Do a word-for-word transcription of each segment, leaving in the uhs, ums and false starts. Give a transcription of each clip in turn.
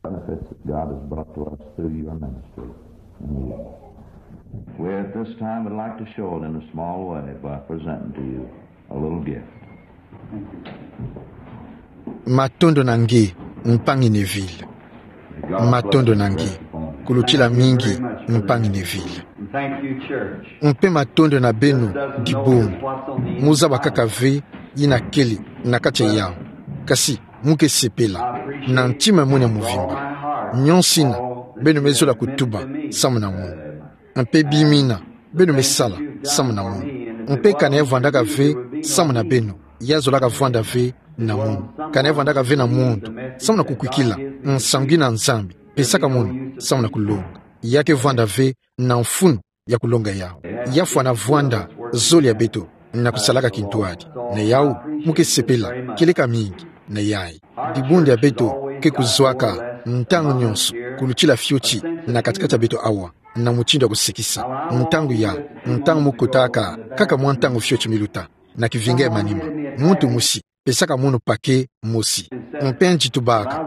benefits that God has brought to us through your ministry. And we, we at this time would like to show it in a small way by presenting to you a little gift. Matondo na nge, mpangi Neville. Matondo na nge. Kulutila mingi, mpangi Neville. Mpe matondo na beno, dibundu. Mu zaba kaka ve yina kele na kati ya yawu. Kasi, mu ke sepela na ntima ya munu ya mvimba. Nyonso yina beno me zola kutuba samu na munu. Mpe bima yina beno me sala samu na munu. Mpe ka na ya vwandaka ve samu na beno, ya zolaka vwanda ve na munu. Ka na ya vwandaka ve na moto samu na kukwikila nsangu yina Nzambi pesaka munu samu na kulonga. Ya ke vwanda ve na mfunu ya kulonga yawu. Ya fwana vwanda zole ya beto na kusalaka kintwadi. Na yawu, mu ke sepela kieleka mingi na yayi. Dibundu ya beto ke kuzwaka ntangu nyonso kulutila fioti na kati-kati ya beto awa, na mutindu ya kusekisa. Ntangu ya, ntangu mu kotaka kaka mwa ntangu fioti miluta na kivinga ya manima. Muntu mosi pesaka munu paquet mosi. Mpe nzitubaka,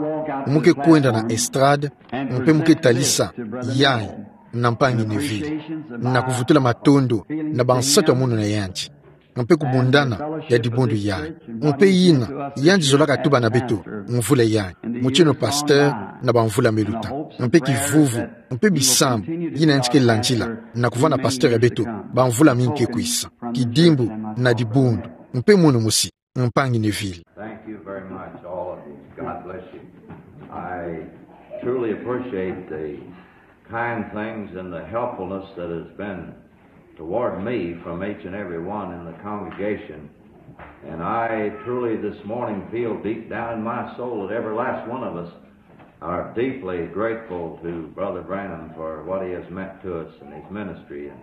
mu ke kwenda na estrade, mpe mu ke talisa yayi na mpangi Neville, na kuvutula matondo na bansatu ya munu na yandi, mpe kubundana ya dibundu yayi. Mpe yina yandi zolaka tuba na beto mvula yayi, mutindu pasteur na bamvula miluta. Mpe kivuvu, mpe bisambu yina yandi ke landila na kuvwanda pasteur ya beto bamvula mingi ke kwisa. Kidimbu na dibundu, mpe munu mosi, mpangi Neville. Thank you very much, all of you. God bless you. I truly appreciate the kind things and the helpfulness that has been toward me from each and every one in the congregation. And I truly this morning feel deep down in my soul that every last one of us are deeply grateful to Brother Branham for what he has meant to us in his ministry. And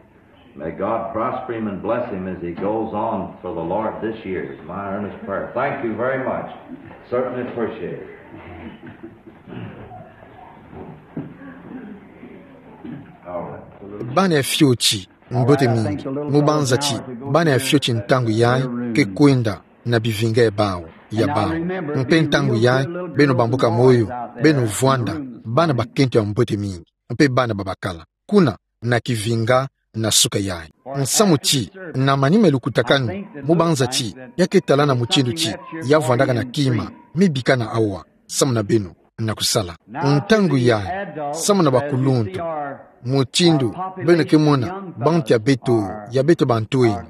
may God prosper him and bless him as he goes on for the Lord this year, is my earnest prayer. Thank you very much. Certainly appreciate it. All right. Bana ya fioti, mbote mingi. Mu banza ti bana ya fioti ntangu yayi ke kwenda na bivinga ya bawu, ya bawu. Mpe ntangu yayi, beno bambuka moyo, beno vwanda bana bakento ya mbote mingi, mpe bana babakala kuna na kivinga na suka yayi. Nsamu ti, na manima ya lukutakanu, mu banza ti ya ke talana mutindu ti ya vwandaka na kima, me bikana awa samu na beno na kusala. Ntangu yayi, samu na bakuluntu, mutindu beno ke mona, bantu ya beto, ya beto bantwenya,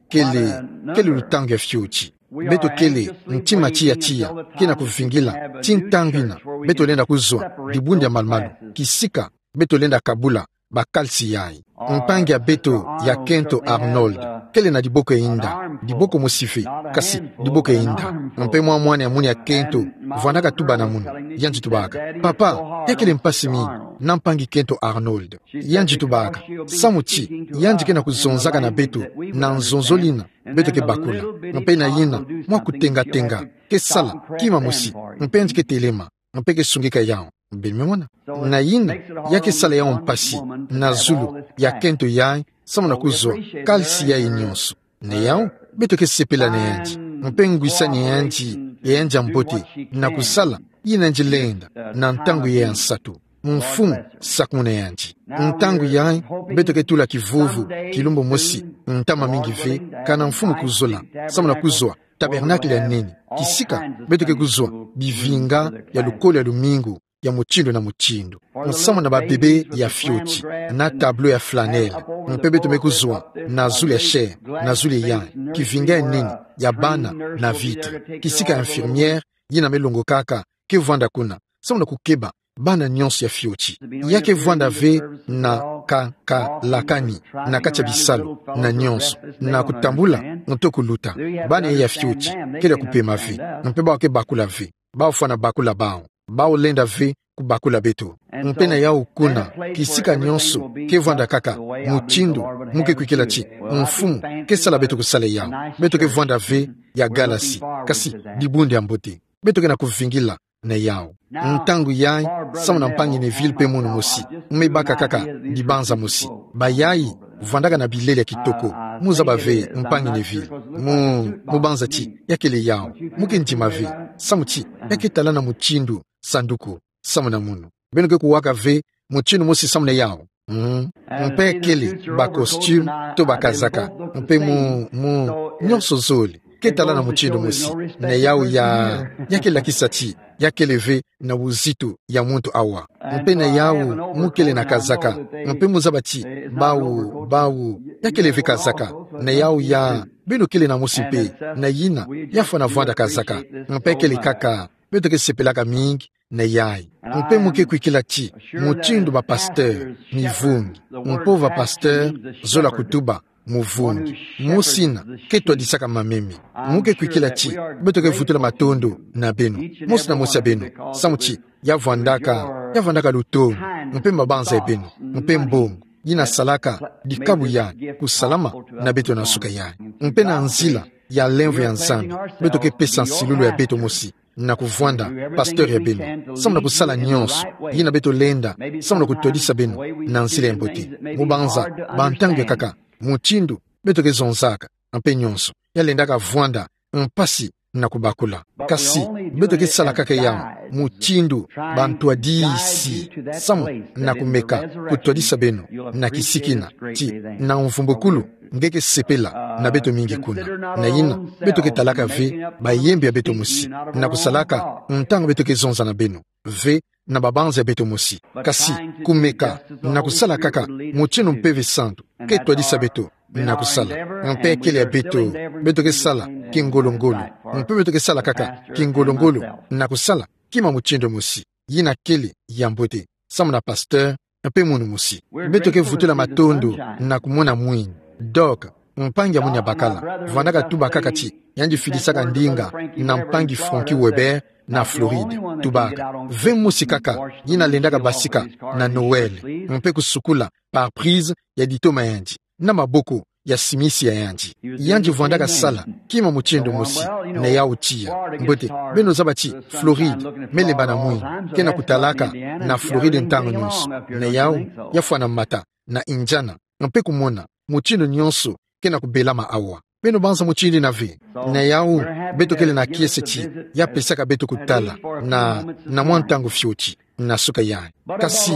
kele, kele lutangu ya fioti. Beto kele ntima tiya tiya, ke na kuvingila ti ntangu yina beto lenda kuzwa dibundu ya malu-malu, kisika beto lenda kabula bakalisi yayi. Mpangi ya beto ya kento Arnold kele na diboko ya inda, diboko mosi ve, kasi diboko ya inda. Mpe mwa mwana ya munu ya kento vwandaka tuba na munu, yandi tubaka: "Papa, ya kele mpasi mingi na mpangi kento Arnold." Yandi tubaka: "Samu ti yandi ke na kuzonzaka na beto na nzonzolo yina beto ke bakula. Mpe na yina mwa kutenga-tenga ke sala kima mosi, mpe yandi ke telema, mpe ke sungika yawu." Beno me mona? Na yina ya ke sala yawu mpasi na zulu ya kento yayi, samu na kuzwa kalisi yayi nyonso. Na yawu, beto ke sepela na yandi, mpe ngwisani ya yandi, ya yandi ya mbote, na kusala yina yandi lenda na ntangu yayi ya nsatu. Mfumu sakumuna yandi. Ntangu yayi, beto ke tula kivuvu, kilumbu mosi, ntama mingi ve, kana Mfumu kuzola, samu na kuzwa tabernacle ya nene, kisika beto ke kuzwa bivinga ya lukolo ya lumingu ya mutindu na mutindu, nsamu na babebe ya fioti, na tableau ya flanelle, mpe beto me kuzwa na zulu ya chair, na zulu yayi, kivinga ya nene ya bana na vitre, kisika infirmière yina me longokaka ke vwanda kuna, samu na kukeba bana nyonso ya fioti. Ya ke vwanda ve na ka, kalakani na kati ya bisalu na nyonso, na kutambula nto kuluta. Bana ya fioti kele ya kupema ve, mpe bawu ke bakula ve. Bawu fwana bakula bawu. Bawu lenda ve kubakula beto. Mpe na yawu kuna, kisika nyonso ke vwanda kaka mutindu mu ke kwikila ti Mfumu ke sala beto kusala yawu. Beto ke vwanda ve ya galasi, kasi dibundu ya mbote. Beto ke na kuvingila na yawu. Ntangu yayi, samu na mpangi Neville mpe munu mosi, me baka kaka dibanza mosi. Bayayi vwandaka na bilele ya kitoko. Mu zaba ve, mpangi Neville. Mu, mu banza ti ya kele yawu, mu ke ndima ve. Samu ti ya ke talana mutindu sanduku samu na munu. Beno ke kuwaka ve mutindu mosi samu na yawu. Mm. Mpe kele ba costume to ba kazaka. Mpe mu, mu, nyonso zole ke tala na mutindu mosi. Na yawu ya, ya kele lakisa ti ya kele ve na buzitu ya muntu awa. Mpe na yawu mu kele na kazaka. Mpe mu zaba ti bawu, bawu, ya kele ve kazaka. Na yawu ya, beno kele na mosi mpe, na yina ya fwana vwanda kazaka. Mpe kele kaka, beto ke sepelaka mingi na yayi. Mpe mu ke kwikila ti mutindu ba pasteur mivungi. Mpe ba pasteur zola kutuba muvungi. Mosi yina ke twadisaka mameme. Mu ke kwikila ti beto ke vutula matondo na beno, mosi na mosi ya beno, samu ti ya vwandaka, ya vwandaka lutomo, mpe mabanza ya beno, mpe mbongo yina salaka dikabu ya kusalama na beto na nsuka yayi. Mpe na nzila ya lemvo ya Nzambi, beto ke pesa nsilulu ya beto mosi na kuvwanda pasteur ya beno, samu na kusala nyonso yina beto lenda, samu na kutwadisa beno na nzila ya mbote. Mu banza, ba ntangu ya nkaka, mutindu beto ke zonzaka, mpe nyonso ya lendaka vwanda mpasi na kubakula. Kasi beto ke sala kaka yawu mutindu ba ntwadisi, samu na kumeka kutwadisa beno na kisiki na ti na mvumbukulu nge ke sepela na beto mingi kuna. Na yina, beto ke talaka ve bayembe ya beto mosi, na kusalaka ntangu beto ke zonza na beno ve na babanza ya beto mosi. Kasi kumeka na kusala kaka mutindu mpeve santu ke twadisa beto na kusala. Mpe kele ya beto, beto ke sala kingolo-ngolo. Mpe beto ke sala kaka kingolo-ngolo na kusala kima mutindu mosi yina kele ya mbote, samu na pasteur mpe munu mosi. Beto ke vutula matondo na kumona mwini Doc, mpangi ya mwini ya bakala, vwandaka tuba kaka ti yandi fidisaka ndinga na mpangi Frankie Weber na Floride. Tubaka ve mosi kaka yina lendaka basika na Noël, mpe kusukula pare-brise ya ditoma ya yandi na maboko ya simisi ya yandi. Yandi vwandaka sala kima mutindu mosi. Na yawu tiya. Mbote, beno zaba ti Floride me lemba na mwini. Ke na kutalaka na Floride ntangu nyonso. Na yawu ya fwana mata na Indiana, mpe kumona mutindu nyonso ke na kubelama awa. Beno banza mutindu yina ve. Na yawu, beto kele na kiese ti ya pesaka beto kutala na, na mwa ntangu fioti na nsuka yayi. Kasi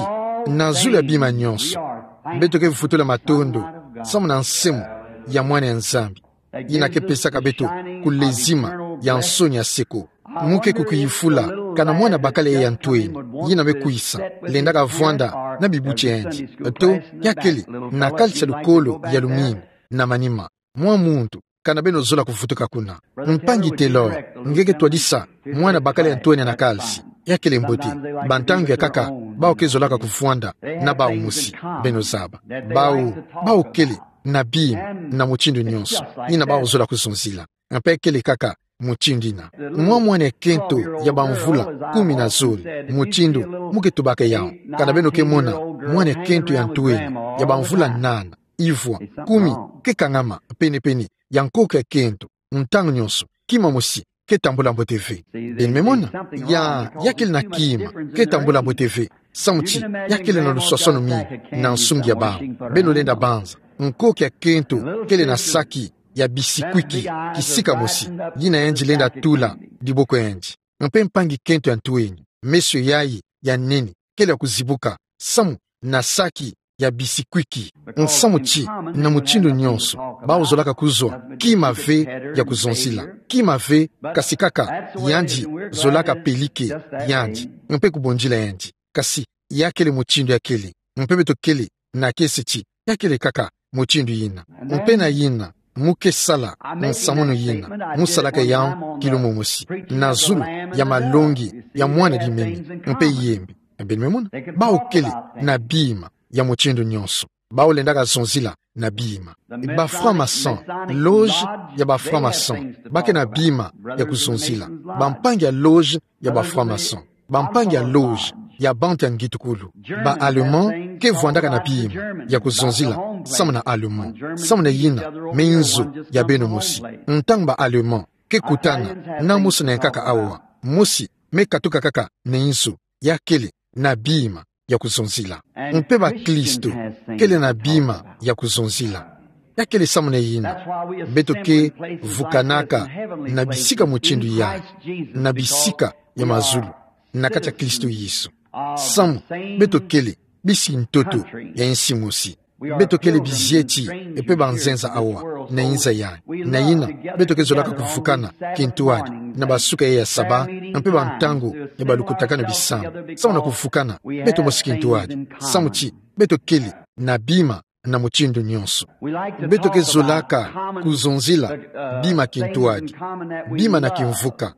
na zulu ya bima nyonso, beto ke vutula matondo samu na nsemo ya Mwana ya Nzambi, yina ke pesaka beto kulezima ya nsoni ya seko. Mu ke kukuyifula kana mwana bakala ya ntweni yina me kwisa, lendaka vwanda na bibuti ya yandi, to ya kele na kalisi ya lukolo ya lumingu na manima. Mwa muntu, kana beno zola kuvutuka kuna. Mpangi Taylor, nge ke twadisa mwana bakala ya ntweni na kalisi. Ya kele mbote. Ba ntangu ya nkaka, bawu ke zolaka kuvwanda na bawu mosi, beno zaba. Bawu, bawu kele na bima na mutindu nyonso yina bawu zola kuzonzila. Mpe kele kaka mutindu yina. Mwa mwana ya kento ya bamvula kumi na zole, mutindu mu ke tubaka yawu. Kana beno ke mona mwana ya kento ya ntweni ya bamvula nana, ivwa, kumi, ke kangama pene-pene ya nkoko ya kento, ntangu nyonso kima mosi ke tambula mbote ve. Beno me mona, ya, ya kele na kima ke tambula mbote ve, samu ti ya kele na luswaswanu mingi na nsungi ya bawu. Beno lenda banza, nkoko ya kento kele na saki ya bisikwiki kisika mosi, yina yandi lenda tula diboko ya yandi. Mpe mpangi kento ya ntweni, meso yayi ya nene kele ya kuzibuka samu na saki ya bisikwiki. Nsamu ti, na mutindu nyonso, bawu zolaka kuzwa kima ve ya kuzonzila. Kima ve, kasi kaka yandi zolaka pelike yandi mpe kubondila yandi. Kasi ya kele mutindu ya kele. Mpe beto kele na kiese ti ya kele kaka mutindu yina. Mpe na yina, mu ke sala nsamu yina, mu salaka yawu kilumu mosi, na zulu ya malongi ya mwana limemi mpe yembe. Beno me mona, bawu kele na bima ya mutindu nyonso. Bawu lendaka zonzila na bima. Ba francs-maçons, loge ya ba francs-maçons, ba ke na bima ya kuzonzila. Bampangi ya loge ya ba francs-maçons, bampangi ya loge ya bantu ya ngitukulu. Ba Allemands ke vwandaka na bima ya kuzonzila samu na Allemands, samu na yina me nzo ya beno mosi. Ntangu ba Allemands ke kutana na mosi na nkaka awa, mosi me katuka kaka na nzo, ya kele na bima ya kuzonzila. Mpe baklisto kele na bima ya kuzonzila. Ya kele samu na yina beto ke vukanaka na bisika mutindu yayi, na bisika ya mazulu, na kati ya Kristo Yesu. Samu, beto kele bisi ntoto ya insi mosi. Beto kele bizieti, e pe banzenza awa na inza ya. Na ina, beto ke zolaka kuvukana kintuadi na basuka ya Saba, mpe bantangu ya balukutakanu bisambu. Samu na kuvukana, beto mosi kintuadi. Samu ti, beto kele na bima na mutindu nyonso. Beto ke zolaka kuzonzila bima kintuadi, bima na kimvuka.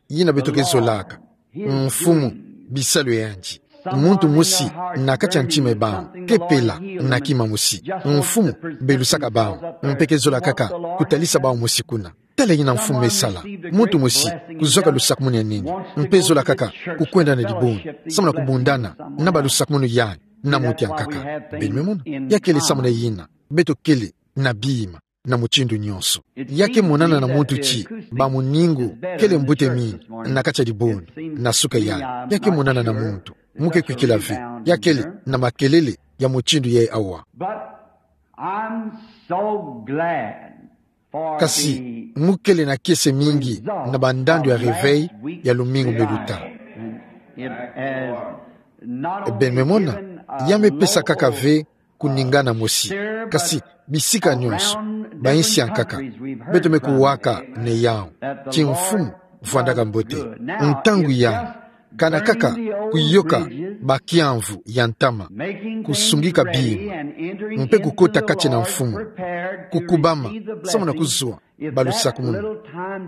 Ina beto ke zolaka: Mfumu, bisalu yandi. Muntu mosi na kati ya ntima bawu ke pela na kima mosi. Mfumu, belusaka bawu, mpe ke zola kaka kutalisa bawu mosi kuna: Tala ina Mfumu me sala. Muntu mosi kuzwaka lusakumunu ya nene, mpe zola kaka kukwenda na dibundu, samu na kubundana na balusakumunu yandi na muti ya nkaka. Beno me mona, ya kele samu na ina beto kele na bima na mutindu nyonso. Ya ke monana na muntu ti bamuningu kele mbute mingi na kati ya dibundu na suka yandi. Ya ke monana na muntu. Mu ke kwikila ve ya kele na makelele ya mutindu yayi awa. But I'm so glad for the Kasi, mu kele na kiese mingi na bandandu ya réveil ya lumingu me luta. It has not Beno me mona, ya me pesa kaka ve kuningana mosi, kasi bisika nyonso, ba insi ya nkaka, beto me kuwaka na yawu ti Mfumu vwandaka mbote. Ntangu yandi, kana kaka kuyoka bakiamvu ya ntama, kusungika bima, mpe kukota kati na mfumu, kukubama samu na kuzwa balusakumunu.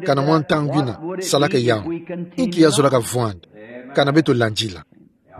Kana mwa ntangu ina salaka yawu, inki ya zolaka vwanda? Kana beto landila.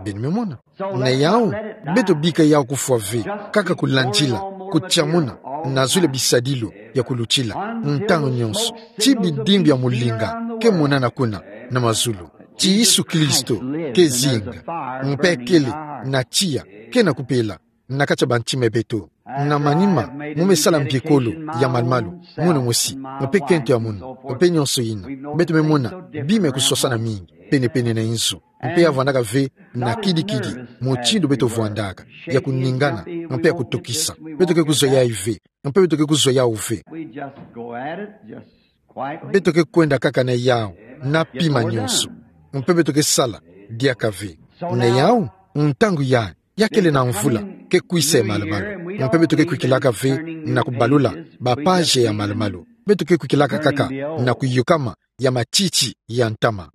Beno me mona. Na yawu, beto bika yawu kufwa ve, kaka kulandila, kutiamuna, na zulu ya bisadilu ya kulutila ntangu nyonso. Ti bidimbu ya mulinga ke monana kuna na mazulu. Ti Yesu Kristo ke zinga, mpe kele na tiya ke na kupela na kati ya bantima ya beto. Na manima, mu me sala mbiekolo ya malumalu, munu mosi, mpe kento ya munu, mpe nyonso ina. Beto me mona bima ya kuswasana mingi penepene na inzo. Mpe ya vwandaka ve na kidikidi mutindu beto vwandaka, ya kuningana, mpe ya kutokisa. Beto ke kuzwa yayi ve, mpe beto ke kuzwa yawu ve. We just go at it, just quietly. Beto ke kwenda kaka na yawu na pima nyonso, mpe beto ke sala diaka ve. Na yawu, ntangu yandi, ya kele na mvula ke kwisa ya malumalu, mpe beto ke kwikilaka ve na kubalula bapage ya malumalu. Beto ke kwikilaka kaka na kuyokama ya matiti ya ntama.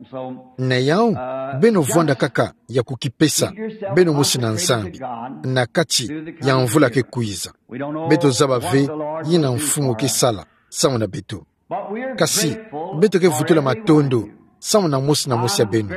Na yawu, beno vwanda kaka ya kukipesa beno mosi na Nzambi na kati ya mvula ke kwiza. Beto zaba ve yina Mfumu ke sala samu na beto. Kasi, beto ke vutula matondo samu na mosi na mosi ya beno.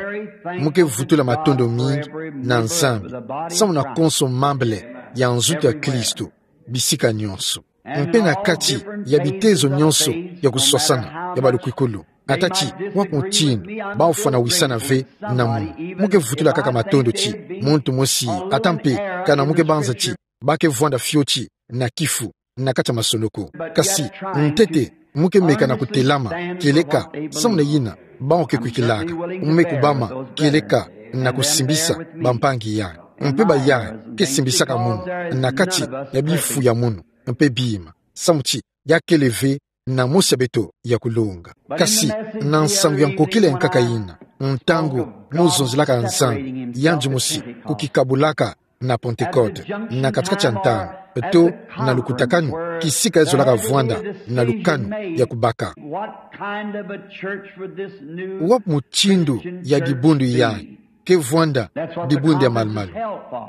Mu ke vutula matondo mingi na Nzambi samu na konso mambele ya nzutu ya Kristo, bisika nyonso, mpe na kati ya bitezo nyonso ya kuswasana ya balukwikulu. Ata ti wapi mutindu baofwana wisana ve na munu, mu ke vutula kaka matondo ti muntu mosi, ata mpe kana mu ke banza ti ba ke vwanda fioti na kifu na kati ya masonoko. Kasi ntete mu ke meka na kutelama kieleka samu na yina bawu ke kwikilaka. Mu me kubama kieleka na kusimbisa bampangi yandi, mpe bayandi ke simbisaka munu na kati ya bifu ya munu, mpe bima, samu ti ya kele ve na mosi ya beto ya kulonga. Kasi na nsangu ya nkokila ya nkaka yina, ntangu mu zonzelaka Nzambi yandi mosi kukikabulaka na Pentecote, na kati-kati ya ntangu, to na lukutakanu, kisika ya zolaka vwanda na lukanu ya kubaka. What kind of a church would this new Wapi mutindu ya dibundu yandi ke vwanda dibundu ya malumalu?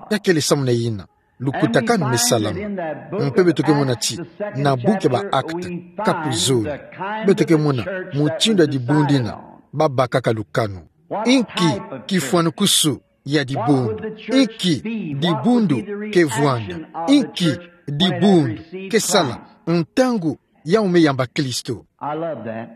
Ya kele samu na yina lukutakanu me salama. Mpe beto ke mona ti na buku ya ba Actes, kapu zole, beto ke mona mutindu ya dibundu yina babakaka lukanu. Inki kifwanukusu ya dibundu? Inki dibundu ke vwanda? Inki dibundu ke sala ntangu yawu me yamba Kristo? I love that.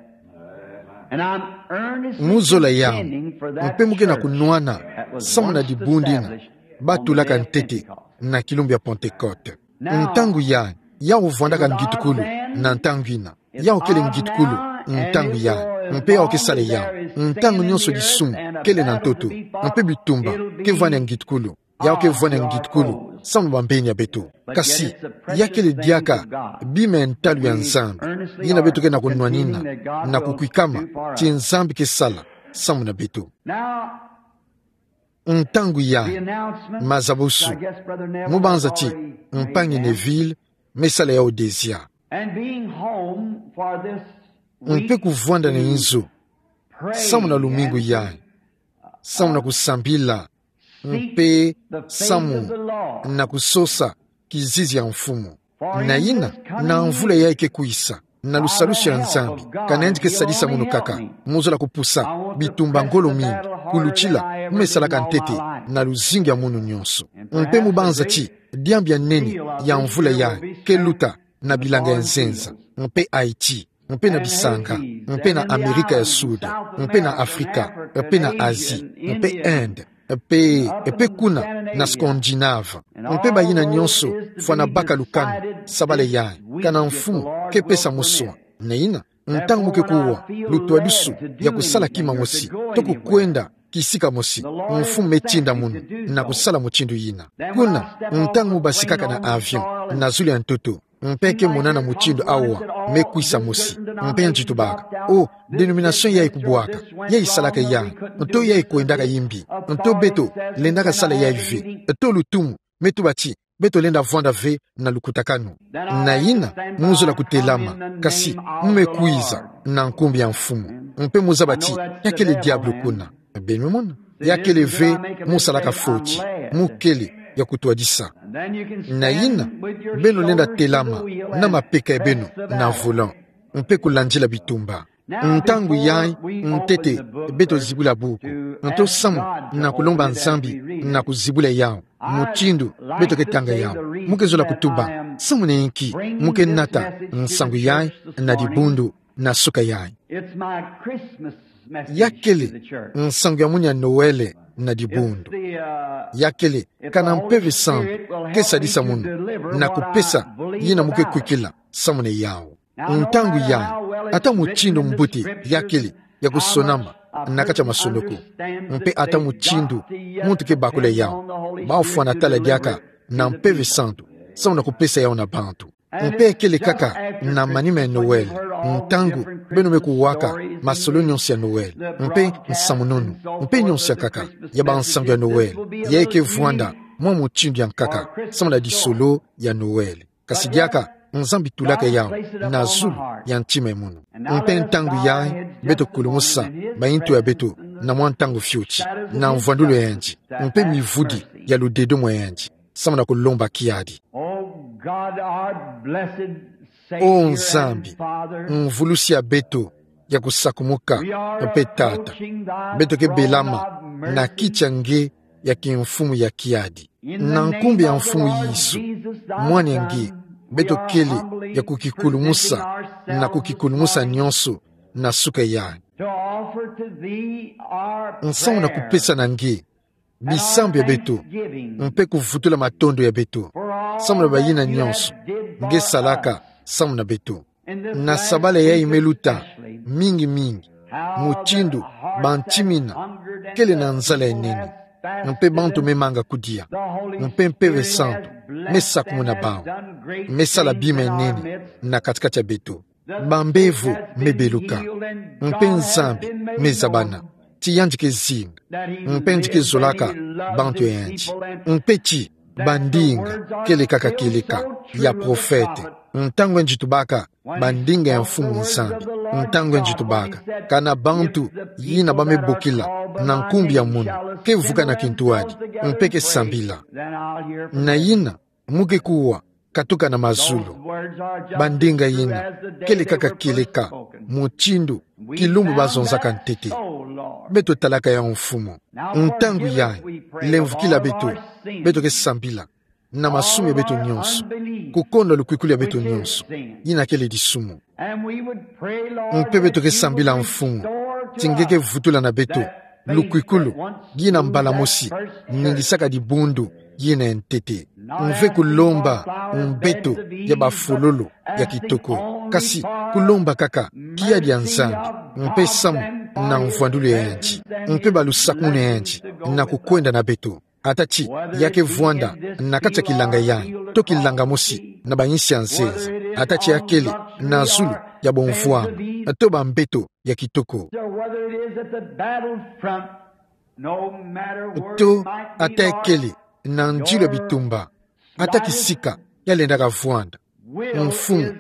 And I'm earnestly Mu zola yawu, contending for that mpe mu ke na church kunwana that was samu na once dibundu yina established batulaka on the day of ntete Pentecost. Na kilumbu ya Pentecote. Ntangu yandi, yawu vwandaka ngitukulu na ntangu yina. Yawu kele ngitukulu ntangu yandi, mpe yawu ke sala yawu. Ntangu nyonso disumu kele na ntoto, mpe bitumba ke vwani ya ngitukulu. Yawu ke vwani ya ngitukulu samu na bambeni ya beto. Kasi ya kele diaka bima ya ntalu ya Nzambi yina beto ke na kunwanina na kukwikama ti Nzambi ke sala samu na beto. Now, Ntangu yayi, mazabusu, mu banza ti mpangi Neville me sala yawu dezia. Mpe kuvwanda na nzo, samu na lumingu yayi, samu na kusambila, mpe samu na kusosa kizizi ya mfumu. Na yina, na mvula yayi ke kwisa, na lusalusu ya Nzambi, ka nayandi ke sadisa munu kaka, mu zola kupusa bitumba ngolo mingi, kulutila, me salaka ntete, na luzingu ya munu nyonso. Mpe mu banza ti diambu ya nene ya mvula yayi ke luta na bilanga ya nzenza, mpe Haïti, mpe na bisanga, mpe na Amerika ya Sud, mpe na Afrika, mpe na Asie, mpe Inde, mpe, mpe kuna na Scandinave, mpe bayina nyonso fwana baka lukanu sabala yayi, kana mfumu ke pesa muswa. Na yina, ntangu mu ke kuwa, lutwadusu ya kusala kima mosi, to kukwenda kisika mosi, mfumu me tinda munu na kusala mutindu yina. Kuna, ntangu mu basikaka na avion na zulu ya ntoto, mpe ke monana mutindu awa me kwisa mosi, mpe yandi tubaka: O, dénomination yayi kubwaka, yayi salaka yayi, nto yayi kwendaka yimbi, nto beto lendaka sala yayi ve, nto lutumu, me tuba ti beto lenda vwanda ve na lukutakanu. Na yina, mu zola kutelama, kasi mu me kwiza na nkumbu ya mfumu, mpe mu zaba ti ya kele diabulu kuna. Beno mona, ya kele ve mu salaka foti, mu kele ya kutwadisa. Na yina, beno lenda telama na mapeka ya beno na volant, mpe kulandila bitumba. Ntangu yayi ntete beto zibula buku, nto samu na kulomba Nzambi na kuzibula yawu, mutindu beto ke tanga yawu. Mu ke zola kutuba: Samu na inki mu ke nata nsangu yayi na dibundu na suka yayi? Ya kele nsangu ya munu ya Noël na dibundu. Ya kele kana Mpeve Santu ke sadisa munu na kupesa yina mu ke kwikila samu na yawu. Ntangu yayi, ata mutindu mbote ya kele ya kusonama na kati ya masonoko, mpe ata mutindu muntu ke bakula yawu, bafwana tala diaka na Mpeve Santu samu na kupesa yawu na bantu. Mpe ya kele kaka na manima ya Noël, ntangu beno me kuwaka masolo nyonso ya Noël, mpe nsamununu, mpe nyonso ya nkaka ya bansangu ya Noël, yayi ke vwanda mwa mutindu ya nkaka samu na disolo ya Noël. Kasi diaka, Nzambi tulaka yawu na zulu ya ntima ya munu. Mpe ntangu yayi, beto kulumusa maintu ya beto na mwa ntangu fioti, na mvwandulu ya yandi, mpe mivudi ya ludedomo ya yandi, samu na kulomba kiadi. O Nzambi, Mvulusi ya beto ya kusakumuka, mpe Tata, beto ke belama na kiti ya nge ya kimfumu ya kiadi. Na nkumbu ya Mfumu Yesu, Mwana ya nge, beto kele ya kukikulumusa, na kukikulumusa nyonso na suka yayi. Nsamu na kupesa na nge bisambu ya beto, mpe kuvutula matondo ya beto, samu na bayina nyonso nge salaka samu na beto. Na sabala yayi me luta, mingi mingi, mutindu bantimina kele na nzala ya nene, mpe bantu me manga kudia, mpe Mpeve Santu me sakumuna bawu, me sala bima ya nene na kati-kati ya beto. Bambevo me beluka, mpe Nzambi me zabana ti yandi ke zinga, mpe yandi ke zolaka bantu ya yandi, mpe ti bandinga kele kaka kieleka ya profete. Ntangu yandi tubaka bandinga ya Mfumu Nzambi, ntangu yandi tubaka, kana bantu yina ba me bokila na nkumbu ya munu ke vuka na kintuadi, mpe ke sambila. Na yina, mu ke kuwa, katuka na mazulu. Bandinga yina kele kaka kieleka mutindu kilumbu ba zonzaka ntete. Beto talaka yawu, Mfumu. Ntangu yayi, lemvukila beto, beto ke sambila na masumu ya beto nyonso, kukonda lukwikulu ya beto nyonso yina kele disumu. Mpe beto ke sambila, Mfumu, ti nge ke vutula na beto lukwikulu yina mbala mosi ningisaka dibundu yina ya ntete. Mve kulomba mbeto ya bafololo ya kitoko, kasi kulomba kaka kiadi ya Nzambi, mpe samu na mvwandulu ya yandi, mpe balusakumunu ya yandi na kukwenda na beto. Ata ti ya ke vwanda na kati ya kilanga yayi, to kilanga mosi na bayinsi ya nzenza, ata ti ya kele na zulu ya bomvwama, to bambeto ya kitoko. So whether it is at the battlefront To ata ekele na nzilo ya bitumba, ata kisika yalendaka vwanda, mfumu,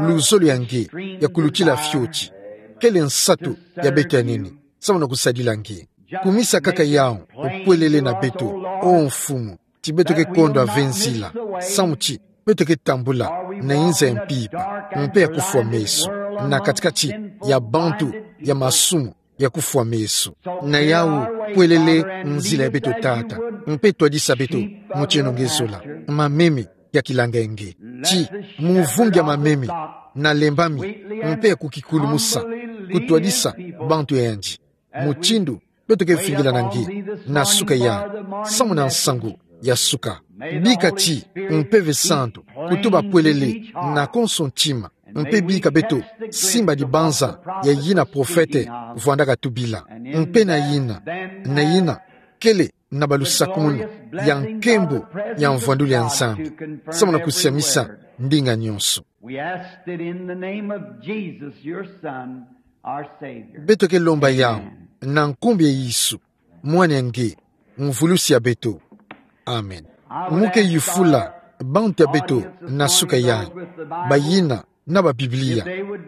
luzolo ya nge ya kulutila fioti, kele nsatu ya beto ya nene, samu na kusadila nge. Kumisa kaka yau upwelele na beto, o mfumu, ti beto ke kondwa ve nzila, samu ti beto ke tambula na inza ya mpimpa mpe ya kufwa meso, na kati-kati ya bantu ya masumu ya kufwa meso. Na yau pwelele nzila ya beto, Tata, mpe twadisa beto mutindu nge zola, mameme ya kilanga ya nge. Ti mu vungi ya mameme, na lembami mpe ya kukikulumusa, kutwadisa bantu yandi mutindu beto ke vingila na nge na suka ya, samu na nsangu ya suka. Bika ti Mpeve Santu kutuba pwelele na konso ntima, mpe bika beto simba dibanza ya yina profete vwandaka tubila, mpe na yina, na yina kele na balusakumunu ya nkembo ya mvwandulu ya Nzambi, samu na kusiamisa ndinga nyonso. We ask it in the name of Jesus, your Son, our Savior. Beto ke lomba yau na nkumbu ya Yesu, Mwana ya nge, Mvulusi ya beto. Amen. Mu ke yufula bantu ya beto na suka yayi, bayina na ba Biblia,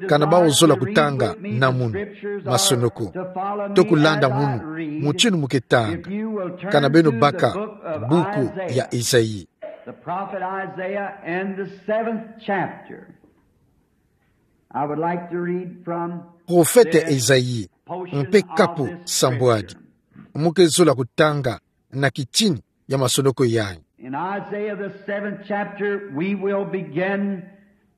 kana bawu zola kutanga na munu masonoko, to kulanda munu mutindu mu ke tanga, kana beno baka buku ya Ezayi. The prophet Isaiah and the seventh chapter. I would like to read from Profete Ezayi, mpe kapu sambwadi. Mu ke zola kutanga na kitini ya masonoko yayi. In Isaiah, the seventh chapter, we will begin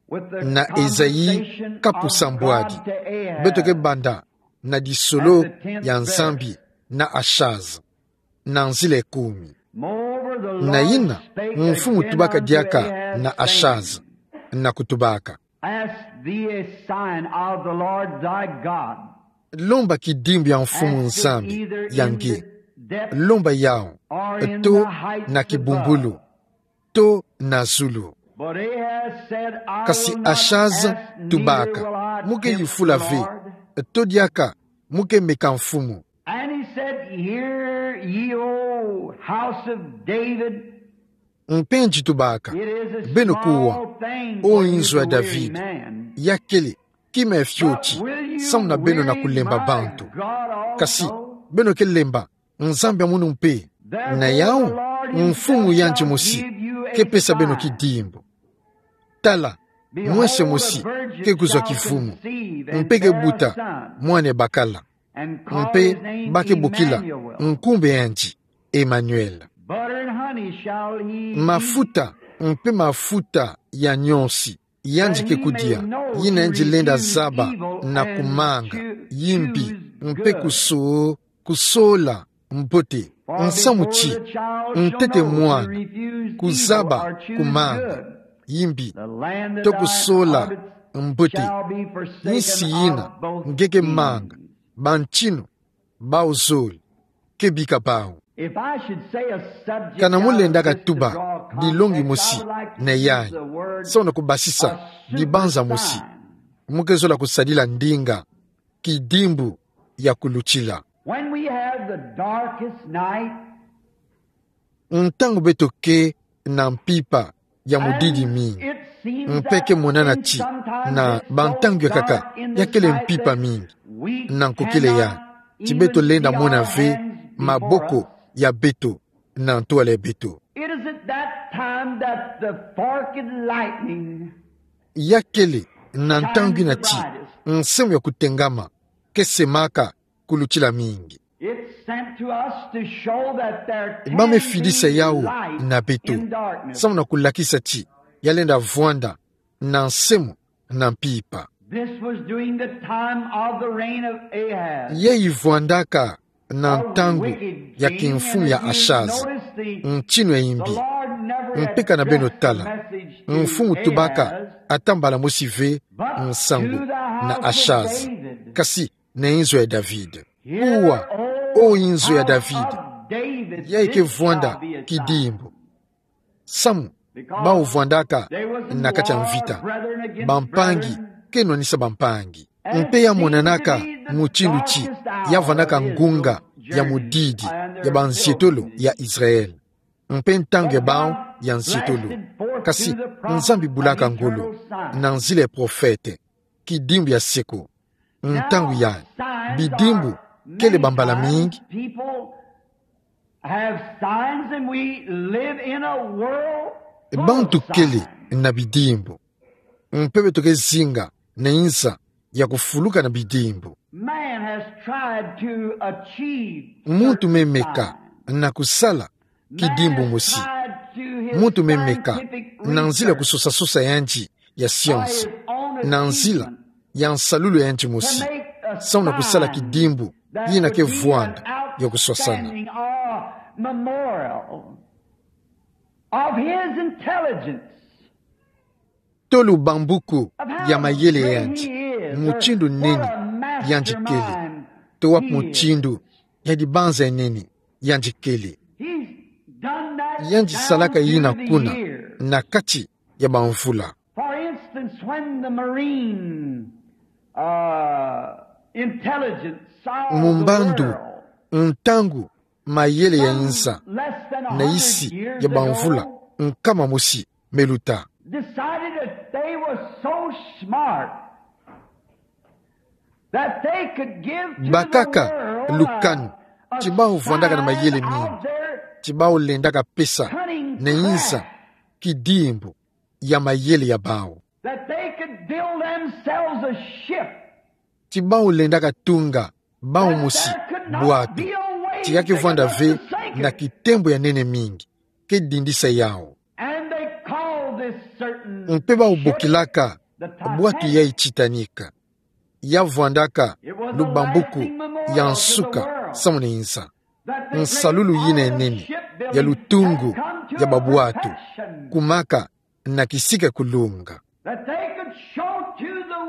with the Na Ezayi, conversation kapu of sambwadi, God to Ahaz. Beto ke banda na disolo ya Nzambi na Ashaz, na nzila ya kumi. Moreover, the Lord spake again unto Ahaz, saying, Na yina, mfumu tubaka diaka na Ashaz, na kutubaka: Ask thee a sign of the Lord thy God. Lomba kidimbu ya Mfumu Nzambi ya nge. Lomba yau, to na kibumbulu, to na zulu. But Ahaz said, I will not ask, neither will I tempt the Lord. Kasi Ashaz tubaka: Mu ke yufula ve, to diaka mu ke meka Mfumu. And he said, Hear ye, O house of David. Mpe yandi tubaka: Beno kuwa, o inzo ya David. Ya kele kima ya fioti, samu na beno na kulemba bantu. Kasi beno ke lemba Nzambi ya munu mpe? Na yau, Mfumu yandi mosi ke pesa beno kidimbu. Tala, mwese mosi ke kuzwa kivumu, mpe ke buta mwana ya bakala, mpe ba ke bokila nkumbu ya yandi Emmanuel. Mafuta mpe mafuta ya nionsi yandi ke kudia, yina yandi lenda zaba na kumanga, yimbi, mpe kuso-, kusola mbote. Nsamu ti, ntete mwana kuzaba kumanga, yimbi, to kusola mbote. Nsi yina nge ke manga, bantinu, bawu zole ke bika bawu. Kana mu lenda katuba dilongi mosi na yayi, samu na kubasisa dibanza mosi, mu ke zola kusadila ndinga kidimbu ya kulutila. When we have the darkest night, ntangu beto ke na mpimpa ya mudidi mingi, mpe ke monana ti na bantangu ya nkaka ya kele mpimpa mingi na nkokila ya, ti beto lenda mona ve maboko ya beto na ntwala ya beto. It is at that time that the forked lightning Ya kele na ntangu yina ti nsemo ya kutengama ke semaka kulutila mingi. It's sent to us to show that there can be light in darkness. Ba me fidisa yawu na beto, samu na kulakisa ti ya lenda vwanda na nsemo na mpimpa. This was during the time of the reign of Ahaz. Yayi vwandaka na ntangu ya kimfumu ya Ashaza, ntinu ya yimbi. Mpe kana beno tala, mfumu tubaka ata mbala mosi ve nsangu na Ashaza, kasi na inzo ya David. Kuwa, o inzo ya David, yayi ke vwanda kidimbu. Samu bawu vwandaka na kati ya mvita, bampangi ke nwanisa bampangi. Mpe ya monanaka mutindu ti ya vwandaka ngunga ya mudidi ya banzietolo ya Israel. Mpe ntangu ya bau ya nzietolo. Kasi Nzambi bulaka ngolo na nzila ya profete, kidimbu ya seko. Ntangu ya bidimbu kele bambala mingi. People have signs and we live in a world full of signs. Bantu kele na bidimbu. Mpe beto ke zinga na nza ya kufuluka na bidimbu. Man has tried to achieve certain signs. Muntu me meka na kusala kidimbu mosi. Muntu me meka na nzila ya kusosasosa yandi ya science, na nzila ya nsalulu yandi mosi, samu na kusala kidimbu yina ke vwanda ya kuswasana. Of his intelligence. Tolu bambuku ya mayele yandi, mutindu nene yandi kele, to wapi mutindu ya dibanza ya nene yandi kele. Yandi salaka yina kuna na kati ya bamvula. For instance, when the marine, uh, intelligence saw the world, mu mbandu, ntangu mayele ya nza na isi ya bamvula nkama mosi me luta, decided that they were so smart that they could give to the world a, bakaka lukanu ti bau vwandaka na mayele mingi, ti bau lendaka pesa na nza kidimbu ya mayele ya bau. That they could build themselves a ship. Ti bau lendaka tunga bau mosi bwatu ti ya ke vwanda ve na kitembo ya nene mingi ke dindisa yau. And they called this certain ship the Titanic. Mpe bau bokilaka bwatu yayi Titanic. Ya vwandaka lubambuku ya nsuka samu na nza. Nsalulu yina ya nene ya lutungu ya babwatu kumaka na kisika kulunga.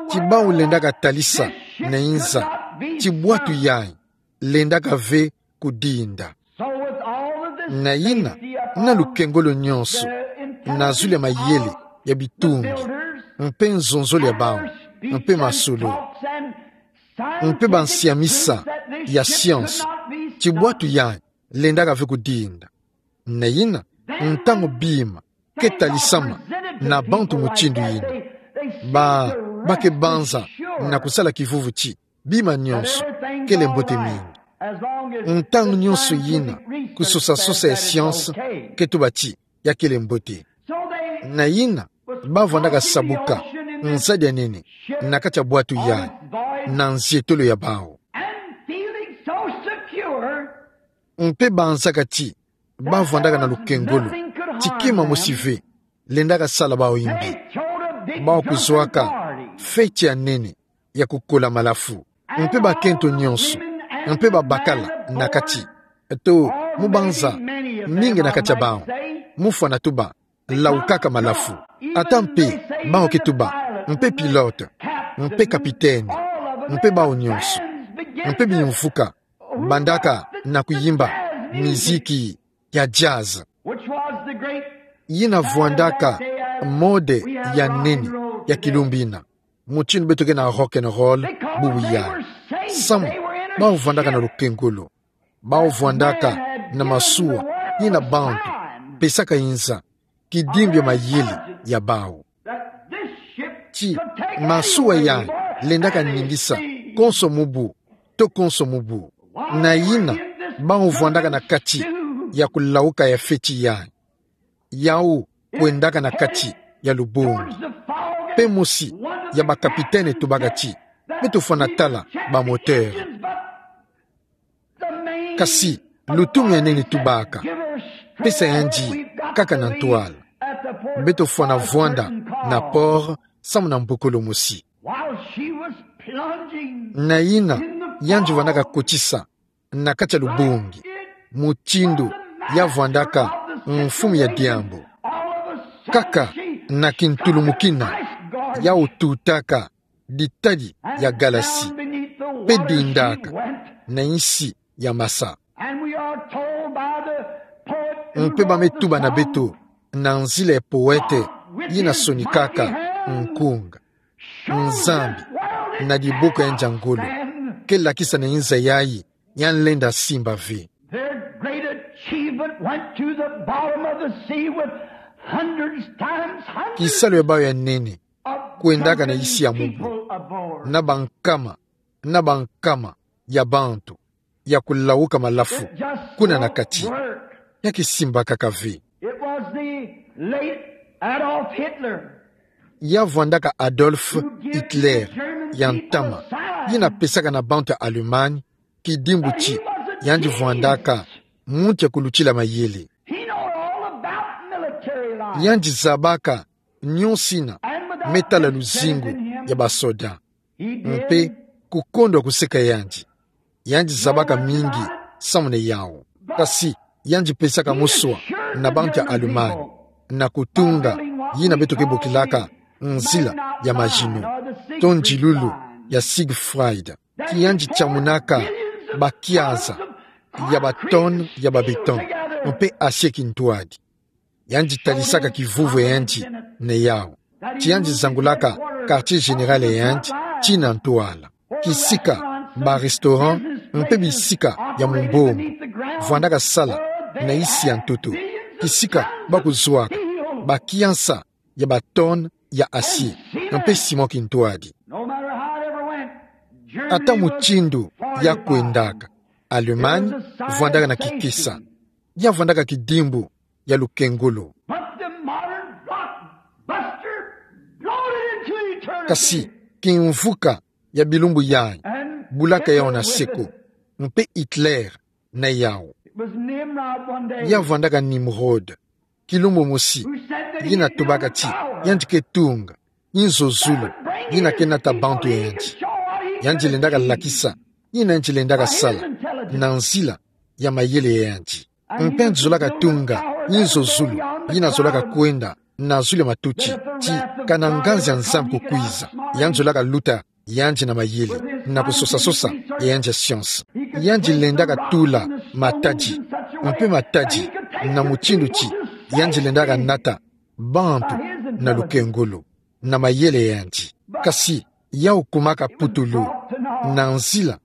Ti bau lendaka talisa na nza ti bwatu yayi lendaka ve kudinda. Na yina, na lukengolo nyonso, na zulu ya mayele ya bitungi, mpe nzonzolo ya bau, mpe masolo, mpe bansiamisa ya science, ti bwatu yayi lendaka ve kudinda. Na yina, ntangu bima ke talisama na bantu mutindu yina, ba, ba ke banza na kusala kivuvu ti bima nyonso kele mbote mingi. Ntangu nyonso yina, kusosasosa ya science ke tuba ti ya kele mbote. Na yina, ba vwandaka sabuka nzadi ya nene na kati ya bwatu yayi, na nzietolo ya bau. And feeling so secure, mpe banzaka ti ba vwandaka na lukengolo ti kima mosi ve lendaka sala bau yimbi, bau kuzwaka feti ya nene ya kukola malafu. Mpe bakento nyonso, mpe babakala na kati, to mu banza mingi na kati ya bau, mu fwana tuba laukaka malafu. Ata mpe bau ke tuba mpe pilote, mpe kapiteni, mpe bau nyonso, mpe bimvuka bandaka na kuyimba miziki ya jazz, yina vwandaka mode ya nene ya kilumbu yina, mutindu beto ke na rock and roll bubu yayi. Samu bau vwandaka na lukengolo, bau vwandaka na masuwa yina bantu pesaka nza kidimbu ya mayele ya bau. Ti masuwa yayi lendaka ningisa konso mubu to konso mubu. Na yina, bau vwandaka na kati ya kulauka ya feti yayi, yau kwendaka na kati ya lubongi. Mpe mosi ya bakapiteni tubaka ti: Beto fwana tala ba moteur. Kasi lutumu ya nene tubaka: Pesa yandi kaka na ntwala. Beto fwana vwanda na port samu na mbokolo mosi. Na yina, yandi vwandaka kotisa na kati ya lubongi, mutindu ya vwandaka mfumu ya diambu. Kaka na kintulumukina, yau tutaka ditadi ya galasi, mpe dindaka na nsi ya masa. Mpe ba me tuba na beto na nzila ya poète yina sonikaka nkunga: Nzambi, na diboko ya yandi ya ngolo, ke lakisa na nza yayi Ya nlenda simba ve. Their great achievement went to the bottom of the sea with hundreds times hundreds. Kisalu ya bau ya nene of kwendaka na isi ya mubu, people aboard. Na bankama, na bankama ya bantu ya kulawuka malafu kuna na kati. It just won't work. Ya kisimbakaka ve. It was the late Adolf Hitler. Ya vwandaka Adolf Hitler ya ntama, yina pesaka na bantu ya Allemagne kidimbu ti yandi vwandaka muntu ya kulutila mayele. He know all about military life. Yandi zabaka nionso yina me tala luzingu ya basoda. Mpe kukondwa kuseka yandi, yandi zabaka mingi samuna yau. Kasi yandi pesaka moswa na bantu ya Allemagne na kutunga yina beto ke bokilaka nzila ya Maginot, to nzilulu ya Siegfried. Ti yandi tiamunaka bakiaza ya batonne ya babéton mpe acier kintwadi. Yandi talisaka kivuvu ya yandi na yau. Ti yandi zangulaka quartier général ya yandi tii na ntwala. Kisika barestaurant mpe bisika ya mumbombo vwandaka sala na isi ya ntoto. Kisika bakuzwaka bakiansa ya batonne ya acier mpe ciment kintwadi. No matter how it ever went, Germany was far and wide. Ata mutindu ya kwendaka, Allemagne vwandaka na kikesa. Ya vwandaka kidimbu ya lukengolo. But the modern blockbuster bloated into eternity. Kasi kimvuka ya bilumbu yayi bulaka yau na seko, mpe Hitler na yau. It was Nimrod one day. Ya vwandaka Nimrod. Kilumbu mosi, yina tubaka ti yandi ke tunga inzo zulu yina ke nata bantu ya yandi. Yandi lendaka lakisa yina yandi lendaka sala na nzila ya mayele ya yandi. Mpe yandi zolaka tunga inzo zulu yina zolaka kwenda na zulu ya matuti, ti kana nganzi ya Nzambi kukwiza, yandi zolaka luta yandi na mayele na kusosa-sosa ya yandi ya science. Yandi lendaka tula matadi, mpe matadi na mutindu ti yandi lendaka nata bantu na lukengolo, na mayele ya yandi. Kasi yau kumaka putulu na nzila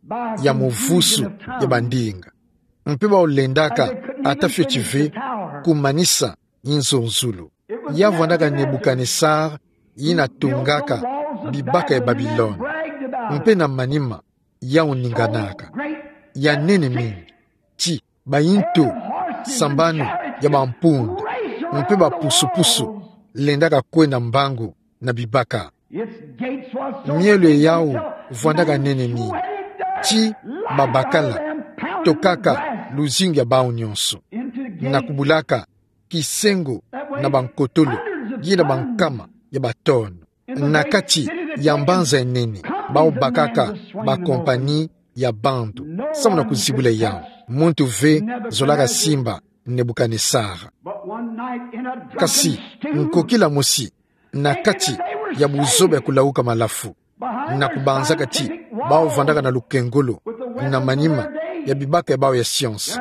ya muvusu ya bandinga. Mpe bau lendaka ata fioti ve kumanisa inzo zulu. Ya vwandaka Nebukanesar yina tungaka bibaka ya Babilone. Mpe na manima yau ninganaka ya nene mingi, ti bayintu sambanu ya bampunda mpe bapusu-pusu lendaka kwenda mbangu na bibaka. Mielo ya yau vwandaka nene mingi, ti babakala tokaka luzingu ya bau nionso na kubulaka kisengo na bankotolo, yina bankama ya batonne. Na kati ya mbanza ya nene, bau bakaka bakompani ya bantu, samu na kuzibula yau. Muntu ve zolaka simba Nebukanesara. Kasi, nkokila mosi, na kati ya buzoba ya kulawuka malafu, na kubanzaka ti bau vandaka na lukengolo, na manima ya bibaka ya bau ya science,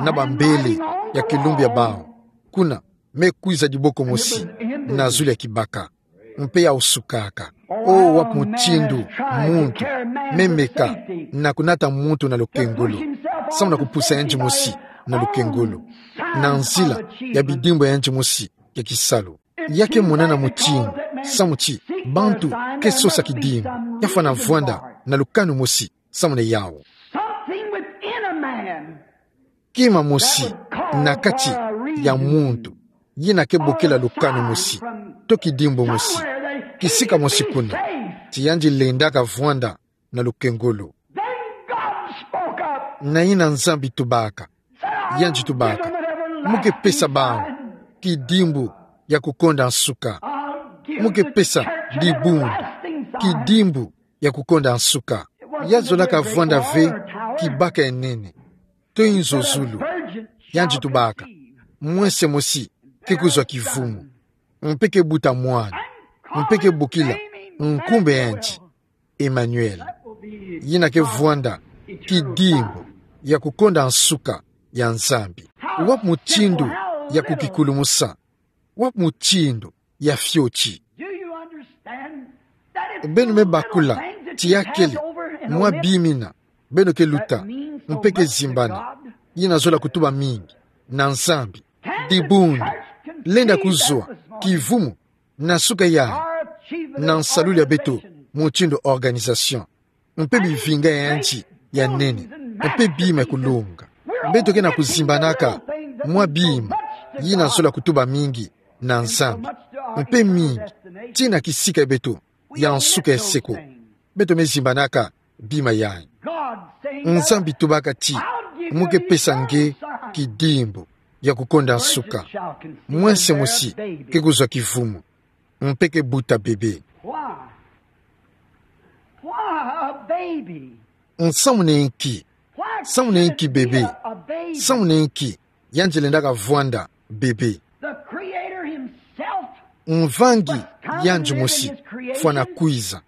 na bambele ya kilumbu ya bau, kuna me kwiza diboko mosi na zulu ya kibaka, mpe yau sukaka. O, wapi mutindu muntu me meka na kunata muntu na lukengolo, samu na kupusa yandi mosi na lukengolo, na nzila ya bidimbu ya yandi mosi ya kisalu? Ya ke monana mutindu, samu ti bantu ke sosa kidimbu, ya fwana vwanda na lukanu mosi samu na yau. Something within a man. Kima mosi na kati ya muntu, yina ke bokila lukanu mosi, to kidimbu mosi, kisika mosi kuna, ti yandi lendaka vwanda na lukengolo. Then God spoke up. Na yina Nzambi tubaka. Yandi tubaka: Mu ke pesa bau kidimbu ya kukonda nsuka. Mu ke pesa dibundu kidimbu ya kukonda nsuka. Ya zolaka vwanda ve kibaka ya nene, to inzo zulu. Yandi tubaka: Mwese mosi ke kuzwa kivumu, mpe ke buta mwana, mpe ke bokila nkumbu ya yandi Emmanuel. Yina ke vwanda kidimbu ya kukonda nsuka ya Nzambi. Wapi mutindu ya kukikulumusa? Wapi mutindu ya fioti? Beno me bakula ti ya kele mwa bima yina beno ke luta, mpe ke zimbana, yina zola kutuba mingi na Nzambi. Dibundu lenda kuzwa kivumu na suka ya, na nsalulu ya beto, mutindu organisation, mpe bivinga ya nti ya nene, mpe bima ya kulunga. Beto ke na kuzimbanaka mwa bima yina zola kutuba mingi na Nzambi, mpe mingi tii na kisika ya beto ya nsuka ya seko. Beto me zimbanaka bima yayi. Nzambi tubaka ti: Mu ke pesa nge kidimbu ya kukonda nsuka. Mwense mosi ke kuzwa kivumu, mpe ke buta bebe. Why? Why a baby? Nsamu na inki? Why Nsamu na inki bebe? Nsamu na inki yandi lendaka vwanda bebe? The Creator himself Mvangi yandi mosi fwana kwiza,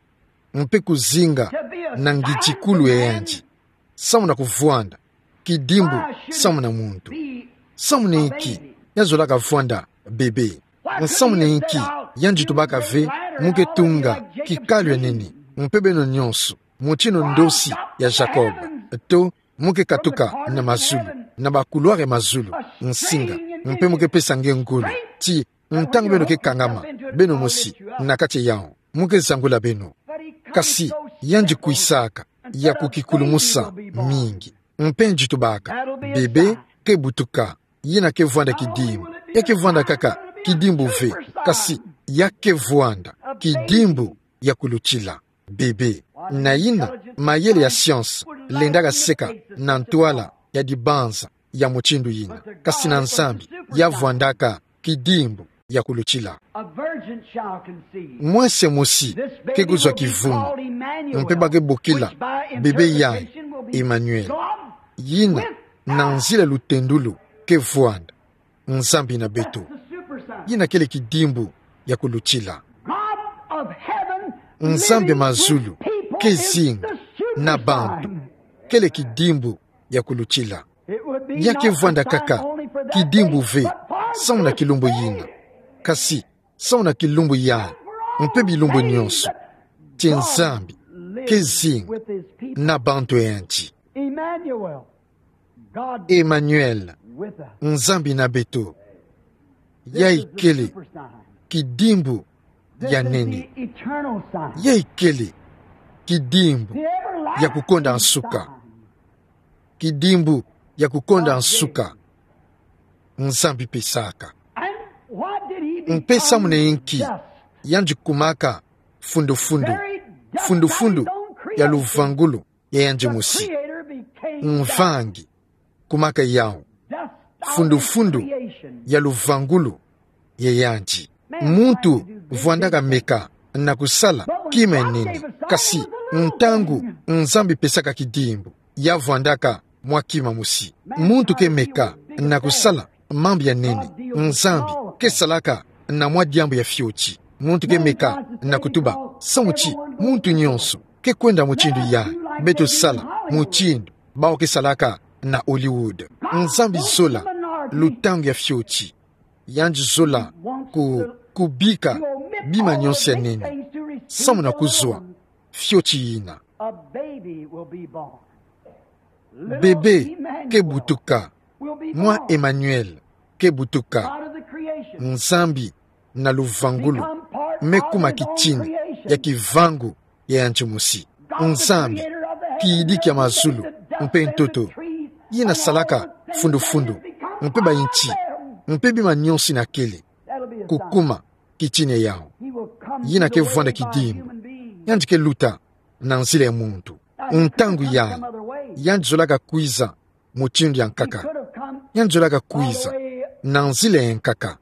mpe kuzinga na ngidikulu ya yandi, samu na kuvwanda kidimbu samu na muntu. Samu na inki yandi zolaka vwanda bebe? Samu na inki yandi tubaka ve: Mu ke tunga kikalu ya nene, mpe beno nyonso, mutindu ndosi ya Jacob, to mu ke katuka na mazulu, na bakulwari ya mazulu, nsinga, mpe mu ke pesa nge ngolo, ti ntangu beno ke kangama beno mosi na kati ya yawu, mu ke zangula beno. Kasi yandi kwisaka ya kukikulumusa mingi, mpe yandi tubaka: Bebe ke butuka, yina ke vwanda kidimbu. Ya ke vwanda kaka kidimbu ve, kasi ya ke vwanda kidimbu ya kulutila bebe. Na yina mayele ya science lendaka seka na ntwala ya dibanza ya mutindu yina, kasi na Nzambi ya vwandaka kidimbu ya kulutila. A virgin shall conceive. Mwense mosi ke kuzwa kivumu, mpe ba ke bokila bebe yayi Emmanuel. Yina na nzila lutendulu ke vwanda Nzambi na beto. Yina kele kidimbu ya kulutila. Nzambi ya mazulu ke zinga na bantu, kele kidimbu ya kulutila. Ya ke vwanda kaka kidimbu ve samu na kilumbu yina, kasi samu na kilumbu yayi, mpe bilumbu nyonso, ti Nzambi ke zinga na bantu ya yandi. Emmanuel, Nzambi na beto. Yayi kele kidimbu ya nene. Yayi kele kidimbu ya kukonda nsuka. Kidimbu ya kukonda nsuka Nzambi pesaka. Mpe samu na inki yandi kumaka fundufundu, fundufundu ya luvangulu ya yandi mosi? Mvangi kumaka yawu, fundufundu ya luvangulu ya yandi. Muntu vwandaka meka na kusala kima ya nene, kasi ntangu Nzambi pesaka kidimbu, ya vwandaka mwa kima mosi. Muntu ke meka na kusala mambu ya nene, Nzambi ke salaka na mwa diambu ya fioti. Muntu ke meka na kutuba: Samu ti muntu nyonso ke kwenda mutindu yayi, beto sala mutindu bawu ke salaka na Hollywood. Nzambi zola lutangu ya fioti. Yandi zola ku, kubika bima nyonso ya nene samu na kuzwa fioti yina. Bebe ke butuka, mwa Emmanuel ke butuka. Nzambi na luvangulu me kuma kitini ya kivangu ya yandi mosi. Nzambi, kiyidiki ya mazulu mpe ntoto, yina salaka fundufundu mpe bayinti mpe bima nyonso yina kele, kukuma kitini ya yawu. Yina ke vwanda kidimbu. Yandi ke luta na nzila ya muntu. Ntangu yayi, yandi zolaka kwiza mutindu ya nkaka. Yandi zolaka kwiza na nzila ya nkaka,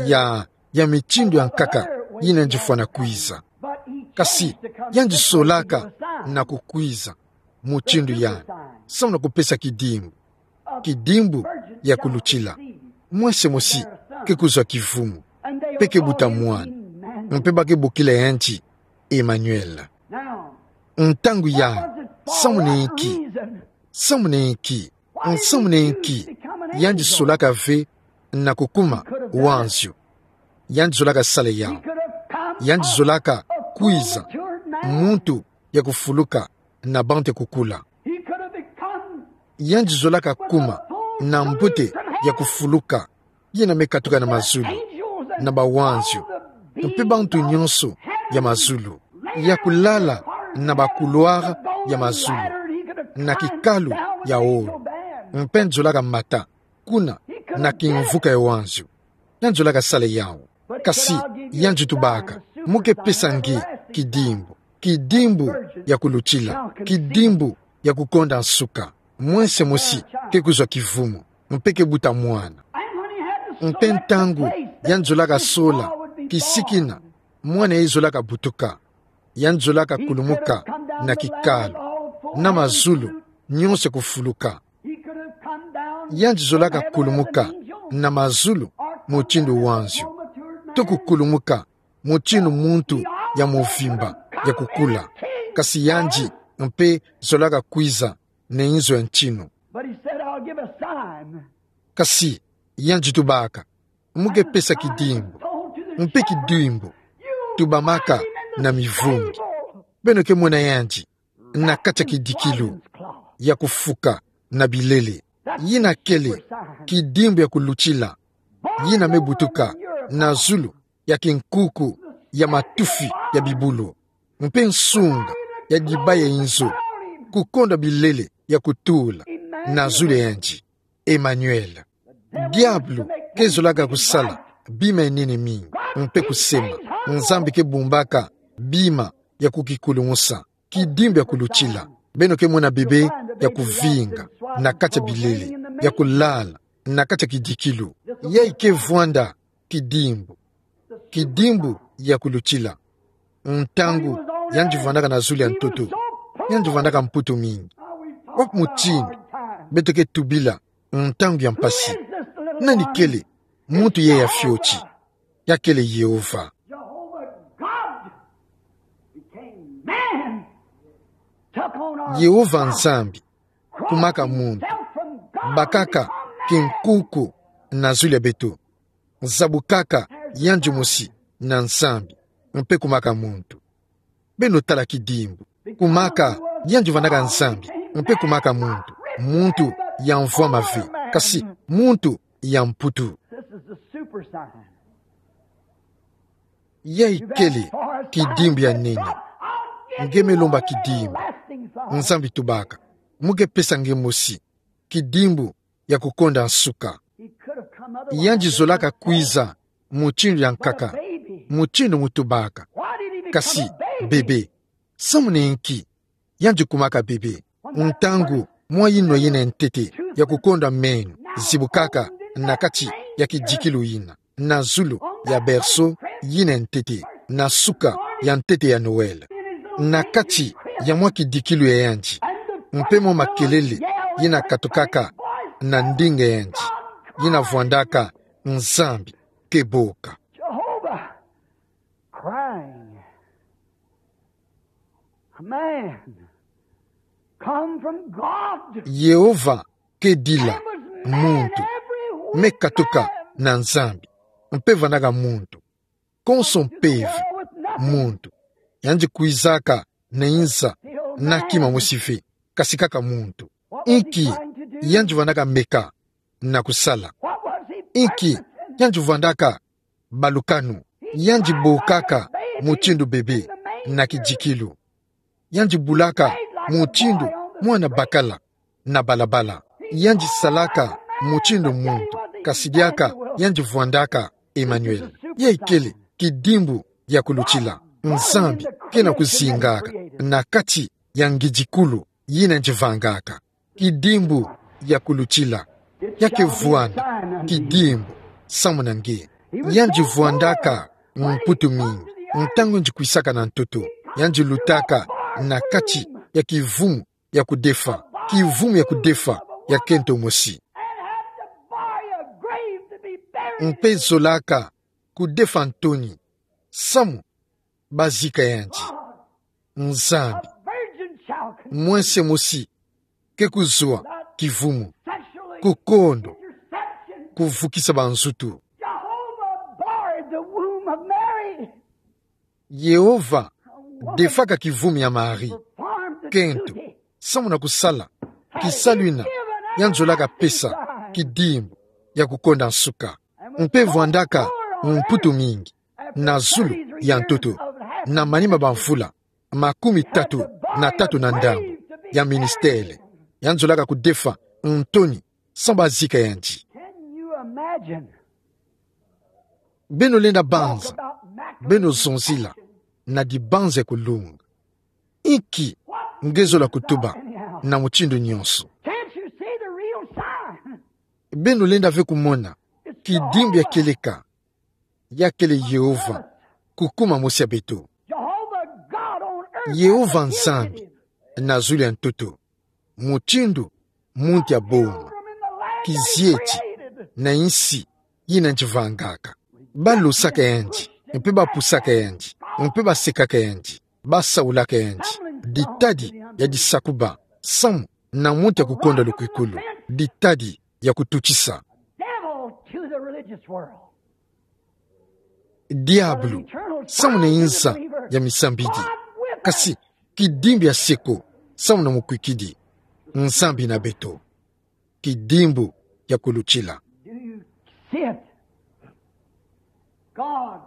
ya, ya mitindu ya nkaka yina yandi fwana kwiza. Kasi yandi solaka na kukwiza mutindu yayi samu na kupesa kidimbu, kidimbu ya kulutila. Mwense mosi ke kuzwa kivumu, mpe ke buta mwana, mpe ba ke bokila yandi Emmanuel. Ntangu yayi, samu na inki, samu na inki, samu na inki yandi solaka ve na kukuma wanzio? Yandi zolaka sala yawu. Yandi zolaka kwiza muntu ya kufuluka na bantu ya kukula. Yandi zolaka kuma na mbote ya kufuluka, yina me katuka na mazulu, na bawanzio, mpe bantu nyonso ya mazulu, ya kulala na ba couloir ya mazulu, na kikalu ya olo. Mpe yandi zolaka mata kuna na kimvuka ya wanzio. Yandi zolaka sala yawu. Kasi yandi tubaka: Mu ke pesa nge kidimbu, kidimbu ya kulutila, kidimbu ya kukonda nsuka. Mwense mosi ke kuzwa kivumu, mpe ke buta mwana. Mpe ntangu yandi zolaka sola kisiki yina mwana yayi zolaka butuka, yandi zolaka kulumuka na kikalu, na mazulu nyonso kufuluka. Yandi zolaka kulumuka na mazulu mutindu wanzio, to kukulumuka mutindu muntu ya muvimba, ya kukula. Kasi yandi mpe zolaka kwiza na inzo ya ntinu. But he said, "I'll give a sign." Kasi yandi tubaka: Mu ke pesa kidimbu, mpe kidimbu tubamaka na mivungi. Beno ke mona yandi na kati ya kidikilu ya kufuka na bilele. Yina kele kidimbu ya kulutila, yina me butuka na zulu ya kinkuku ya matufi ya bibulu, mpe nsunga ya diba ya inzo, kukonda bilele ya kutula na zulu ya yandi. Emmanuel. Diabulu ke zolaka kusala bima ya nene mingi, mpe kusema. Nzambi ke bumbaka bima ya kukikulumusa. Kidimbu ya kulutila. Beno ke mona bebe ya kuvinga na kati ya bilele, ya kulala na kati ya kidikilu. Yayi ke vwanda kidimbu, kidimbu ya kulutila. Ntangu yandi vwandaka na zulu ya ntoto, yandi vwandaka mputu mingi. Wapi mutindu beto ke tubila ntangu ya mpasi? Nani kele muntu yayi ya fioti? Ya kele Yehova. Jehovah God became man, took on our Yehova Nzambi kumaka muntu, bakaka kinkuku na zulu ya beto, zabukaka yandi mosi na Nzambi, mpe kumaka muntu. Beno tala kidimbu. Kumaka yandi vwandaka Nzambi, mpe kumaka muntu. Muntu ya mvwama ve, kasi muntu ya mputu. This is the super sign. Yayi kele kidimbu ya nene. Nge me lomba kidimbu. Nzambi tubaka: Mu ke pesa nge mosi kidimbu ya kukonda nsuka. Yandi zolaka kwiza mutindu ya nkaka, mutindu mu tubaka. Kasi bebe, samu na inki yandi kumaka bebe? Ntangu mwa yinwa yina ya ntete ya kukonda meno zibukaka na kati ya kidikilu yina, na zulu ya berceau yina ya ntete, na suka ya ntete ya Noël, na kati ya mwa kidikilu ya yandi, mpe mwa makelele yina katukaka na ndinga ya yandi, yina vwandaka: Nzambi ke boka. Jehovah crying. A man come from God. Yehova ke dila muntu, me katuka na Nzambi, mpe vwandaka muntu konso mpeve, muntu. Yandi kwizaka na inza na kima mosi ve, kasi kaka muntu. Inki yandi vwandaka meka na kusala? Inki yandi vwandaka balukanu? Yandi bokaka mutindu bebe na kidikilu. Yandi bulaka mutindu mwana bakala na balabala. Yandi salaka mutindu muntu, kasi diaka yandi vwandaka Emmanuel. Yayi kele kidimbu ya kulutila. Nzambi ke na kuzingaka na kati ya ngidikulu yina yandi vangaka. Kidimbu ya kulutila. Ya ke vwanda kidimbu samu na nge. Yandi vwandaka mputu mingi. Ntangu yandi kwisaka na ntoto, yandi lutaka na kati ya kivumu ya kudefa, kivumu ya kudefa ya kento mosi. Mpe zolaka kudefa ntoni samu bazika yandi. Nzambi, mwense mosi ke kuzwa kivumu, kukondo, kuvukisa banzutu. Yehova defaka kivumu ya Marie. Kento, samu na kusala kisalu yina yandi zolaka pesa kidimbu ya kukonda nsuka. Mpe vwandaka mputu mingi, na zulu ya ntoto, na manima bamvula makumi tatu na tatu na ndambu ya ministele, yandi zolaka kudefa ntoni samu bazika yandi. Can you imagine? Beno lenda banza, beno zonzila na dibanza ya kulunga. Inki nge zola kutuba na mutindu nyonso? Can't you see the real sign? Beno lenda ve kumona kidimbu ya kieleka, ya kele Yehova kukuma mosi ya beto. Jehovah God on earth. Yehova Nzambi na zulu ya ntoto. Mutindu muntu aboma, kizieti na insi yina yandi vangaka. Balosaka yandi, mpe bapusaka yandi, mpe basekaka yandi, basaulaka yandi. Ditadi ya disakuba samu na muntu ya kukonda lukwikulu. Ditadi ya kututisa. Devil to the religious world. Diabulu samu na yinza ya misambidi. Kasi kidimbu ya seko samu na mukwikidi. Nzambi na beto. Kidimbu ya kulutila. Do you see it? God.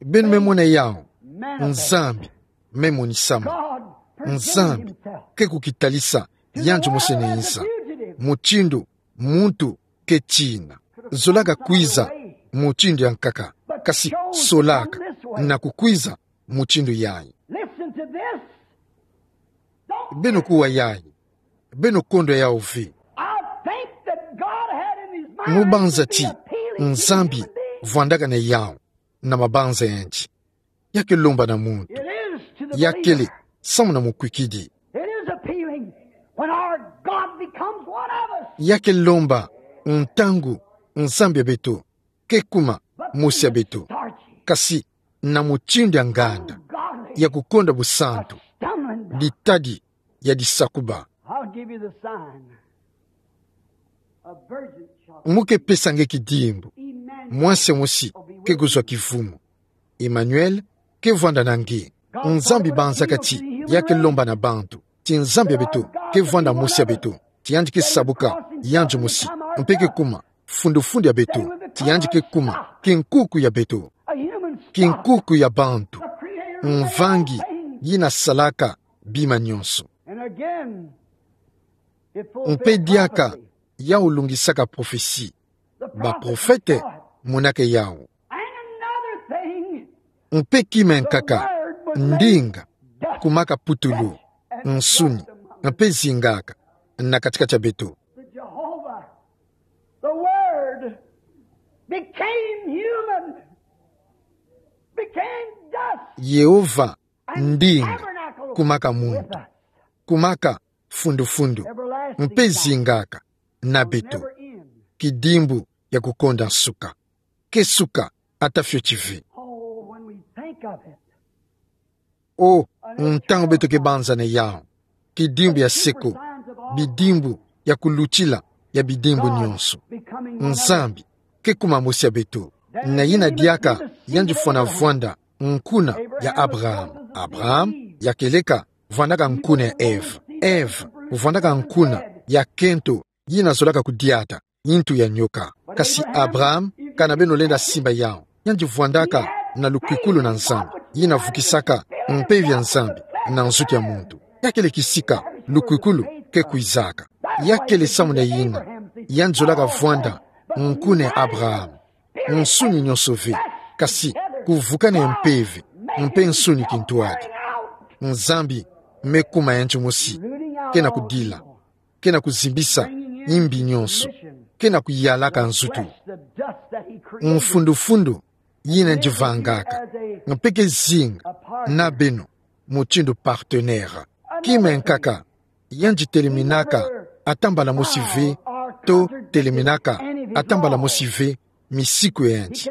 Beno me mona yawu. Manifest. Nzambi me monisama. God. Nzambi ke kukitalisa yandi mosi na yinza. Mutindu muntu ke tina. Zolaka kwiza mutindu ya nkaka, kasi solaka na kukwiza mutindu yayi. Listen to this. Beno kuwa yayi. Beno kondwa yawu ve. I think that God had in his mind. Mu banza ti Nzambi vwandaka na yawu na mabanza yandi. Ya ke lomba na muntu. It is to the believer. Ya kele samu na mukwikidi. It is appealing when our God becomes one of us. Ya ke lomba ntangu Nzambi ya beto ke kuma mosi ya beto. Kasi na mutindu ya nganda, ya kukonda busantu, ditadi ya disakuba. I'll give you the sign. A virgin shall. Mu ke pesa nge kidimbu. Emmanuel. Mwase mosi ke kuzwa kivumu. Emmanuel ke vwanda na nge. Nzambi banzaka ti ya ke lomba na bantu ti Nzambi ya beto ke vwanda mosi ya beto, ti yandi ke sabuka yandi mosi, mpe ke kuma fundufundu ya beto, ti yandi ke kuma kinkuku ya beto, kinkuku ya bantu, mvangi yina salaka bima nyonso. Mpe diaka yawu lungisaka prophetie. Baprofete monaka yawu. Mpe kima ya nkaka, ndinga kumaka putulu, nsuni, mpe zingaka na katikati ya beto. Jehovah, the Word, became human, became dust. Yehova, ndinga kumaka muntu, kumaka fundufundu, mpe zingaka na beto. Kidimbu ya kukonda nsuka. Ke suka ata fioti ve. Oh, when we think of it. O, ntangu beto ke banza na yawu. Kidimbu ya seko, bidimbu ya kulutila ya bidimbu nyonso. Nzambi ke kuma mosi ya beto. Na yina diaka yandi fwana vwanda nkuna ya Abraham. Abraham ya kieleka vwandaka nkuna ya Eve. Eve vwandaka nkuna ya kento yina zolaka kudiata, ntu ya nyoka. Kasi Abraham, kana beno lenda simba yawu, yandi vwandaka na lukwikulu na Nzambi, yina vukisaka mpeve ya Nzambi na nzutu ya muntu. Ya kele kisika lukwikulu ke kwizaka. Ya kele samu na yina yandi zolaka vwanda nkuna ya Abraham. Nsuni nyonso ve, kasi kuvukana ya mpeve mpe nsuni kintwadi. Nzambi me kuma yandi mosi, ke na kudila, ke na kuzimbisa yimbi nyonso, ke na kuyalaka nzutu. Mfundufundu yina yandi vangaka, mpe ke zinga na beno mutindu partenaire. Kima ya nkaka, yandi teleminaka ata mbala mosi ve, to teleminaka ata mbala mosi ve misiku ya yandi.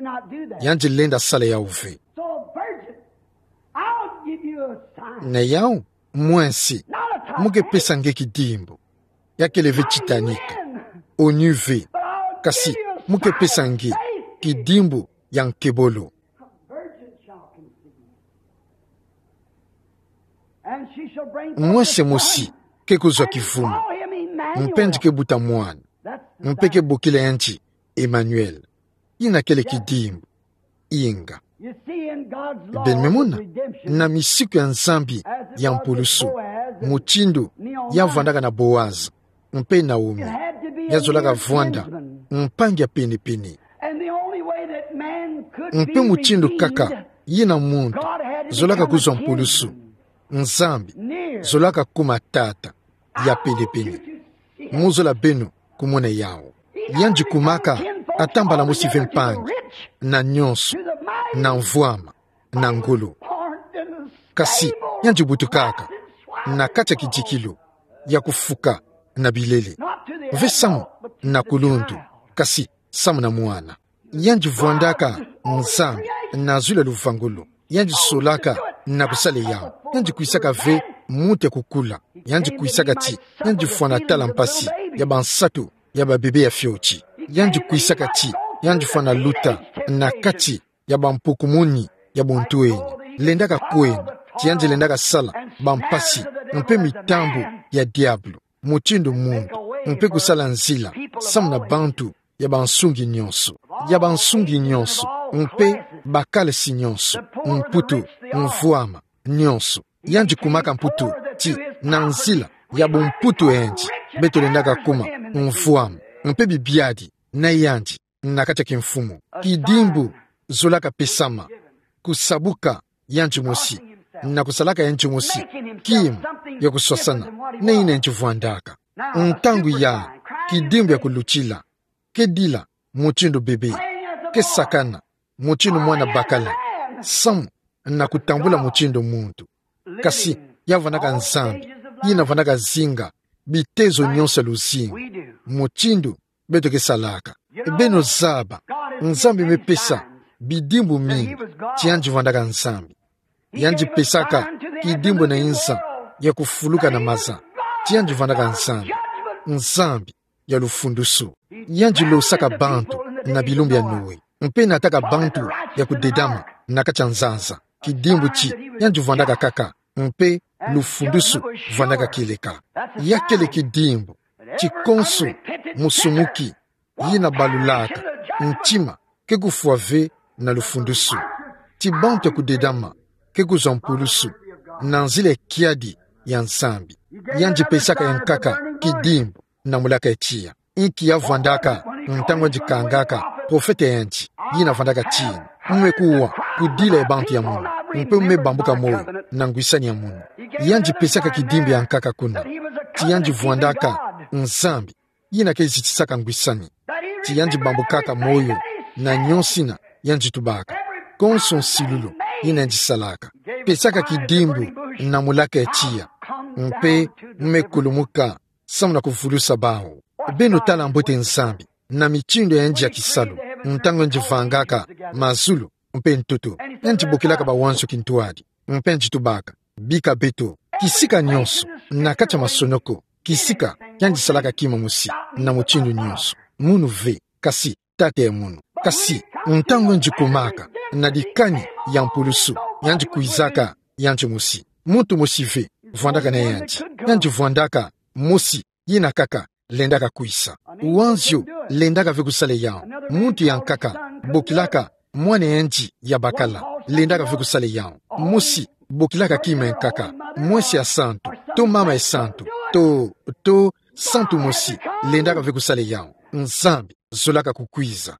Yandi lenda sala yawu ve. Na yawu, mwese, mu ke pesa nge kidimbu. Ya kele ve Titanic, onu ve. Kasi mu ke pesa nge kidimbu ya nkebolo. Mwese mosi ke kuzwa kivumu. mpe yandi ke buta mwana, mpe ke bokila yandi Emmanuel. Yina kele kidimbu. Inga. Beno me mona, na misiku ya Nzambi ya mpulusu, mutindu ya vwandaka na Boaz mpe Naomi, ya zolaka vwanda mpangi ya pene-pene. Mpe mutindu kaka yina muntu zolaka kuzwa mpulusu, Nzambi zolaka kuma tata ya pene-pene. Mu zola beno kumona yawu. Yandi kumaka ata mbala mosi ve mpangi na nyonso, na mvwama, na ngolo. Kasi yandi butukaka na kati ya kidikilu ya kufuka na bilele. Ve samu na kuluntu, kasi samu na mwana. Yandi vwandaka Nzambi na zulu ya luvangolo. Yandi solaka na kusala yawu. Yandi kwisaka ve muntu ya kukula. Yandi kwisaka ti yandi fwana tala mpasi ya bansatu ya babebe ya fioti. Yandi kwisaka ti yandi fwana luta na kati ya bampukumuni ya bontu eni. Lendaka kwenda ti yandi lendaka sala bampasi mpe mitambu ya diabulu, mutindu muntu, mpe kusala nzila samu na bantu ya bansungi nyonso, ya bansungi nyonso, mpe bakalasi nyonso, mputu, mvwama, nyonso. Yandi kumaka mputu ti na nzila ya bumputu andi, beto lendaka kuma mvwama mpe bibiadi na yandi na kati ya kimfumu. Kidimbu zolaka pesama, kusabuka yandi mosi, na kusalaka yandi mosi kima ya kuswasana na yina yandi vwandaka. Ntangu yayi, kidimbu ya kulutila, ke dila mutindu bebe, ke sakana mutindu mwana bakala, samu na kutambula mutindu muntu. Kasi ya vwandaka Nzambi, yina vwandaka zinga bitezo nyonso ya luzingu, mutindu beto ke salaka. Beno zaba, Nzambi me pesa bidimbu mingi ti yandi vwandaka Nzambi. Yandi pesaka kidimbu na inza ya kufuluka na maza ti yandi vwandaka Nzambi, Nzambi ya lufundusu. Yandi losaka bantu na bilumbu ya Noe, mpe nataka bantu ya kudedama na kati ya nzanza. Kidimbu ti yandi vwandaka kaka, mpe lufundusu vwandaka kieleka. Ya kele kidimbu ti konso musumuki yina balulaka ntima ke kufwa ve na lufundusu, ti bantu ya kudedama ke kuzwa mpulusu na nzila ya kiadi ya Nzambi. Yandi pesaka yankaka kidimbu na mulaka ya tiya. Inki ya vwandaka ntangu yandi kangaka profeta yandi, yina vwandaka ti: Mu me kuwa ku dila ya bantu ya munu, mpe mu me bambuka moyo na ngwisani ya munu. Yandi pesaka kidimbu yankaka kuna ti yandi vwandaka Nzambi, yina ke zitisaka ngwisani, ti yandi bambukaka moyo na nyonso yina yandi tubaka, konso nsilulu yina yandi salaka. Pesaka kidimbu na mulaka ya tiya, mpe mu me kulumuka samu na kuvulusa bawu. Beno tala mbote Nzambi na mitindu ya yandi ya kisalu, ntangu yandi vangaka mazulu mpe ntoto, yandi bokilaka bawanzo kintwadi, mpe yandi tubaka: Bika beto. Kisika nyonso na kati ya masonoko, kisika yandi salaka kima mosi na mutindu nyonso, munu ve, kasi Tata ya munu. Kasi ntangu yandi kumaka na dikani ya mpulusu, yandi kwizaka yandi mosi. Muntu mosi ve vwandaka na yandi. Yandi vwandaka mosi yina kaka lendaka kwisa. Wanzio lendaka ve kusala yawu. Muntu yankaka bokilaka mwana yandi ya bakala lendaka ve kusala yawu. Mosi bokilaka kima yankaka, mwese ya santu, to mama ya santu, to, to santu mosi lendaka ve kusala yawu. Nzambi zolaka kukwiza.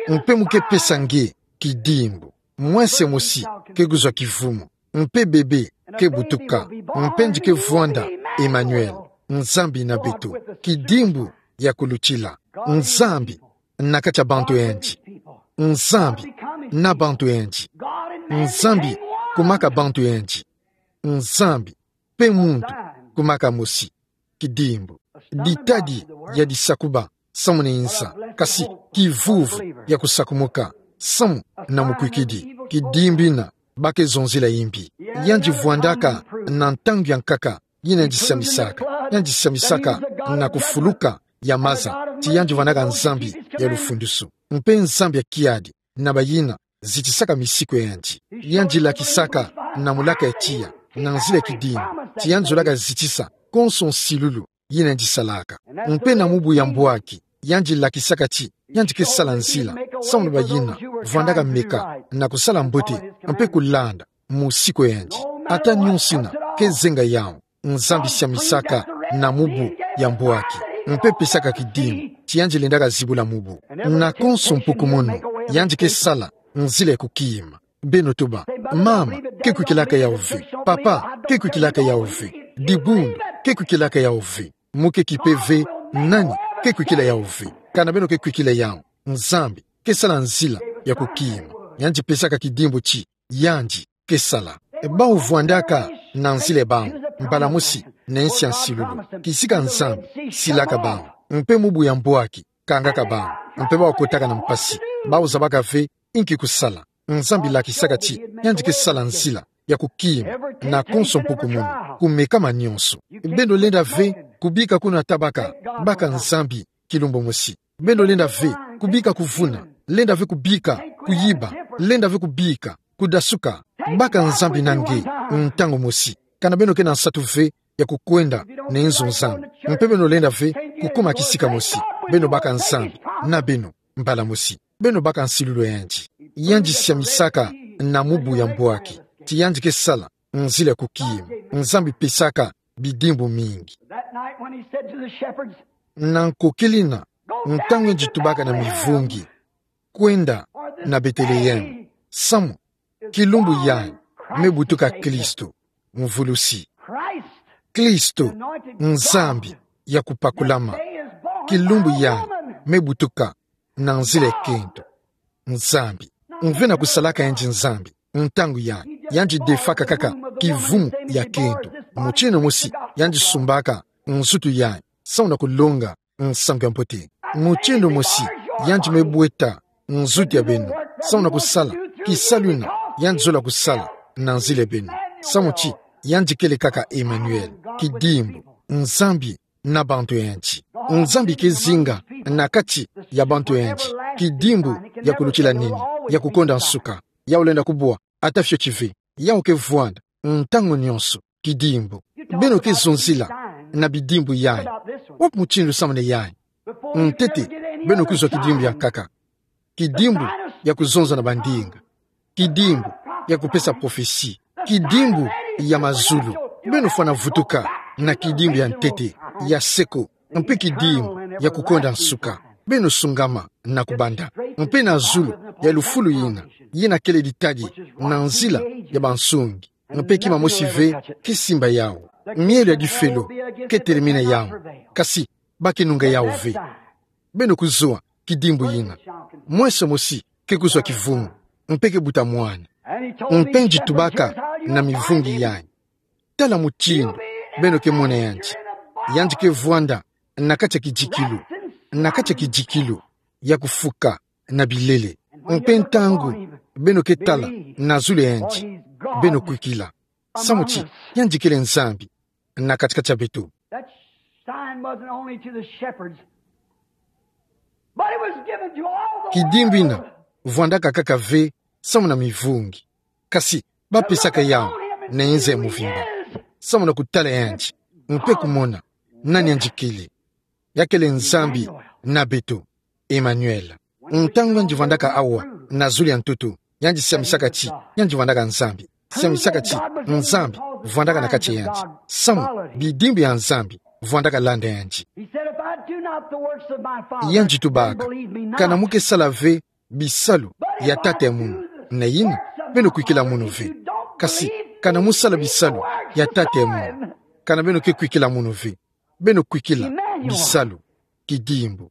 Mpe mu ke pesa nge kidimbu. Mwese mosi ke kuzwa kivumu, mpe bebe ke butuka, mpe yandi ke vwanda Emmanuel, Nzambi na beto. Kidimbu ya kulutila. Nzambi na kati ya bantu yandi. Nzambi na bantu yandi. Nzambi kumaka bantu yandi. Nzambi mpe muntu kumaka mosi. Kidimbu. Ditadi ya disakuba samu na inza, kasi kivuvu ya kusakumuka samu na mukwikidi. Kidimbu yina ba ke zonzila yimbi. Yandi vwandaka na ntangu yankaka yina yandi sambisaka. Yandi sambisaka na kufuluka ya maza ti yandi vwandaka Nzambi ya lufundusu, mpe Nzambi ya kiadi na bayina zitisaka misiku ya yandi. Yandi lakisaka na mulaka ya tiya, na nzila ya kidimbu, ti yandi zolaka zitisa konso nsilulu yina yandi salaka. Mpe na mubu ya mbwaki, yandi lakisaka ti yandi ke sala nzila, samu na bayina vwandaka meka na kusala mbote, mpe kulanda mosiko yandi. Ata nyonso ina ke zenga yawu, Nzambi siamisaka na mubu ya mbwaki, mpe pesaka kidimbu ti yandi lendaka zibula mubu. Na konso mpuku mono, yandi ke sala nzila ya kukima. Beno tuba: Mama, ke kwikilaka yawu ve. Papa, ke kwikilaka yawu ve. Dibundu, ke kwikilaka yawu ve. Mu ke kipe ve nani ke kwikila yawu ve. Kana beno ke kwikila yawu, Nzambi ke sala nzila ya kukima. Yandi pesaka kidimbu ti yandi ke sala. Bawu vwandaka na nzila ya bawu mbala mosi na nsi ya nsilulu, kisika Nzambi silaka bawu, mpe mubu ya mbwaki kangaka bawu, mpe bawu kotaka na mpasi, bawu zabaka ve inki kusala. Nzambi lakisaka ti yandi ke sala nzila ya kukima na konso mpuku mono, ku meka ma nyonso. Beno lenda ve kubika kuna tabaka, baka Nzambi kilumbu mosi. Beno lenda ve kubika kuvuna, lenda ve kubika kuyiba, lenda ve kubika kudasuka, baka Nzambi na nge ntangu mosi. Kana beno ke na nsatu ve ya kukwenda na nzo Nzambi, mpe beno lenda ve kukuma kisika mosi, beno baka Nzambi na beno mbala mosi. Beno baka nsilulu ya yandi. Yandi siamisaka na mubu ya mbwaki ti yandi ke sala nzila ya kukima. Nzambi pesaka bidimbu mingi. That night when he said to the shepherds, Na nkokila ina, ntangu yandi tubaka na mivungi: Kwenda na Beteleheme, samu kilumbu yayi me butuka Kristo, mvulusi. Christ, Kristo, Nzambi ya kupakulama, kilumbu yayi me butuka na nzila ya kento. Nzambi mve na kusalaka yandi Nzambi. Ntangu yayi, yandi defaka kaka kivumu ya kento. Mutindu mosi yandi sumbaka nzutu yayi, samu na kulonga nsangu ya mbote. Mutindu mosi yandi me bweta nzutu ya beno, samu na kusala kisalu ina yandi zola kusala na nzila ya beno. Samu ti yandi kele kaka Emmanuel, kidimbu, Nzambi na bantu ya yandi. Nzambi ke zinga na kati ya bantu ya yandi. Kidimbu ya kulutila nini, ya kukonda nsuka. Yawu lenda kubwa ata fioti ve. Yawu ke vwanda ntangu nyonso. Kidimbu. Beno ke zonzila na bidimbu yayi. Wapi mutindu samu na yayi? Ntete, beno kuzwa kidimbu ya nkaka. Kidimbu ya kuzonza na bandinga. Kidimbu ya kupesa prophetie. Kidimbu ya mazulu. Beno fwana vutuka na kidimbu ya ntete, ya seko, mpe kidimbu ya kukonda nsuka. Beno sungama na kubanda. Mpe na zulu ya lufulu yina, yina kele ditadi na nzila ya bansungi. Mpe kima mosi ve ke simba yawu. Mielo ya difelo ke telemina yawu, kasi ba ke nunga yawu ve. Beno kuzwa kidimbu yina. Mwenso mosi ke kuzwa kivumu, mpe ke buta mwana. Mpe yandi tubaka na mivungi yayi: Tala mutindu beno ke mona yandi. Yandi ke vwanda na kati ya kidikilu, na kati ya kidikilu ya kufuka na bilele. Mpe ntangu beno ke tala na zulu ya yandi, beno kwikila, samu ti yandi kele Nzambi na kati-kati ya beto. That sign wasn't only to the shepherds, but it was given to all the world. Kidimbu yina vwandaka kaka ve samu na mivungi, kasi ba pesaka yawu na nza ya muvimba, samu na kutala yandi, mpe kumona nani yandi kele. Ya kele Nzambi na beto, Emmanuel. Ntangu yandi vwandaka awa na zulu ya ntoto, yandi siamisaka ti yandi vwandaka Nzambi. Siamisaka ti Nzambi vwandaka na kati ya yandi, samu bidimbu ya Nzambi vwandaka landa yandi. He said, "If I do not the works of my Father, then believe me not." Yandi tubaka: Kana mu ke sala ve bisalu ya Tata ya munu, nayina beno kwikila munu ve. Kasi kana mu sala bisalu ya Tata ya munu, kana beno ke kwikila munu ve. Beno kwikila bisalu. Kidimbu.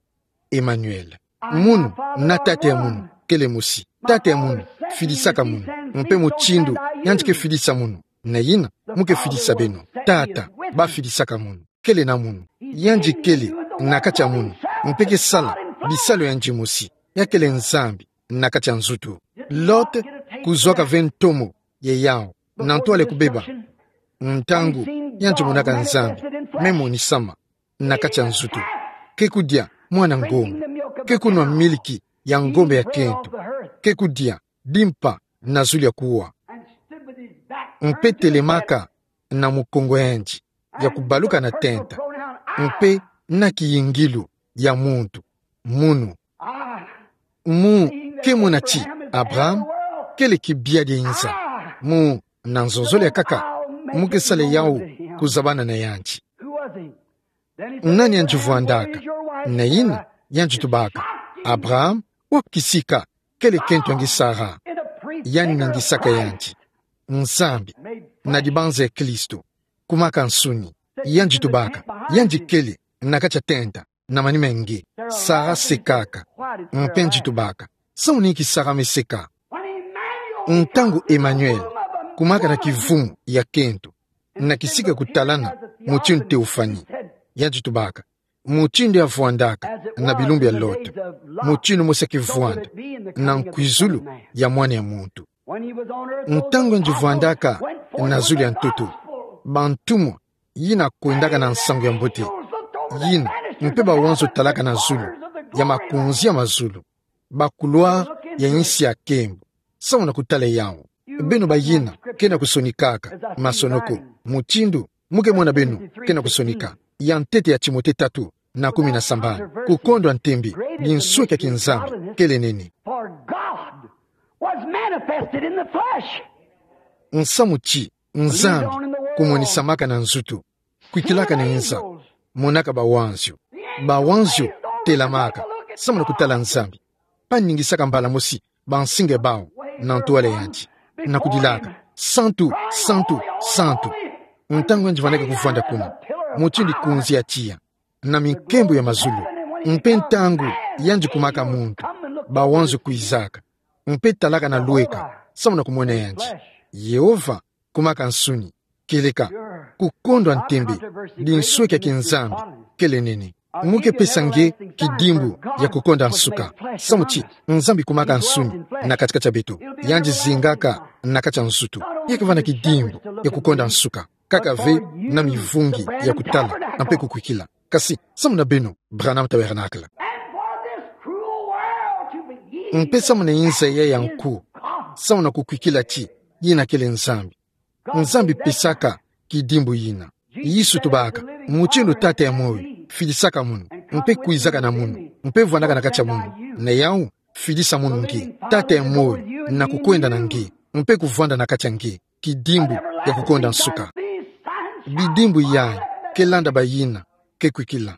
Emmanuel. Munu na Tata ya munu kele mosi. Tata ya munu fidisaka munu. Mpe mutindu yandi ke fidisa munu, nayina mu ke fidisa beno. Tata ba fidisaka munu kele na munu. Yandi kele na kati ya munu, mpe ke sala bisalu ya yandi mosi. Ya kele Nzambi na kati ya nzutu. Lot kuzwaka ve ntomo ya yawu na ntwala ya kubeba, ntangu yandi monaka Nzambi me monisama na kati ya nzutu. Ke kudia mwana ngombe, ke kunwa miliki ya ngombe ya kento, ke kudia dimpa na zulu ya kuwa. Mpe telemaka na mukongo ya yandi ya kubaluka na tenta, mpe na kiyingilu ya muntu, munu. Mu ke mona ti Abraham kele kibiadi e nza. Mu na nzonzolo ya kaka, mu ke sale yau kuzabana na yandi. Nani yandi vwandaka? Na yina yandi tubaka: Abraham, wapi kisika kele kento nge Sara? Yandi ningisaka yandi: Nzambi, na dibanza ya Kristo, kumaka nsuni. Yandi tubaka: Yandi kele na kati ya tenta na manima nge. Sara sekaka. Mpe yandi tubaka: Samu na inki Sara me seka? Ntangu Emmanuel, kumaka na kivumu ya kento, na kisika kutalana mutindu teofani, yandi tubaka: Mutindu ya vwandaka na bilumbu ya Lot, mutindu mosi ya kevwanda na nkwizulu ya Mwana ya muntu. Ntangu yandi vwandaka na zulu ya ntoto, bantumwa yina kwendaka na nsangu ya mbote yina, mpe bawanzo talaka na zulu, ya makonzi ya mazulu, ba couloir ya insi ya kembo, samu na kutala yau. Beno bayina ke na kusonikaka, masonoko, mutindu mu ke mona beno ke na kusonika, ya ntete ya Timote tatu na kumi na sambanu: Kukondwa ntembe, dinsweki ya kinzambi kele nene. For God was manifested in the flesh. Nsamu ti Nzambi kumonisamaka na nzutu, kwikilaka na inza, monaka bawanzio. Bawanzio telamaka samu na kutala Nzambi. Baningisaka mbala mosi bansinga bau na ntwala yandi, na kudilaka: Santu, santu, santu. Ntangu yandi vwandaka kuvwanda kuna, mutindu konzi ya tiya na minkembo ya mazulu. Mpe ntangu yandi kumaka muntu, bawanzio kwizaka, mpe talaka na lweka samu na kumona yandi. Yehova kumaka nsuni, kieleka: Kukondwa ntembe, dinsweki ya kinzambi kele nene. Mu ke pesa nge kidimbu ya kukonda nsuka, samu ti Nzambi kumaka nsuni na kati-kati ya beto. Yandi zingaka na kati ya nzutu. Ya ke vwanda kidimbu ya kukonda nsuka kaka ve na mivungi ya kutala mpe kukwikila. Kasi samu na beno, Branham Tabernacle, mpe samu na inza ya ya nku, samu na kukwikila ti yina kele Nzambi, Nzambi pesaka kidimbu yina. Yesu tubaka: Mutindu Tata ya moyo fidisaka munu, mpe kwizaka na munu, mpe vwandaka na kati ya munu, na yau fidisa munu nge. Tata ya moyo na kukwenda na nge, mpe kuvwanda na kati ya nge, kidimbu ya kukonda nsuka. Bidimbu yayi ke landa bayina ke kwikila.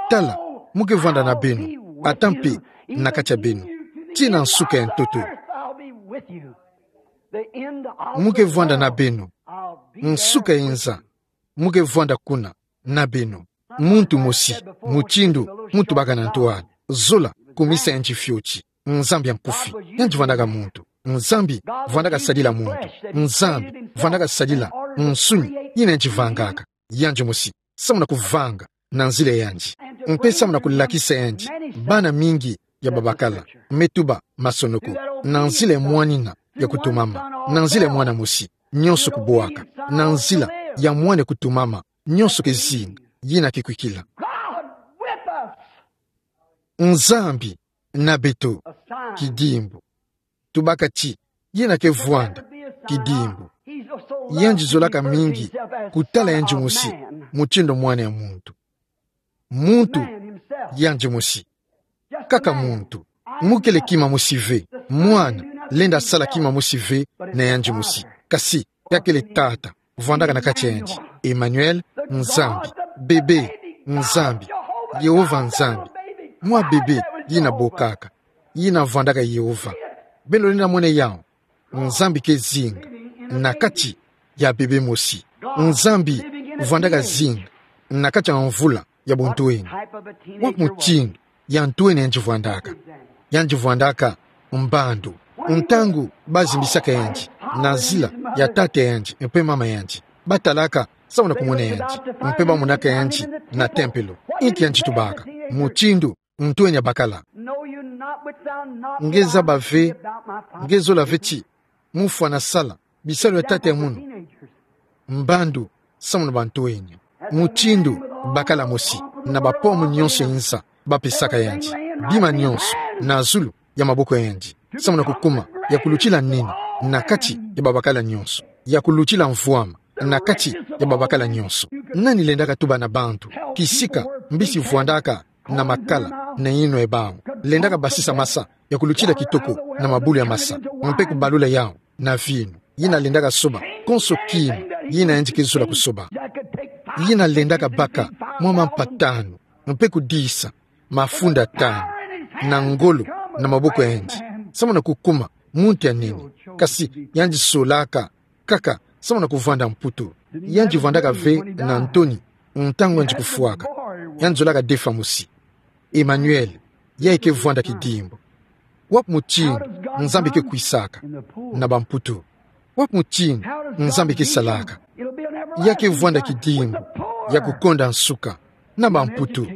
Tala, mu ke vwanda na beno, ata mpe na kati ya beno, tii na nsuka ya ntoto. Mu ke vwanda na beno, nsuka ya inza, mu ke vwanda kuna na beno. Muntu mosi, mutindu mu tubaka na ntwala, zola kumisa yandi fioti. Nzambi ya nkufi, yandi vwandaka muntu. Nzambi vwandaka sadila muntu. Nzambi vwandaka sadila nsuni yina yandi vangaka yandi mosi, samu na kuvanga na nzila yandi, mpe samu na kulakisa yandi bana mingi ya babakala me tuba masonoko, na nzila ya mwanina ya kutumama, na nzila ya mwana mosi, nionso kubwaka, na nzila ya mwana kutumama, nionso ke zinga, yina ke kwikila. Nzambi na beto, kidimbu. Tubaka ti yina ke vwanda kidimbu. Yandi zolaka mingi kutala yandi mosi mutindu mwana ya muntu. Muntu yandi mosi. Kaka muntu. Mu kele kima mosi ve. Mwana lenda sala kima mosi ve na yandi mosi. Kasi ya kele Tata vwandaka na kati ya yandi. Emmanuel, Nzambi. Bebe, Nzambi. Yehova Nzambi. Mwa bebe yina bokaka, yina vwandaka Yehova. Beno lenda mona yau. Nzambi ke zinga na kati ya bebe mosi. Nzambi vwandaka zinga na kati ya mvula ya buntwenya. Wa mutindu ya ntwenya yandi vwandaka? Yandi vwandaka mbandu. Ntangu bazimbisaka yandi na nzila ya tata yandi mpe mama yandi, batalaka samu na kumona yandi, mpe bamonaka yandi na tempelo. Inki yandi tubaka? Mutindu ntwenya bakala. Nge zaba ve, nge zola ve ti mu fwana sala bisalu ya tata ya munu. Mbandu samu na bantwenya. Mutindu bakala mosi, na bapomu nionso ya inza bapesaka yandi, bima nionso na zulu ya maboko ya yandi, samu na kukuma ya kulutila nini na kati ya babakala nionso, ya kulutila mvwama na kati ya babakala nionso. Nani lendaka tuba na bantu Kisika mbisi vwandaka na makala na yinwa ya bawu, lendaka basisa masa ya kulutila kitoko na mabulu ya masa, mpe kubalula yawu na vinu. Yina lendaka soba konso kima yina yandi ke zola kusoba. Yina lendaka baka mwa mampa tanu, mpe kudisa mafunda tanu na ngolo na maboko ya yandi, samu na kukuma muntu ya nene. Kasi yandi solaka kaka samu na kuvwanda mputu. Yandi vwandaka ve na ntoni ntangu yandi kufwaka. Yandi zolaka defa mosi: Emmanuel, ya ke vwanda kidimbu. Wapi mutindu Nzambi ke kwisaka? Na bamputu. Wapi mutindu Nzambi ke salaka? Ya ke vwanda kidimbu ya kukonda nsuka. Na bamputu.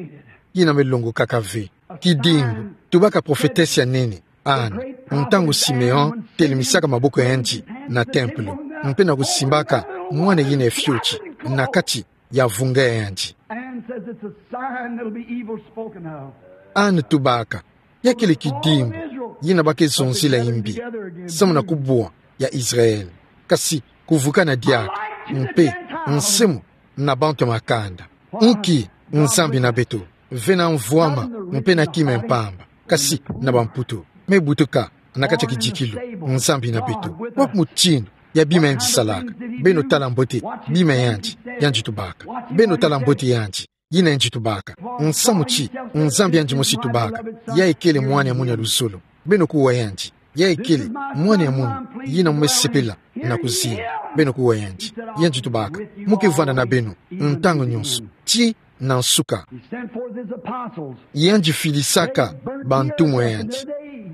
Yina me longokaka ve. Kidimbu, tubaka prophetesse ya nene, Anne, ntangu Simeon telemisaka maboko ya yandi na tempelo, mpe na kusimbaka mwana yina ya fioti na kati ya vunga ya yandi. Anne says it's a sign that'll be evil spoken of. Anne tubaka ya kele kidimbu yina ba ke zonzila yimbi, samu na kubwa ya Israël, kasi kuvukana diaka mpe nsemo na bantu ya makanda. Nki Nzambi na beto, ve na mvwama mpe na kima ya mpamba, kasi na bamputu, me butuka na kati ya kidikilu Nzambi na beto? Wapi mutindu ya bima yandi salaka? Beno tala mbote bima yandi, yandi tubaka. Beno tala mbote yandi, yina yandi tubaka. Nsamu ti Nzambi yandi mosi tubaka: Ya kele mwana ya munu ya luzolo. Beno kuwa yandi: Ya kele mwana ya munu yina mu me sepela na kuzinga. Beno kuwa yandi. Yandi tubaka: Mu ke vwanda na beno ntangu nyonso, tii na nsuka. He sent forth his apostles. Yandi filisaka bantumwa ya yandi,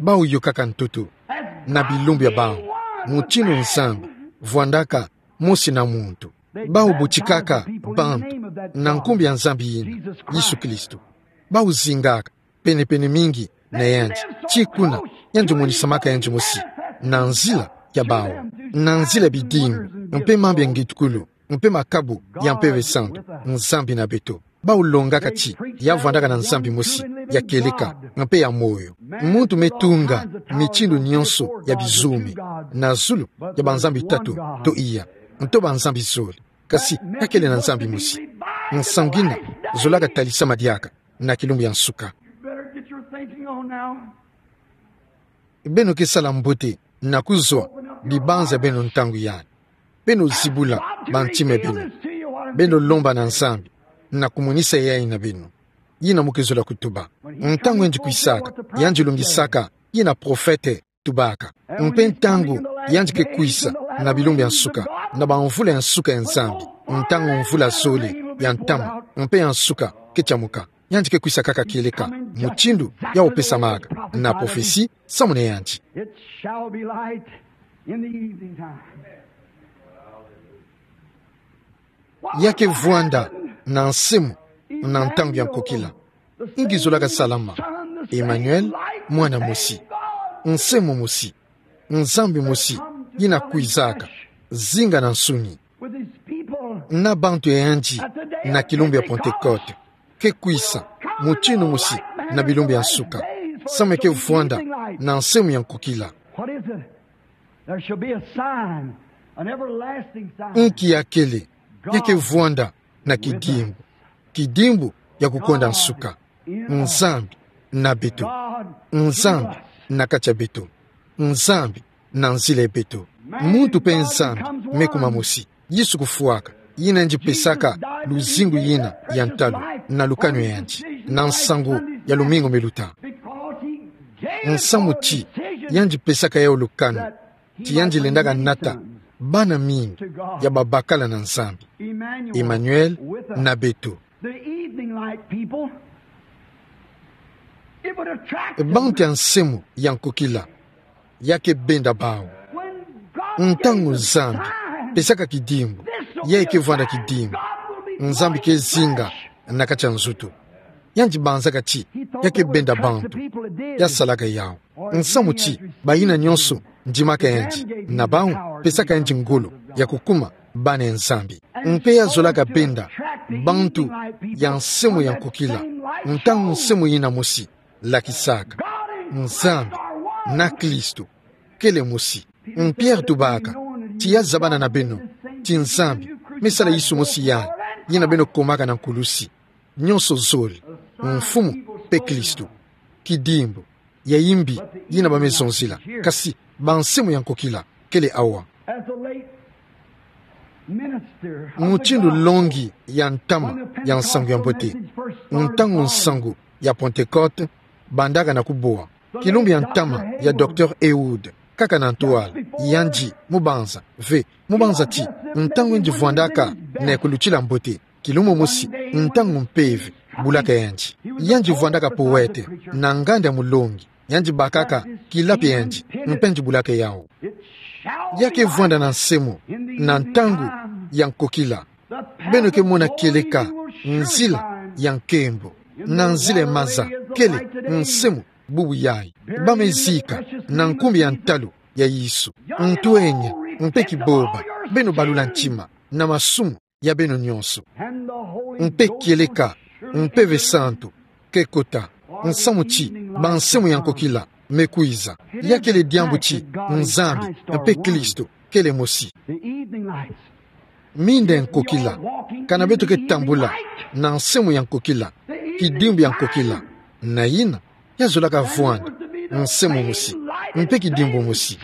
bawu yokaka ntoto na bilumbu ya bawu, mutindu Nzambi vwandaka mosi na muntu. Bawu butikaka bantu na nkumbu ya Nzambi yina, Yesu Kristo. Bawu zingaka penepene mingi na yandi, tii kuna yandi monisamaka yandi mosi na nzila ya bawu, na nzila ya bidimbu mpe mambu ya ngitukulu mpe makabu ya Mpeve Santu. Nzambi na beto. Bawu longaka ti ya vwandaka na Nzambi mosi ya kieleka mpe ya moyo. Muntu me tunga mitindu nyonso ya bizumi na zulu, ya banzambi tatu to iya, nto banzambi zole. Kasi ya kele na Nzambi mosi. Nsangu yina zolaka talisama diaka na kilumbu ya nsuka. You better get your thinking on now. Beno ke sala mbote na kuzwa bibanza beno ntangu yandi. Beno zibula bantima beno. Beno lomba na Nzambi na kumonisa yayi na beno. Yina mu ke zola kutuba. Ntangu yandi kwisaka, yandi longisaka yina prophète tubaka. Mpe ntangu yandi ke kwisa na bilumbu ya nsuka, na bamvula ya nsuka ya Nzambi, ntangu mvula zole ya ntama mpe ya nsuka ke tiamuka, yandi ke kwisa kaka kieleka mutindu ya opesamaka na prophetie samu na yandi. It shall be light in the evening time. Ya ke vwanda na nsemo na ntangu ya nkokila. Nki zolaka salama? Emmanuel, mwana mosi, nsemo mosi, Nzambi mosi yina kwizaka zinga na nsuni na bantu ya yandi na kilumbu ya Pentecôte. Ke kwisa mutindu mosi na bilumbu ya nsuka, samu ya ke vwanda na nsemo ya nkokila. What is it? There shall be a sign, an everlasting sign. Nki ya kele? Ya ke vwanda na kidimbu, kidimbu ya kukonda nsuka. Nzambi na beto. Nzambi na kati ya beto. Nzambi na nzila ya beto. Muntu mpe Nzambi me kuma mosi. Yesu kufwaka, yina yandi pesaka luzingu yina ya ntalu na lukanu ya yandi na nsangu ya lumingu me luta. Nsamu ti yandi pesaka yawu lukanu ti yandi lendaka nata bana mingi ya babakala na Nzambi. Emmanuel na beto. The evening light, people. It would attract them. Bantu ya nsemo ya nkokila, ya ke benda bawu. When God gave the sign, ntangu Nzambi pesaka kidimbu, yayi ke vwanda kidimbu, Nzambi ke zinga na kati ya nzoto. Yandi banzaka ti ya ke benda bantu. Ya salaka yawu. Nsamu ti bayina nyonso ndimaka yandi, na bawu pesaka yandi ngolo ya kukuma bana ya Nzambi. Mpe ya zolaka benda bantu ya nsemo ya nkokila, ntangu nsemo yina mosi lakisaka Nzambi na Kristo kele mosi. Pierre tubaka ti ya zabana na beno ti Nzambi me sala Yesu mosi yandi, yina beno komaka na nkulusi. nyonso zole, mfumu mpe Kristo. Kidimbu ya imbi yina bamezonzila, kasi bansemo ya nkokila kele awa. Mutindu longi ya ntama ya nsangu ya mbote, ntangu nsangu ya Pentecote bandaka na kubwa, kilumbu ya ntama ya Docteur Ehud, kaka na ntwala, yandi mubanza, ve, mubanza ti ntangu yandi vwandaka na ekulutila mbote, kilumbu mosi, ntangu mpeve bulaka yandi. Yandi vwandaka powete na nganda mulongi, yandi bakaka kilapi yandi, mpe yandi bulaka yawu. Ya ke vwanda na nsemo na ntangu ya nkokila, beno ke mona kieleka nzila ya nkembo, na nzila ya maza, kele nsemo bubu yayi. Bamezika na nkumbu ya ntalu ya Yesu. Ntwenya mpe kiboba, beno balula ntima na masumu ya beno nyonso. Mpe kieleka, Mpeve Santu ke kota, nsamu ti bansemo ya nkokila me kwiza. Ya kele diambu ti Nzambi mpe Kristo kele mosi. Minda ya nkokila, kana beto ke tambula na nsemo ya nkokila, kidimbu ya nkokila, na yina ya zolaka vwanda nsemo mosi, mpe kidimbu mosi,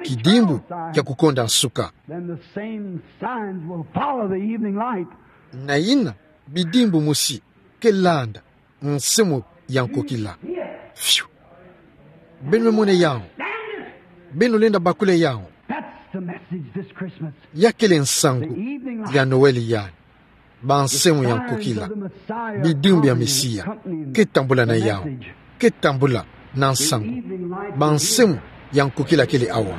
kidimbu kia kukonda nsuka. Then the same signs will follow the evening light. Na yina bidimbu mosi ke landa nsemo ya nkokila. Fiu. Beno me mona yawu. Beno lenda bakula yawu. That's the message this Christmas. Ya kele nsangu ya Noël yayi. Bansemo ya nkokila, bidimbu ya Mesia ke tambula na yawu, ke tambula na nsangu. Bansemo ya nkokila kele awa.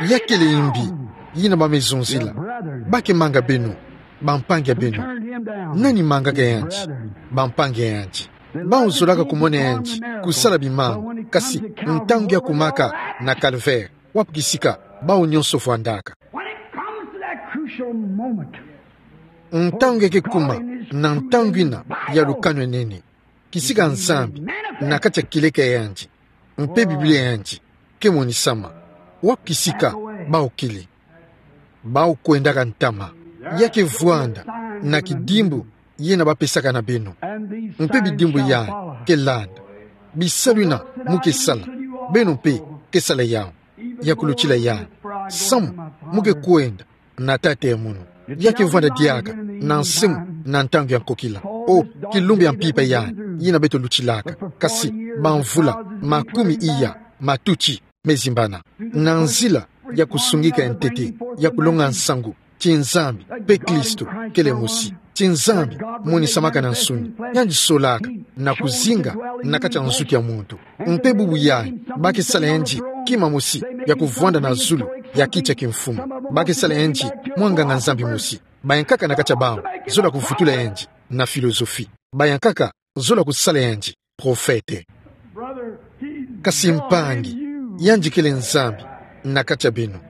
Ya kele imbi yina bamezonzila, ba ke manga beno, bampangi ya beno. Nani mangaka yandi? Bampangi ya yandi. Bawu zolaka kumona yandi kusala bimangu, kasi ntangu ya kumaka na Calvaire, wapu kisika bawu nyonso vwandaka. When it comes to that crucial moment, ntangu ya ke kuma na ntangu yina ya lukanu ya nene, kisika Nzambi na kati ya kieleka ya yandi mpe Biblia ya yandi ke monisama. Wapu kisika bawu kele? Bawu kwendaka ntama. Ya ke vwanda na kidimbu yina bapesaka na beno. Mpe bidimbu yayi ke landa. Bisalu yina mu ke sala, beno mpe ke sala yawu, ya kulutila yawu. Samu mu ke kwenda na Tata ya munu. Ya ke vwanda diaka na nsemo na ntangu ya nkokila. O, kilumbu ya mpimpa yayi yina beto lutilaka. Kasi bamvula makumi iya matuti mezimbana, na nzila ya kusungika ya ntete, ya kulonga nsangu ti Nzambi mpe Kristo kele mosi, ti Nzambi monisamaka na nsuni, yandi solaka na kuzinga na kati ya nzutu ya muntu. Mpe bubu yayi, ba ke sala yandi kima mosi ya kuvwanda na zulu ya kiti ya kimfumu. Ba ke sala yandi mwa nganga-Nzambi mosi. Bayankaka na kati ya bawu zola kuvutula yandi na philosophie. Bayankaka zola kusala yandi prophète. Kasi mpangi, yandi kele Nzambi na kati ya beno.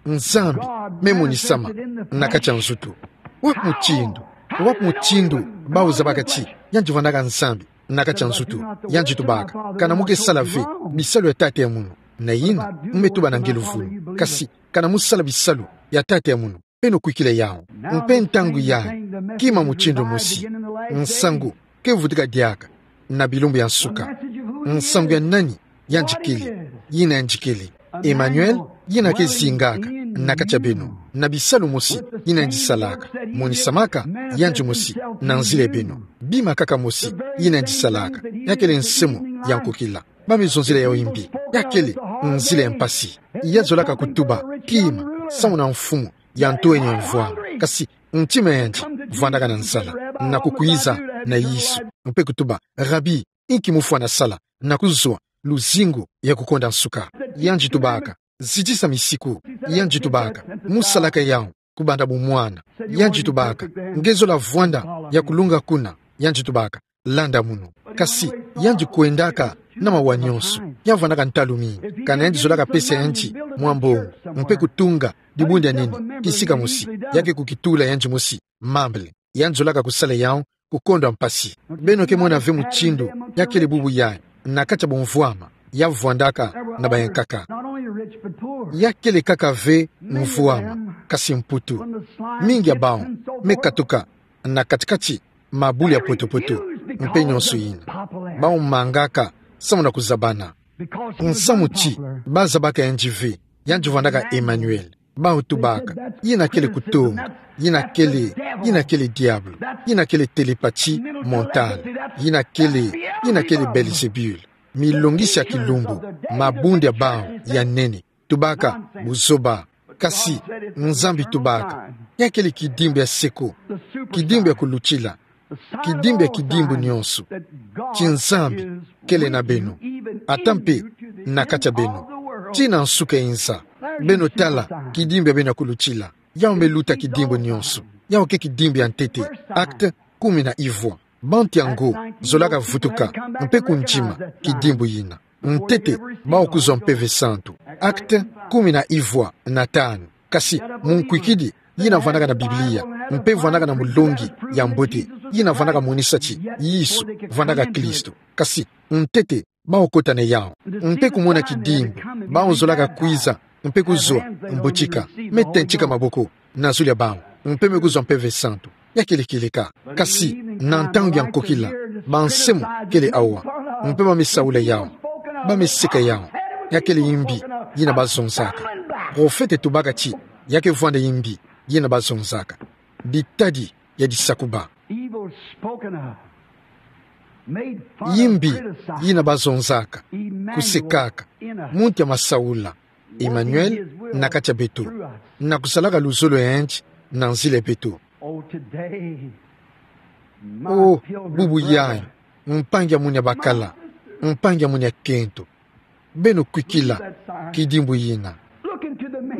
Nzambi me monisama na kati ya nzutu. Wapi mutindu, wapi mutindu bawu zabaka ti yandi vwandaka Nzambi na kati ya nzutu? Yandi tubaka: Kana mu ke sala ve bisalu ya Tata ya munu, na yina mu me tuba na ngelu-vulu. Kasi kana mu sala bisalu ya Tata ya munu, beno kwikila yawu. Mpe ntangu yayi, kima mutindu mosi, nsangu ke vutuka diaka na bilumbu ya nsuka. Nsangu ya nani yandi kele? Yina yandi kele Emmanuel, yina ke zingaka na kati ya beno, na bisalu mosi yina yandi salaka, monisamaka yandi mosi na nzila ya beno. Bima kaka mosi yina yandi salaka. Ya kele nsemo ya nkokila. Ba me zonzila yawu imbi. Ya kele nzila ya mpasi. Ya zolaka kutuba kima, samu na mfumu ya ntoeni ya mvwama. Kasi ntima yandi vwandaka na nzala, na kukwiza na Yesu, mpe kutuba: Rabi, inki mu fwana sala na kuzwa luzingu ya kukonda nsuka? Yandi tubaka: Zitisa misiku. Yandi tubaka: Mu salaka yawu kubanda bumwana. Yandi tubaka: Nge zola vwanda ya kulunga kuna. Yandi tubaka: Landa munu. Kasi yandi kwendaka na mawa nyonso. Ya vwandaka ntalu mingi. Kana yandi zolaka pesa yandi mwa mbongo, mpe kutunga dibundu ya nene, kisika mosi, ya ke kukitula yandi mosi mambele. Yandi zolaka kusala yawu ku kondwa mpasi. Beno ke mona ve mutindu ya kele bubu yayi na kati ya bumvwama ya vwandaka na bayankaka. Ya kele kaka ve mvwama, kasi mputu. Mingi ya bau me katuka na kati-kati mabuli ya poto-poto, mpe nionso ina. Bau mangaka samu na kuzabana. Nsamu ti ba zabaka yandi ve, yandi vandaka Emmanuel. Bau tubaka: Yina kele kutonga, yina kele, yina kele diabolo, yina kele télépathie mentale, yina kele, yina kele Belzébul. Milongisi ya kilumbu, mabundu ya bau ya nene. Tubaka: Buzoba. Kasi Nzambi tubaka: Ya kele kidimbu ya seko, kidimbu ya kulutila, kidimbu ya kidimbu nionso. Ti Nzambi kele na beno, ata mpe na kati ya beno, tii na nsuka ya inza. Beno tala kidimbu ya beno ya kulutila. Yau me luta kidimbu nionso. Yau ke kidimbu ya ntete. Acte kumi na ivwa. Bantu yango zolaka vutuka mpe kundima kidimbu yina. Ntete, bau kuzwa Mpeve Santu. Acte kumi na ivwa na tanu. Kasi munkwikidi, yina vandaka na Biblia, mpe vandaka na mulongi ya mbote, yina vandaka monisa ti Yesu vandaka Kristo. Kasi ntete, bau kota na yau. Mpe kumona kidimbu, bau zolaka kwiza mpe kuzwa mbutika, me tentika maboko na zulu ya bau, mpe me kuzwa Mpeve Santu. Ya kele kieleka. Kasi na ntangu ya nkokila, bansemo kele awa, mpe ba me saula yau, ba me seka yau. Ya kele imbi yina ba zonzaka. Profete tubaka ti ya ke vwanda imbi yina ba zonzaka. Bitadi ya disakuba. Evil spoken of, made fun of, imbi criticized. Yina ba zonzaka, Emmanuel kusekaka, in us. Muntu ya masaula, Emmanuel, na kati ya beto, na kusalaka luzolo ya yandi na nzila ya beto. Oh, today, my, oh, pilgrim, bubu, brother, yayi, mpangi ya munu ya bakala, mpangi ya munu ya kento, beno kwikila kidimbu yina.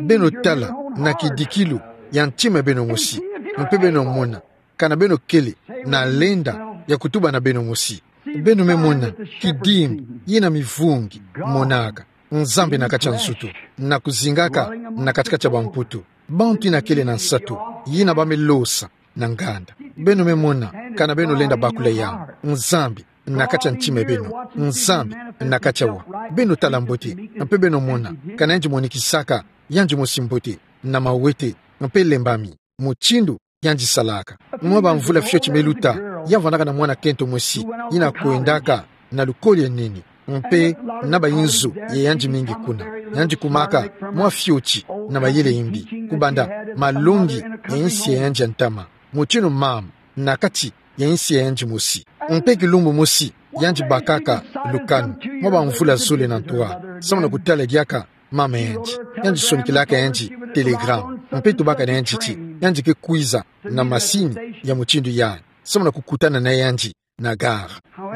Beno tala na kidikilu ya ntima ya beno mosi, mpe beno mona kana beno kele na lenda ya kutuba na beno mosi. Beno me mona kidimbu yina mivungi monaka Nzambi na kati ya nzutu, na kuzingaka na kati-kati ya bamputu. Bantu yina kele na nsatu, yina ba me losa na nganda. Beno me mona kana beno lenda bakula yau. Nzambi na kati ya ntima ya beno. Nzambi na kati ya wa. Beno tala mbote, mpe beno mona kana yandi monikisaka yandi mosi mbote na mawete, mpe lembami mutindu yandi salaka. Mwa bamvula fioti me luta, ya vandaka na mwana kento mosi yina kwendaka na lukoli ya nene, mpe na bayinzo ya yandi mingi kuna. Yandi kumaka mwa fioti na mayele ya imbi, kubanda malongi ya insi ya yandi ya ntama, mutindu mama na kati ya insi ya yandi mosi. Mpe kilumbu mosi, yandi bakaka lukanu, mwa bamvula zole na ntwala, samu na kutala diaka mama ya yandi. Yandi sonikilaka yandi telegrame, mpe tubaka na yandi ti yandi ke kwiza na masini ya mutindu yayi, samu na kukutana na yandi na gare.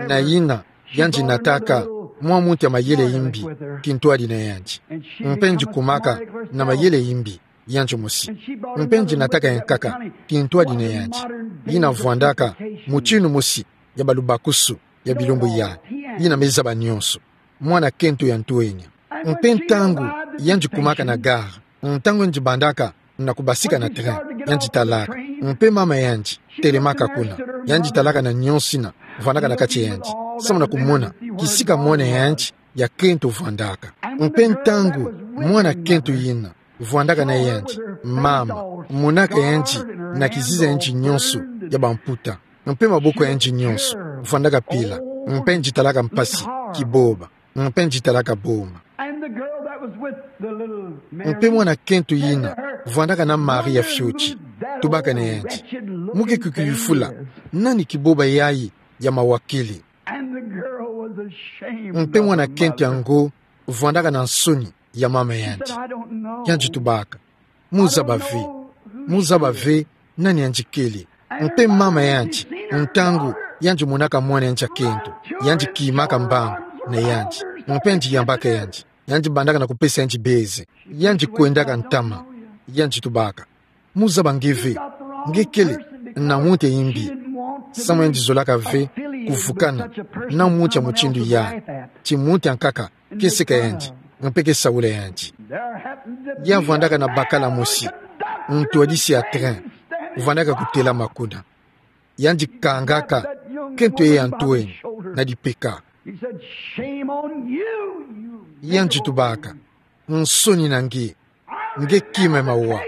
Na yina, yandi nataka mwa muntu ya mayele ya imbi kintwadi na yandi. Mpe yandi kumaka na mayele ya imbi yandi mosi. Mpe yandi nataka ya nkaka kintwadi na yandi, yina vwandaka mutindu mosi ya balubakusu ya bilumbu yayi, yina me zaba nionso. Mwana kento ya ntwenya. Mpe ntangu yandi kumaka na gare, ntangu yandi bandaka na kubasika na train, yandi talaka. Mpe mama ya yandi telemaka kuna. Yandi talaka na nionso yina vwandaka na kati ya yandi, samu na kumona kisika mwana ya yandi ya kento vwandaka. Mpe ntangu mwana kento yina vwandaka na yandi, mama, monaka yandi na kizizi ya yandi nionso ya bamputa, mpe maboko ya yandi nionso vwandaka pila, mpe yandi talaka mpasi, kiboba, mpe yandi talaka boma. And the girl that was with the little Mary, mpe mwana kento yina vwandaka na Maria fioti, tubaka na yandi: Muke kukuyufula, nani kiboba yayi ya mawa kele? And the girl was ashamed of her mother. Mpe mwana kento yango vwandaka na nsoni ya mama ya yandi. Yandi tubaka: Muzaba ve, muzaba ve nani yandi kele. Mpe mama ya yandi, ntangu yandi monaka mwana ya yandi ya kento, yandi kimaka mbangu na yandi, mpe yandi yambaka yandi, yandi bandaka na kupesa yandi baiser, yandi kwendaka ntama. Yandi tubaka: Muzaba nge ve, nge kele na muntu ya imbi. Samu yandi zolaka ve kuvukana na muntu ya mutindu yayi, ti muntu ya nkaka ke seka yandi, mpe ke saula yandi. Ya vwandaka na bakala mosi, ntwadisi ya train, vwandaka kutelama kuna. Yandi kangaka kento yayi ya ntwenya na dipeka. Yandi tubaka: Nsoni na nge, nge kima ya mawa.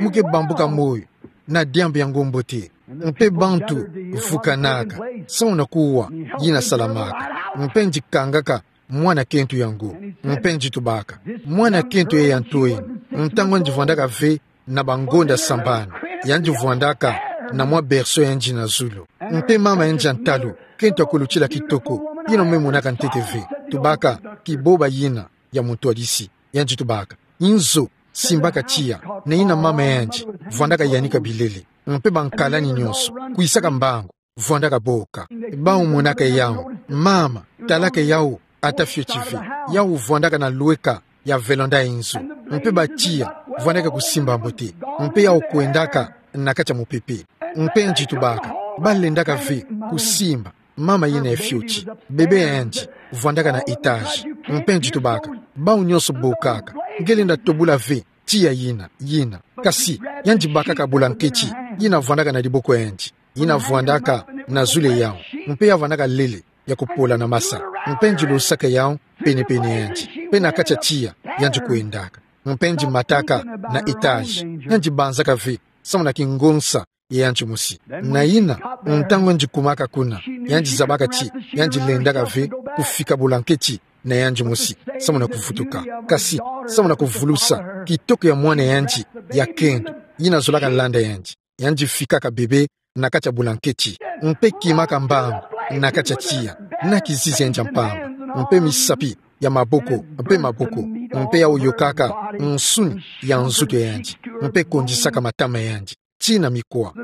Mu ke bambuka moyo na diambu ya ngo mbote. Mpe bantu vukanaka, samu na kuwa, yina salamaka. Mpe ngitu kangaka mwana kento ya ngo. Mpe ngitu baka, mwana kento ya nto eno, ntangu ngitu vwandaka ve na bangonda sambanu, yandi vwandaka na mwa berceau ya nge na zulu. Mpe mama ya nge ya ntalu, kento ya kulutila kitoko, yina ome monaka ntete ve. Tubaka, kiboba yina ya muntwadisi. Yandi tubaka, inzo, simbaka tiya, na yina mama ya nge, vwandaka yanika bilele. Mpe bankala ni nyonso, kwisaka mbangu, vwandaka boka. Bau monaka yau, mama, talaka yau, ata fioti ve. Yau vwandaka na lweka ya vélanda ya inzo. Mpe batiya, vwandaka kusimba mbote. Mpe yau kwendaka na kati ya mupepe. Mpe ngitu baka, balendaka ve kusimba mama yina ya fioti. Bebe ya nge, vwandaka na étage. Mpe ngitu baka, bau nyonso bokaka, nge lenda tobula ve tiya yina, yina. Kasi, yandi bakaka bulanketi, yina vwandaka na diboko ya nge, yina vwandaka na zulu ya yau. Mpe ya vwandaka lele ya kupola na masa. Mpe ngitu losaka yau pene-pene ya nge. Mpe na kati ya tiya, yandi kwendaka. Mpe ngitu mataka na étage. Yandi banzaka ve, samu na kingonsa ya yandi mosi. Na yina, ntangu ngitu kumaka kuna, yandi zabaka ti, yandi lendaka ve kufika bulanketi na yandi mosi, samu na kuvutuka. Kasi, samu na kuvulusa kitoko ya mwana ya nge ya kento, yina zolaka landa yandi. Yandi fikaka bebe na kati ya bulanketi. Mpe kimaka mbangu na kati ya tiya, na kizizi ya nge ya mpamba. Mpe misapi ya maboko, mpe maboko. Mpe yau yokaka nsuni ya nzutu ya nge. Mpe kondisaka matama ya nge tii na mikwa.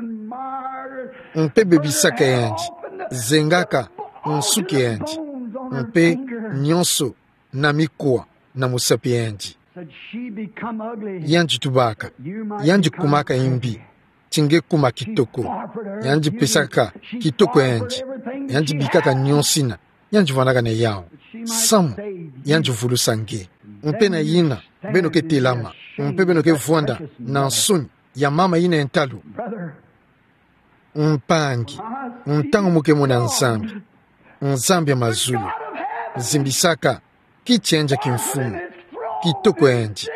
Mpe bebisaka ya nge, zengaka nsuki ya nge, mpe nyonso na mikwa na musapi ya nge. Yandi tubaka, yandi kumaka imbi ti nge kuma kitoko. Yandi pesaka kitoko ya nge, yandi bikaka nyonsina, yandi vwandaka na yau, samu yandi vulusa nge. Mpe na yina, beno ke telama, mpe beno ke vwanda na nsoni ya mama yina ya ntalu. Mpangi, ntangu mu ke mona Nzambi, Nzambi ya mazulu, zimbisaka kiti ya nge ya kimfumu, kitoko ya nge,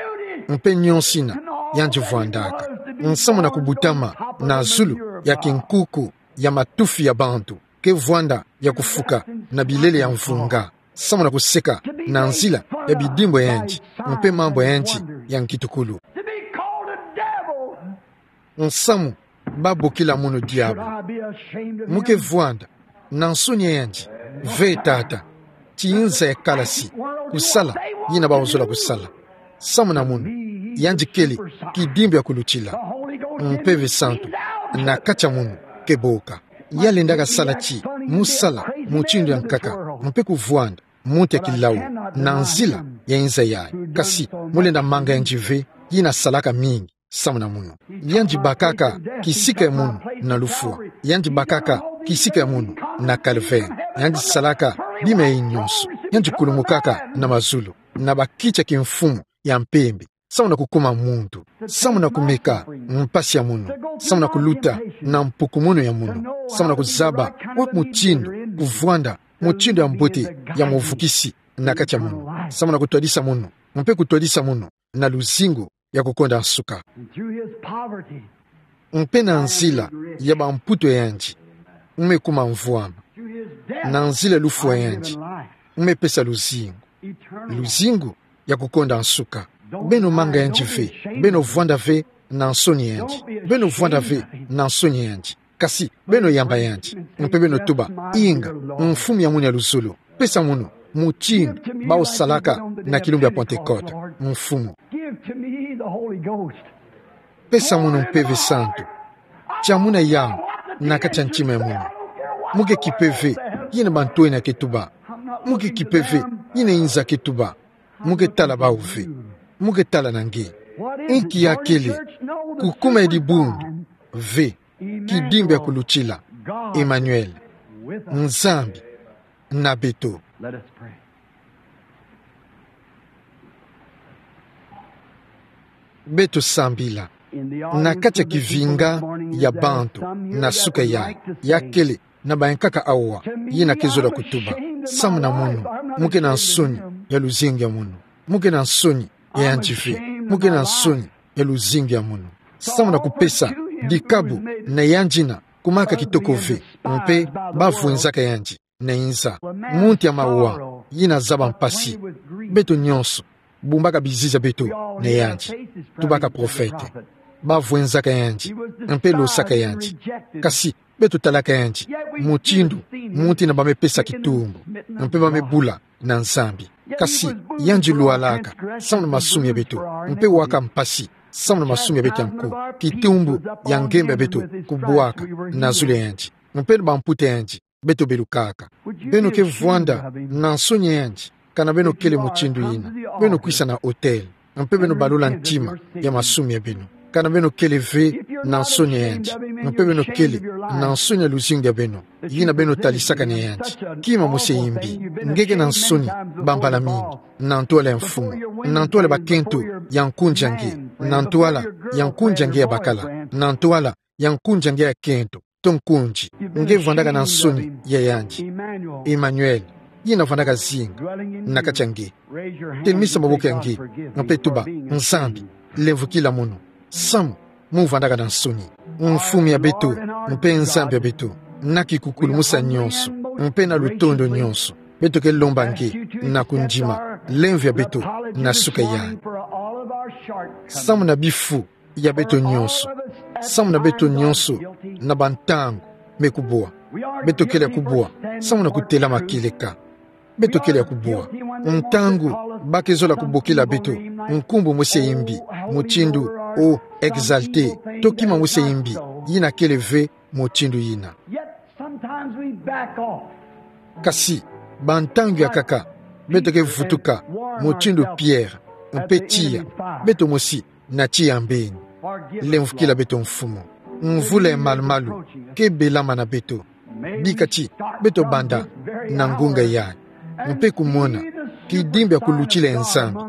mpe nyonsina yandi vwandaka, nsamu na kubutama na zulu ya kinkuku ya matufi ya bantu, ke vwanda ya kufuka na bilele ya mvunga, samu na kuseka na nzila ya bidimbu ya nge, mpe mambu ya nge ya nkitukulu. Nsamu ba bokila munu diabu. Mu ke vwanda na nsoni ya nge ve, tata, ti nza ya kalasi, kusala yina ba ozola kusala. Samu na munu, yandi kele kidimbu ya kulutila. Mpeve santu na kati ya munu ke boka. Ya lendaka sala ti mu sala mutindu ya nkaka, mpe kuvwanda muntu ya kilau na nzila ya nza yayi. Kasi mu lenda manga yandi ve, yina salaka mingi samu na munu. Yandi bakaka kisika ya munu na lufwa. Yandi bakaka kisika ya munu na calvaire. Yandi salaka bima yayi nyonso. Yandi kulumukaka na mazulu na bakiti ya kimfumu ya mpembe, samu na kukuma muntu, samu na kumeka mpasi ya munu, samu na kuluta na mpukumunu ya munu, samu na kuzaba wa mutindu kuvwanda mutindu ya mbote ya muvukisi na kati ya munu, samu na kutwadisa munu, mpe kutwadisa munu na luzingu ya kukonda nsuka. Mpe na nzila ya bamputu ya yandi, mu me kuma mvwama. Na nzila ya lufwa ya yandi, mu me pesa luzingu, luzingu ya kukonda nsuka. Beno manga yandi ve, beno vwanda ve na nsoni ya yandi, beno vwanda ve na nsoni ya yandi. Kasi beno yamba yandi, mpe beno tuba: Inga, Mfumu ya munu ya luzolo, pesa munu mutindu ba osalaka na kilumbu ya Pentecote, Mfumu. Pesa munu Mpeve Santu. Tia munu yau na kati ya ntima ya munu. Mu ke kipe ve yina bantu ena ke tuba. Mu ke kipe ve yina nza ke tuba. Mu ke tala bau ve. Mu ke tala na nge. Inki ya kele kukuma ya dibundu ve kidimbu ya kulutila: Emmanuel, Nzambi na beto. Beto sambila. Na kati ya kivinga ya bantu na suka yayi, ya kele na bayankaka awa, yina ke zola kutuba. Samu na munu, mu ke na nsoni ya luzingu ya munu. Mu ke na nsoni ya yandi ve. Mu ke na nsoni ya luzingu ya munu. Samu na kupesa dikabu na yandi na kumaka kitoko ve, mpe bavwenzaka yandi na inza. Munti ya mawa, yina zaba mpasi. Beto nyonso bumbaka bizizi ya beto na yandi. Tubaka profete. Bavwenzaka yandi, mpe losaka yandi. Kasi beto talaka yandi mutindu munti na ba me pesa kitumbu, mpe ba me bula na Nzambi. Kasi yandi lwalaka samu na masumu ya beto, mpe waka mpasi samu na masumu ya beto ya nko. Kitumbu ya ngemba ya beto kubwaka na zulu ya yandi, mpe na bamputa ya yandi beto belukaka. Beno ke vwanda na nsoni ya yandi, kana beno kele mutindu yina, beno kwisa na autel, mpe beno balola ntima ya masumu ya beno. Kana beno kele ve na nsoni ya yandi, mpe beno kele na nsoni ya luzingu ya beno, yina beno talisaka na yandi. Kima mosi ya imbi, nge ke na nsoni bambala mingi na ntwala ya Mfumu, na ntwala ya bakento ya nkunzi ya nge, na ntwala ya nkunzi ya nge ya bakala, na ntwala ya nkunzi ya nge ya kento, to nkunzi. Nge vwandaka na nsoni ya yandi. Emmanuel, yina vwandaka zinga na kati ya nge. Telemisa maboko ya nge, mpe tuba: Nzambi, lemvukila mono. Samu mu vwandaka na nsoni. Mfumu ya beto, mpe Nzambi ya beto, na kikukulumusa nyonso, mpe na lutondo nyonso, beto ke lomba nge na kundima lemvo ya beto na suka yai. Samu na bifu ya beto nyonso, samu na beto nyonso na bantangu me kubwa. Beto kele ya kubwa samu na kutelama kieleka. Beto kele ya kubwa ntangu ba ke zola kubokila beto nkumbu mosi ya imbi, mutindu: O exalté, to kima mosi ya imbi yina kele ve mutindu yina. Kasi bantangu ya nkaka beto ke vutuka, mutindu Pierre, mpe tiya beto mosi na tiya ya mbeni. Lemvukila beto, Mfumu. Mvula ya malumalu ke belama na beto. Bika ti beto banda na ngunga yai, mpe kumona kidimbu ya kulutila ya Nzambi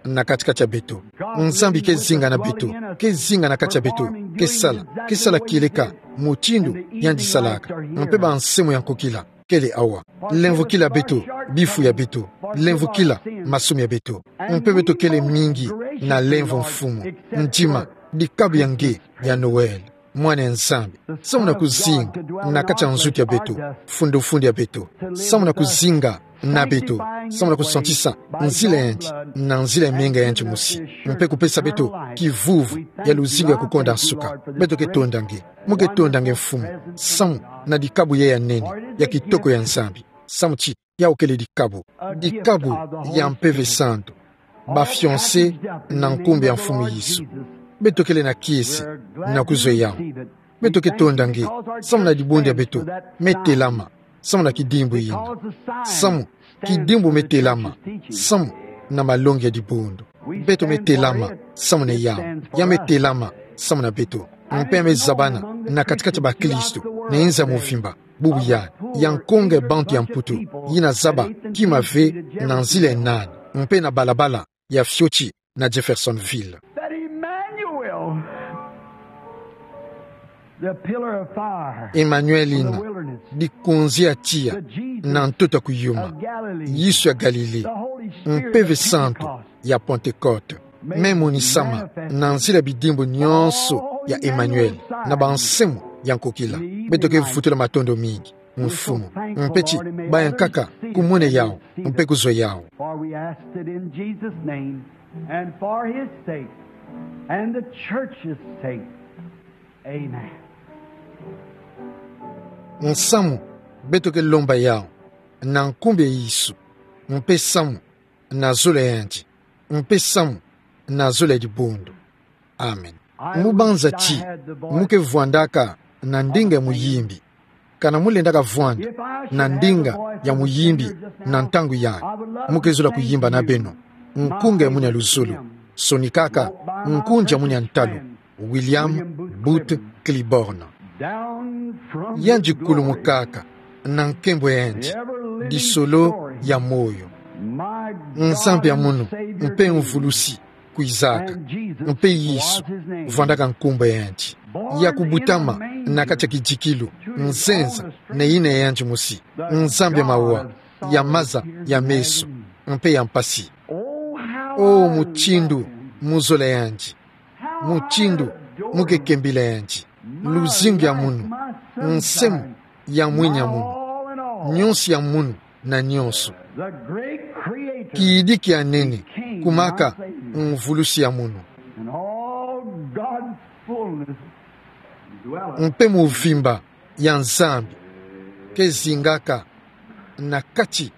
na kati-kati ya beto. Nzambi ke zinga na beto, ke zinga na kati ya beto, ke sala, ke sala kieleka mutindu yandi salaka, mpe bansemo ya nkokila kele awa. Lemvukila beto bifu ya beto. Lemvukila masumu ya beto. Mpe beto kele mingi na lemvo, Mfumu. Ndima dikabu ya nge ya Noël, Mwana ya Nzambi, samu na kuzinga na kati ya nzutu ya beto, fundu-fundu ya beto, samu na kuzinga na beto, samu na kusantisa nzila ya yandi na nzila ya menga ya yandi mosi, mpe kupesa beto kivuvu ya luzingu ya kukonda nsuka. Beto ke tonda nge. Mu ke tonda nge, Mfumu, samu na dikabu yai ya nene, ya kitoko ya Nzambi. Samu ti yawu kele dikabu, dikabu ya Mpeve Santu, ba fiancés na nkumbu ya Mfumu Yesu. Beto kele na kiese na kuzwe yawu. Beto ke tonda nge samu na dibundu ya beto me telama samu na kidimbu yina. Samu kidimbu me telama samu na malongi ya dibundu. Beto me telama samu na yawu. Ya me telama samu na beto. Mpe ya me zabana na kati-kati ya bakristu na inza movimba. Bubu yandi ya nkonga ya bantu ya Mputu, yina zaba kima ve na nzila ya nani, mpe na balabala ya fioti na Jeffersonville. That Emmanuel, the pillar of fire Emmanuel in the yina, wilderness, dikunzi ya tiya, the Jesus na ntoto ya kuyuma, of Galilee, Yesu ya Galilée, the Holy Spirit Mpeve of Santu Pentecost, ya Pentecôte, me monisama na nzila ya bidimbu nyonso ya Emmanuel na bansemo ya nkokila. Beto ke vutula matondo mingi, Mfumu, mpe ti baya nkaka kumona yawu mpe kuzwa yawu. For we ask it in Jesus' name, and for his sake, and the church's sake. Amen. Nsamu beto ke lomba yawu na nkumbu ya Yesu, mpe samu na zola yandi, mpe samu na zola ya dibundu. Amen. Mu banza ti mu ke vwandaka na ndinga ya muyimbi. Kana mu lendaka vwanda na ndinga ya muyimbi na ntangu yayi, mu ke zola kuyimba na beno nkunga ya muni ya luzolo, sonikaka nkunzi ya muni ya ntalu, William Booth Clibborn. Yandi kulumukaka na nkembo ya yandi, disolo ya moyo. Nzambi ya munu mpe Mvulusi kwizaka, mpe Yesu vwandaka nkumbu ya yandi. Ya kubutama na kati ya kidikilu, nzenza na yina ya yandi mosi, Nzambi ya mawa, ya maza ya meso, mpe ya mpasi. O mutindu mu zola yandi, mutindu Mu ke kembila yandi. Luzingu ya munu. Nsemo ya mwini ya munu. Nyonso ya munu na nyonso. Kidiki ya nene kumaka mvulusi ya munu. Mpe mvimba ya Nzambi ke zingaka na kati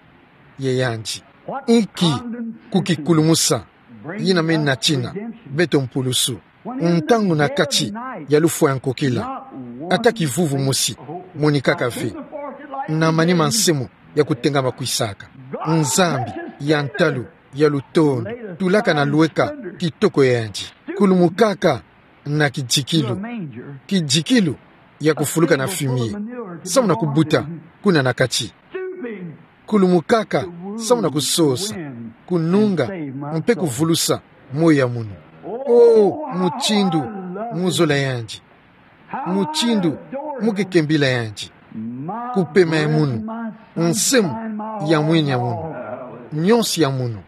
ya yandi. Inki kukikulumusa yina me natina beto mpulusu? Ntangu na kati ya lufwa ya nkokila, ata kivuvu mosi monikaka ve. Na manima nsemo ya kutengama kwisaka. Nzambi ya ntalu ya lutondo tulaka na lweka kitoko ya yandi. Kulumukaka na kidikilu. Kidikilu ya kufuluka na fumier. Samu na kubuta kuna na kati. Kulumukaka samu na kusosa, kununga, mpe kuvulusa moyo ya munu. O, mutindu mu zola yandi. Mutindu mu ke kembila yandi. Kupema ya munu. Nsemo ya mwini ya munu. Nyonso ya munu.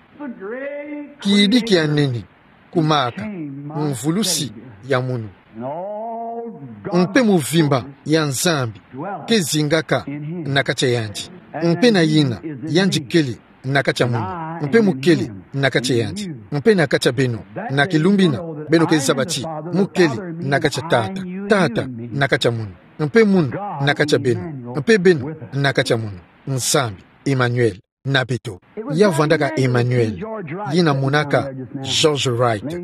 Kidiki ya nene kumaka mvulusi ya munu. Mpe mvimba ya Nzambi ke zingaka na kati ya yandi. Mpe na yina, yandi kele na kati ya munu. Mpe mu kele na kati ya yandi. Mpe na kati ya beno. Na kilumbu yina, beno ke zaba ti mu kele na kati ya Tata. Tata na kati ya munu. Mpe munu na kati ya beno. Mpe beno na kati ya munu. Nzambi, Emmanuel na beto. Ya vwandaka Emmanuel, yina monaka George Wright,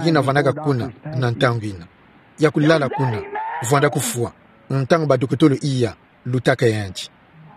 yina vwandaka kuna na ntangu yina. Ya kulala kuna, vwanda kufwa, ntangu badokotolo iya lutaka yandi.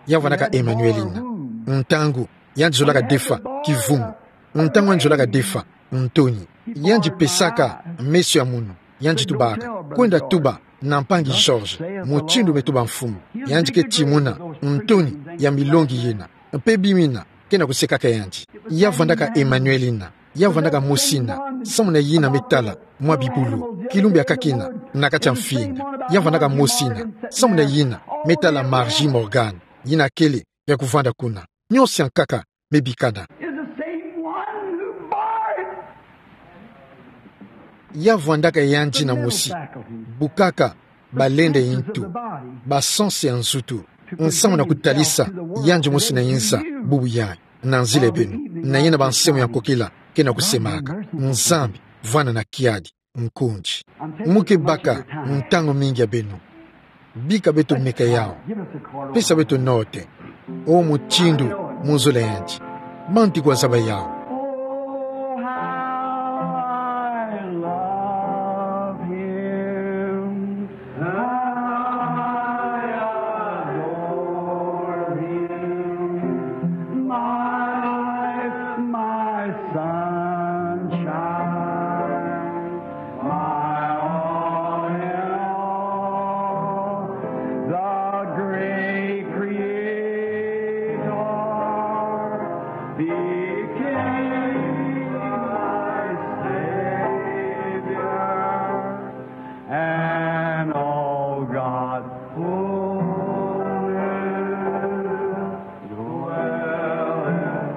Ya vwandaka Emmanuel yina. Ntangu yandi zolaka defa kivumu. Ntangu yandi zolaka defa ntoni. Yandi pesaka meso ya munu. Yandi tubaka: Kwenda tuba na mpangi George, mutindu me tuba mfumu. Yandi ke timuna ntoni ya milongi yina. Mpe bima yina ke na kusekaka yandi. Ya vwandaka Emmanuel yina. Ya vwandaka mosi yina, samu na yina me tala mwa bibulu, kilumbu ya kaki yina, na kati ya mfinga. Ya vwandaka mosi yina, samu na yina me tala Margie Morgan, yina kele ya kuvwanda kuna. Nyonso ya nkaka me bikana. Is the same one who bore it. Ya vwandaka yandi yina mosi bukaka balende ya ntu, ba sens ya nzutu, nsamu na kutalisa yandi mosi na inza bubu yayi, na nzila ya beno, na yina ba nsemo ya nkokila ke na kusemaka. Nzambi, vwanda na kiadi, nkundi. Mu ke baka ntangu mingi ya beno. Bika beto meka yawu. Pesa beto note. O mutindu mu zola yandi. Manti kwa zaba yawu. Oh, how I love him. I adore him. My, my sunshine. My all in all, the great Creator became my Savior, and all God's fullness dwelleth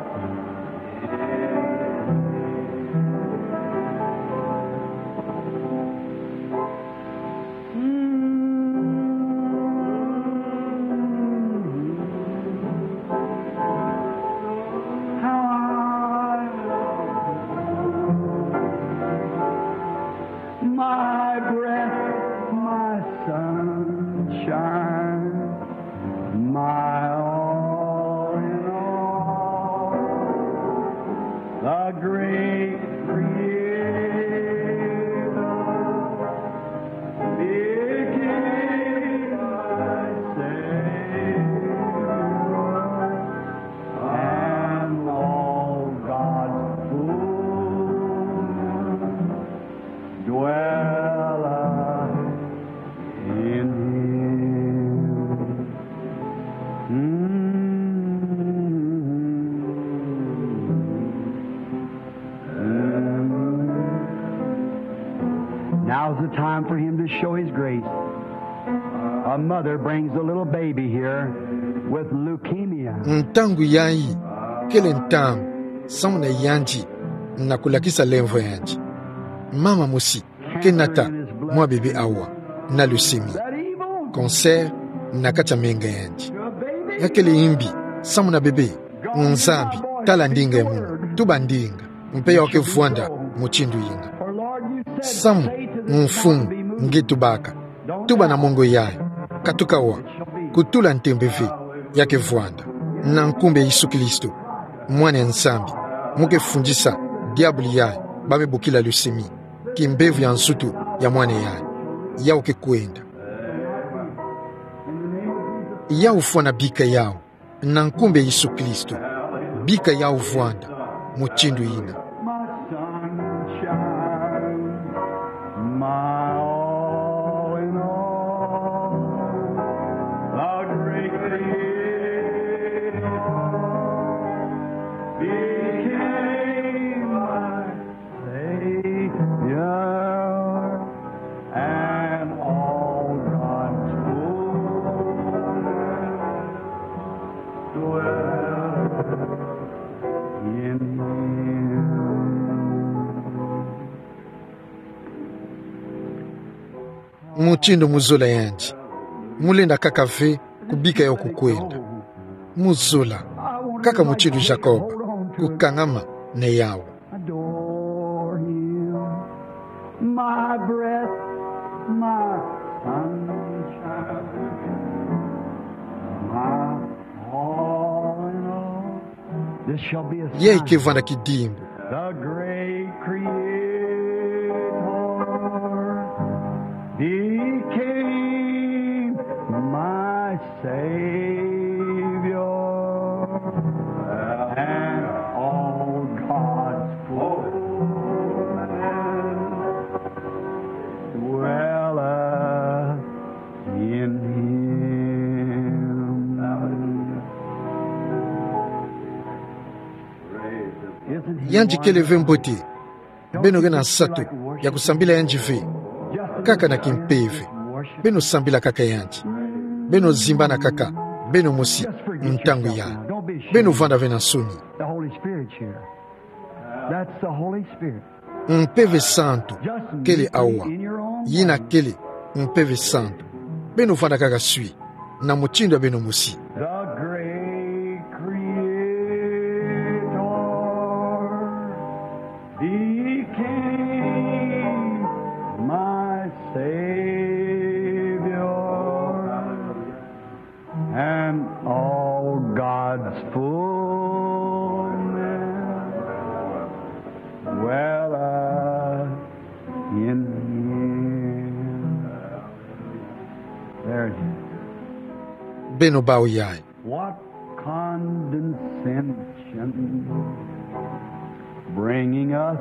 My breath, my sunshine, my all in all, the great Creator became my Savior, and all God's fullness dwelleth in him. Mm. Mm. Now's the time for him to show his grace. A mother brings a little baby here with leukemia. Ntangu yayi kele ntangu samu na yandi na kulakisa lemvo yandi. Mama mosi ke nata mwa bebe awa na lusemi. Cancer na kati a menga yandi. Yakele imbi, samu na bebe, Nzambi tala ndinga ya munu, tuba ndinga, mpe ya oke vwanda mutindu yina. Samu, Mfumu, nge tubaka, tuba na mongo yayi, katuka wa, kutula ntembe ve, ya ke vwanda, na nkumbu ya Yesu Kristo, Mwana ya Nzambi, mu ke fundisa diabulu yayi, ba me bokila lusemi, kimbevo ya nsutu ya mwana yayi, yau ke kwenda. Yau fwana bika yau, na nkumbu ya Yesu Kristo, bika yau vwanda, mutindu yina. My sunshine, my all in all, the great Creator became my Savior, and all God's fullness dwells in him. Mutindu mu zola yandi, mu lenda kaka ve kubika yau ku kwenda. Mu zola, kaka mutindu Jacob, kukangama na yau. Adore him, my breath, my sunshine, my all in all. This shall be a sign. Yayi ke vwanda kidimbu. The great Creator became my Savior, and all God's fullness dwelleth in him. Isn't he wonderful? Yandi kele ve mbote. Beno ke na nsatu ya kusambila yandi ve? Kaka na kimpeve. Beno sambila kaka yandi. Beno zimbana kaka. Beno mosi. Ntangu yayi. Beno vwanda ve na nsoni. The Holy Spirit's here. That's the Holy Spirit. Mpeve Santu kele awa. Yina kele Mpeve Santu. Beno vwanda kaka swi na mutindu ya beno mosi. The great Creator became my Savior, and all God's fullness dwelleth in him. There it is. Beno bau yayi. What condescension, bringing us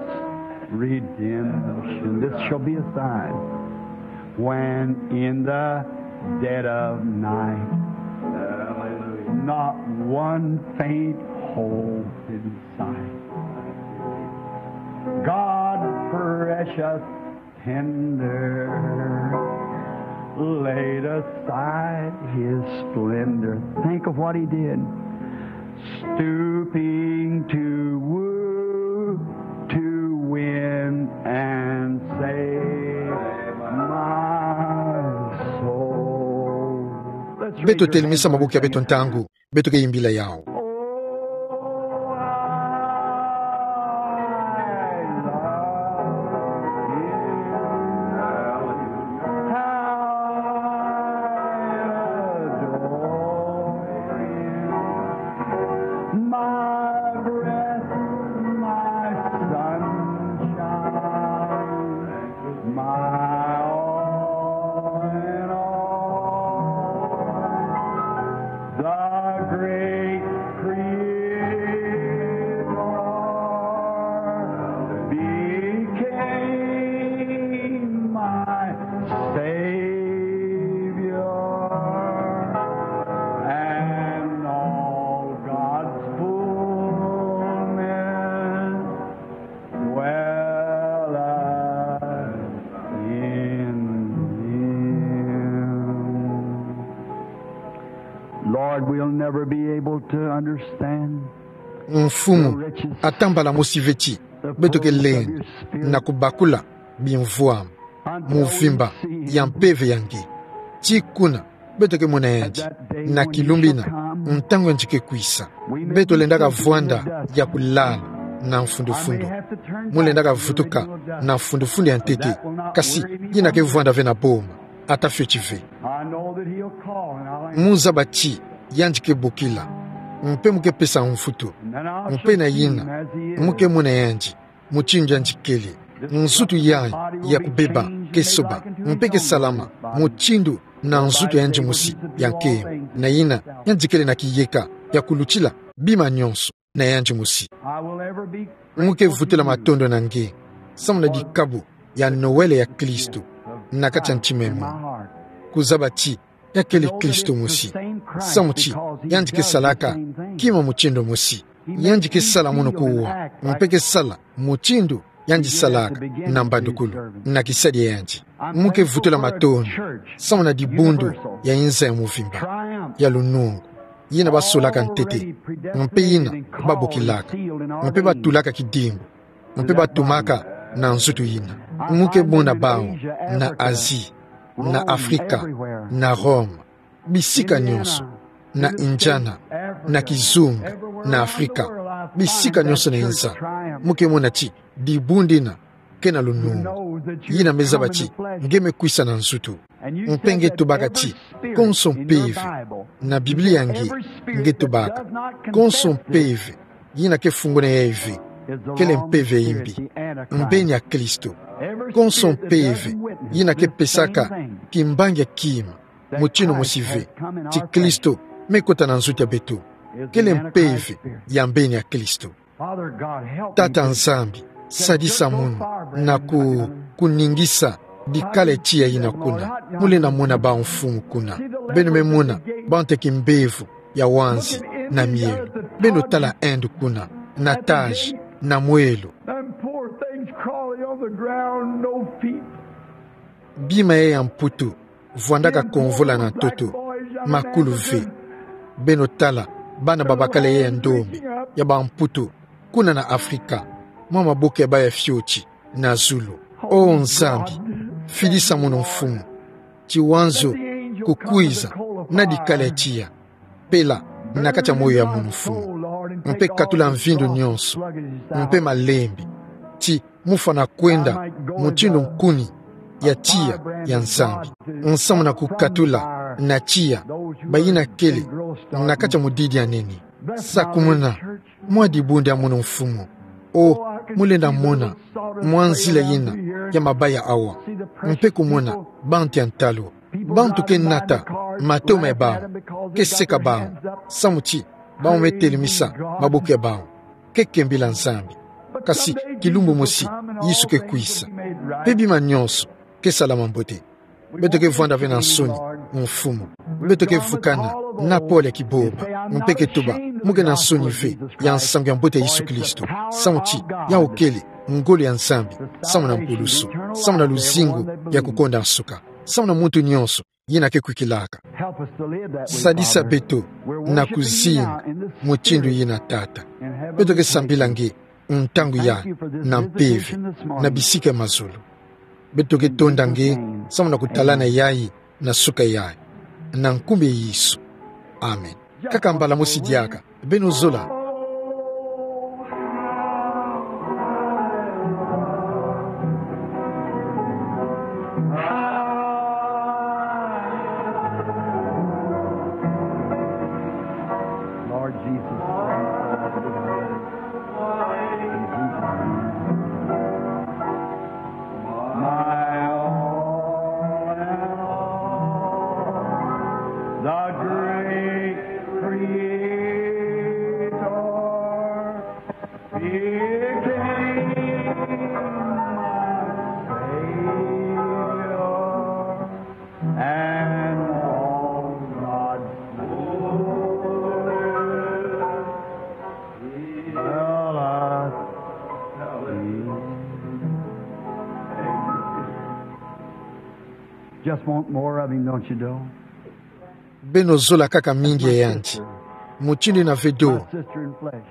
redemption. This shall be a sign. When in the dead of night, not one faint hope in sight, God precious tender, laid aside his splendor. Think of what he did. Stooping to woo, to win and save my soul. Let's read. Beto telemisa maboko ya beto ntangu beto ke imbila yawu. My all in all, the great Creator became my Savior, and all God's fullness dwelleth in him. Lord, we'll never be able to understand. Mfumu, atambala mosi veti beto ke lenda na kubakula bimvwama. mvimba ya mpeve ya nge. Tii kuna, beto ke mona yandi, na kilumbu ina, ntangu yandi ke kwisa. Beto lendaka vwanda ya kulala na mfundufundu. Mu lendaka vutuka na mfundufundu ya ntete, kasi yina ke vwanda ve na boma, ata fioti ve. Mu zaba ti yandi ke bokila, mpe mu ke pesa mvutu, mpe na yina, mu ke mona yandi, mutindu yandi kele. Nzutu yayi ya kubeba ke soba, mpe ke salama mutindu na nzutu ya yandi mosi ya nkembo. Na yina, yandi kele na kiyeka ya kulutila bima nionso na yandi mosi. Mu ke vutula matondo na nge, samu na dikabu ya Noël ya Kristo na kati ya ntima munu. Kuzaba ti ya kele Kristo mosi. Samu ti yandi ke salaka kima mutindu mosi. Yandi ke sala munu kuwa, mpe ke sala mutindu yandi salaka na mbandukulu, na kisadi ya yandi. Mu ke vutula matondo, samu na dibundu ya inza ya mvimba, ya lunungu, yina basolaka ntete, mpe yina babokilaka, mpe batulaka kidimbu, mpe batumaka na nzutu yina. Mu ke mona bawu na Asie, na Afrika, na Rome, bisika nionso, na Indiana, na kizunga, na Afrika, bisika nionso na inza. Mu ke mona ti dibundu ina ke na lunungu. Yina me zaba ti nge me kwisa na nzutu. Mpe nge tubaka ti konso mpeve, na Biblia nge, nge tubaka konso mpeve yina ke funguna yayi ve, kele mpeve ya imbi, mbeni ya Kristo. Konso mpeve yina ke pesaka kimbangi ya kima mutindu mosi ve, ti Kristo me kota na nzutu ya beto, kele mpeve ya mbeni ya Kristo. Tata Nzambi, sadisa munu na ku-, kuningisa dikala tiya yina kuna. Mu lenda mona bawu, Mfumu, kuna. Beno me mona bawu nte kimbevo ya wanzi na mielo. Beno tala Inde kuna, na Taj, na mwelo. Them poor things crawling on the ground, no feet. Bima yayi ya mputu vwandaka konvola na ntoto, makulu ve. Beno tala bana babakala yayi ya ndombe, ya bamputu, kuna na Afrika, mwa maboko ya bawu ya fioti na zulu. O Nzambi, fidisa munu, Mfumu, ti wanzo kukwiza na dikala tiya. Pela na kati ya moyo ya munu, Mfumu, mpe katula mvindu nionso, mpe malembe, ti mu fwana kwenda mutindu nkuni ya tiya ya Nzambi. Nsamu na kukatula na tiya bayina kele na kati ya mudidi ya nene. Sakumuna mwa dibundu ya munu, Mfumu. O, mu lenda mona mwa nzila yina ya mabaya awa, mpe kumona bantu ya ntalu, bantu ke nata matoma ya bawu, ke seka bawu, samu ti bawu me telemisa maboko ya bawu, ke kembila Nzambi. Kasi kilumbu mosi, Yesu ke kwisa, mpe bima nionso ke salama mbote. Beto ke vwanda ve na nsoni, Mfumu. Beto ke vukana na pole ya kibomba, mpe ke tuba mu ke na nsoni ve ya nsangu ya mbote ya Yesu Kristo, samu ti yawu kele ngolo ya Nzambi, samu na mpulusu, samu na luzingu ya kukonda nsuka, samu na muntu nionso yina ke kwikilaka. Sadisa beto na kuzina mutindu yina, Tata. Beto ke sambila nge ntangu yayi, na mpeve, na bisika ya mazulu. Beto ke tonda nge samu na kutalana yayi na suka yayi, na nkumbu ya Yesu. Amen. Kaka mbala mosi diaka. Beno zola. Lord Jesus, my all in all, the great Creator became my Savior, and all God's fullness dwelleth in me. Just want more of him, don't you, Doe? Beno zola kaka mingi ya yandi. Mutindu yina ve, Doe. My sister in flesh.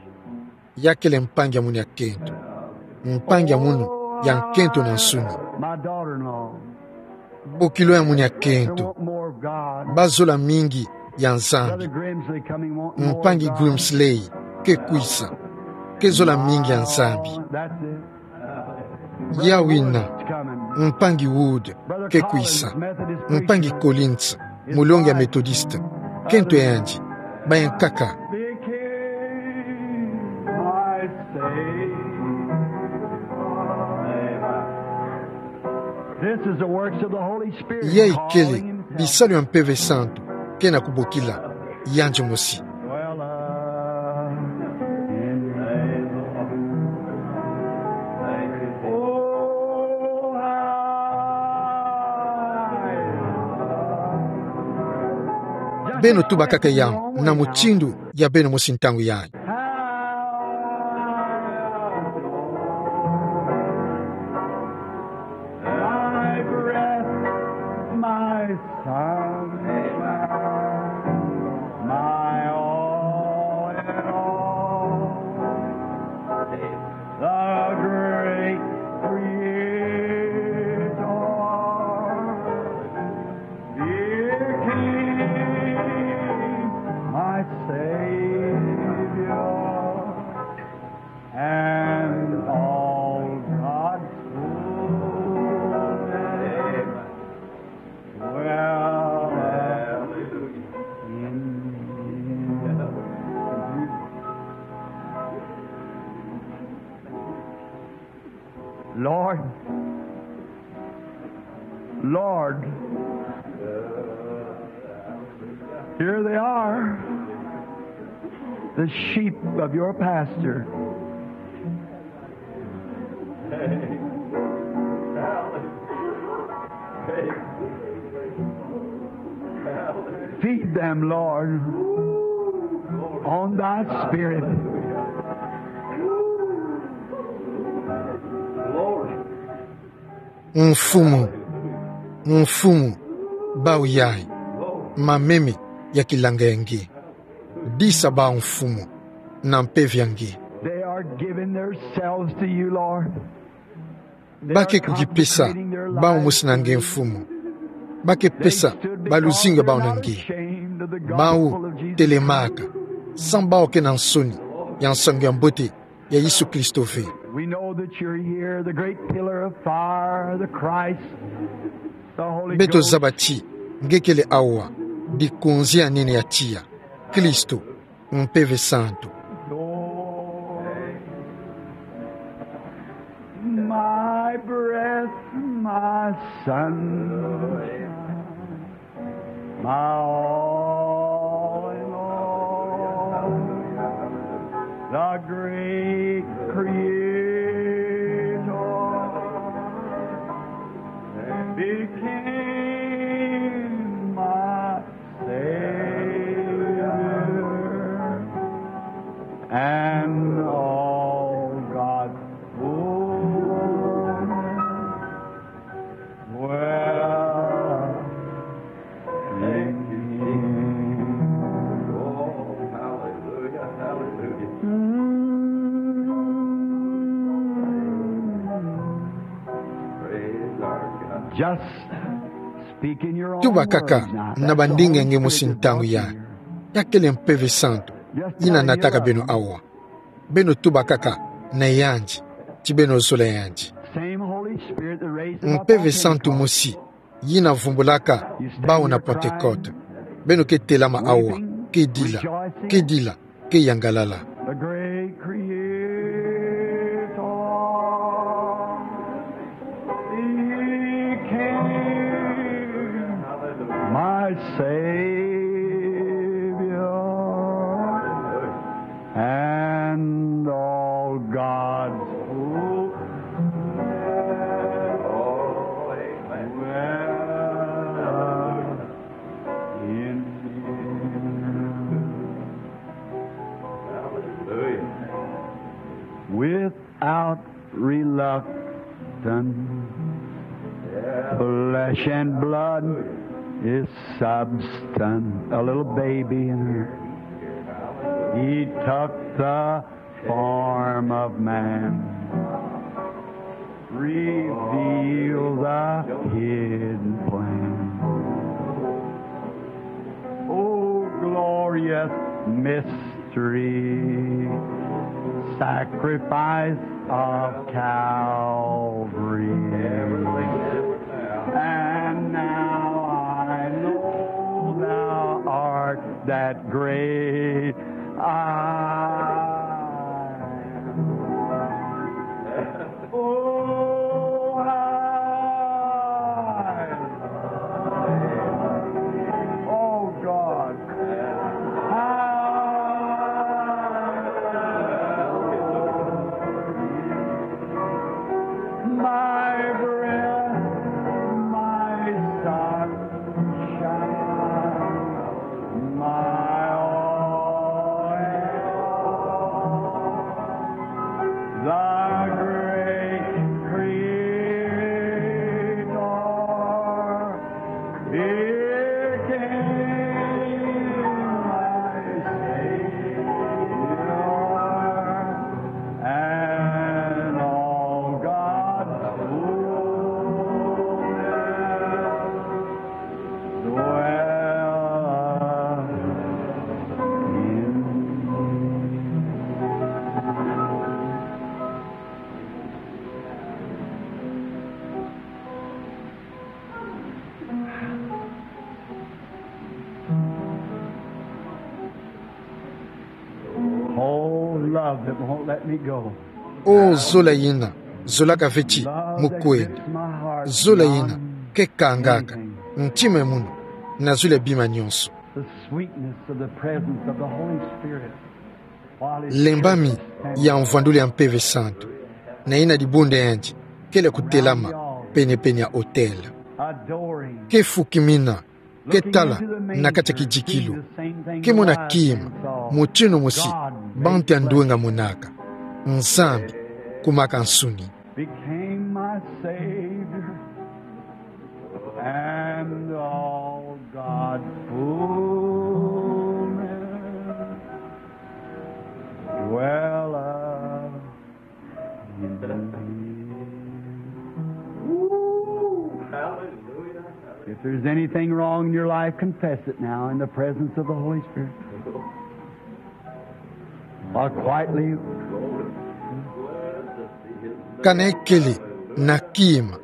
Ya kele mpangi ya munu ya kento. Mpangi ya munu ya nkento na nsuni. Bokilo ya mwinyakento. Bazola mingi ya Nzambi. Mpangi Grimsley ke kwisa. Ke zola mingi ya Nzambi. Ya wina, Mpangi Wood ke kwisa. Mpangi Collins, mulongi ya Methodist. Nkento yandi, baya nkaka. This is the works of the Holy Spirit. Yayi kele bisalu ya Mpeve Santu ke na kubokila yandi mosi. Beno tuba kaka yawu na mutindu ya beno mosi ntangu yayi. My breath, my sunshine, my all in all, the great Creator became my Savior, and all God's fullness dwelleth in me. Lord, Lord, here they are, the sheep of your pasture. Feed them, Lord, on thy spirit. Mfumu, Mfumu, bawu yayi, mameme ya kilanga ya nge. Disa bawu Mfumu, na mpeve ya nge. They are giving themselves to you, Lord. Ba ke kukipesa bawu mosi na nge Mfumu. Ba ke pesa baluzingu ya bawu na nge. Bawu telemaka, samu bawu ke na nsoni ya nsangu ya mbote ya Yesu Kristo ve. We know that you're here, the great pillar of fire, the Christ, the Holy Ghost. Beto zaba ti nge kele awa, dikunzi ya nene ya tiya, Kristo, Mpeve Santu. My breath, my sunshine, my all in all, the great Creator became my Savior, and all God's fullness dwelleth in me. Oh, hallelujah, hallelujah. Praise our God. Just speak in your own words now. Tuba kaka na bandinga ya nge mosi ntangu yayi. Ya kele Mpeve Santu yi na nataka beno awa. Beno tuba kaka na yandi, ti beno zola yandi. Same Holy Spirit that raised up Mpeve Santu mosi yi na vumbulaka bawu na Pentecote. Beno ke telama awa, ke dila, ke dila, ke yangalala. The great Creator became my Savior, and all God's fullness dwelleth in me. Hallelujah. Without reluctance, flesh and blood is substance. A little baby in her. He took the form of man. Reveal the hidden plan. Oh, glorious mystery, sacrifice of Calvary. And now I know thou art that great I am. Oh, I, oh, God. I, my breath, my sunshine, my all. The great Creator became my Savior, and all God's fullness dwelleth in me. Oh, love that won't let me go. O zola yina zolaka ve ti mu kwenda. Zola yina kekangaka ntima mono na zulu ya bima nyonso. The sweetness of the presence of the Holy Spirit. Lembami ya mvwandulu ya Mpeve Santu, na yina dibundu yandi kele kutelama penepene ya otele. Adoring. Ke fukimina, ke tala na kati ya kidikilu, ke mona kima, mutindu mosi bantu ya ndwenga monaka. Nzambi kumaka nsuni. Became my Savior, and all God's fullness dwelleth in me. Woo! Hallelujah. If there's anything wrong in your life, confess it now in the presence of the Holy Spirit. Or quietly. Kana e kele na kima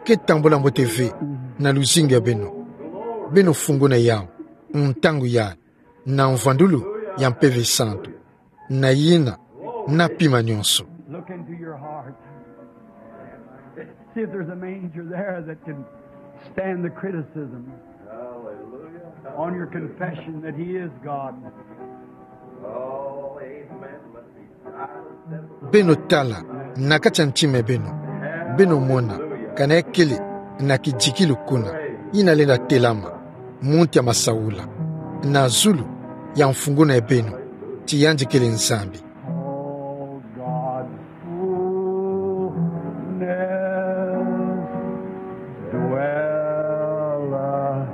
ke tambola mbote ve na luzingu ya beno, beno funguna yau ntangu yayi na mvwandulu ya Mpeve Santu, na yina na pima nyonso. Look into your heart. See if there's a manger there that can stand the criticism on your confession that He is God. Beno tala na kati ya ntima ya beno, beno mona kana e kele na kidikilu kuna yina lenda telama, muntu ya masaula, na zulu ya mfunguna ya beno ti yandi kele Nzambi. All God's fullness dwelleth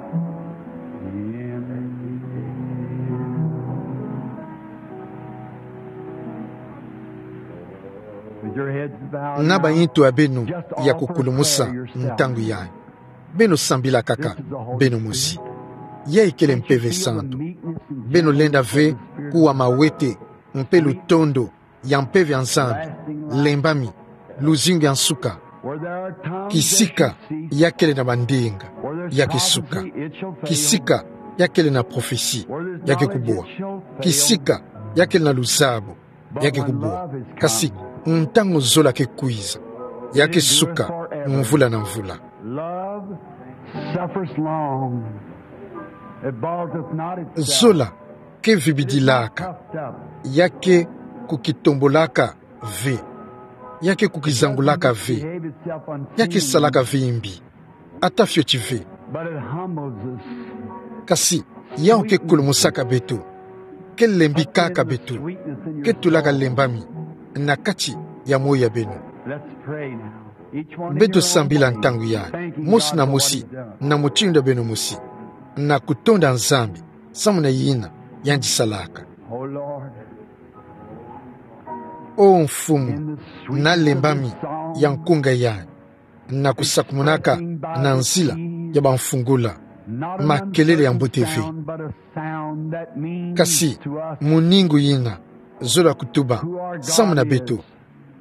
in me. With your heads bowed now, just offer a prayer yourself. Na baintu ya beno ya kukulumusa ntangu yayi. Beno sambila kaka beno mosi. Yayi kele Mpeve Santu. Beno lenda ve kuwa mawete mpe lutondo ya Mpeve ya Nzambi, lembami, luzingu ya nsuka. Kisika ya kele na bandinga, ya ke suka. Kisika ya kele na prophetie, ya ke kubwa. Kisika ya kele na luzabu, ya ke kubwa. Kasi ntangu zola ke kwiza, ya ke suka mvula na mvula. Love suffers long. It boasteth not itself. Zola ke vibidilaka, ya ke kukitombolaka ve, ya ke kukizangulaka ve, ya ke salaka ve mbi, ata fioti ve. But it humbles us. Kasi yau ke kulumusaka beto, ke lembikaka beto, ke tulaka lembami na kati ya moyo ya beno. Let's pray now. Each one of you. Beto sambila ntangu yayi, mosi na mosi, na mutindu ya beno mosi, na kutonda Nzambi samu na yina yandi salaka. Oh Lord. O Mfumu, na lembami ya nkunga yayi, na kusakumunaka na nzila ya bamfungula, makelele ya mbote ve. Kasi, muningu yina, zolo ya kutuba, samu na beto,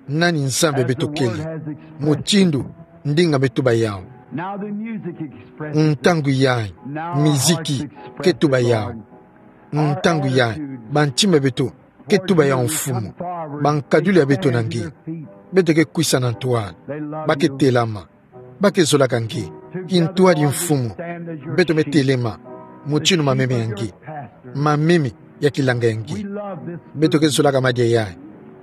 nani Nzambi beto kele, mutindu ndinga me tuba yawu. Ntangu yayi, miziki ke tuba yawu. Ntangu yayi, bantima beto ke tuba yawu mfumu. Bankaduli ya beto na nge. Beto ke kwisa na ntwala. Ba ke telama. Ba ke zolaka nge. Kintwadi mfumu. Beto me telema. Mutindu mameme ya nge. Mameme ya kilanga ya nge. Beto ke zolaka madia yayi.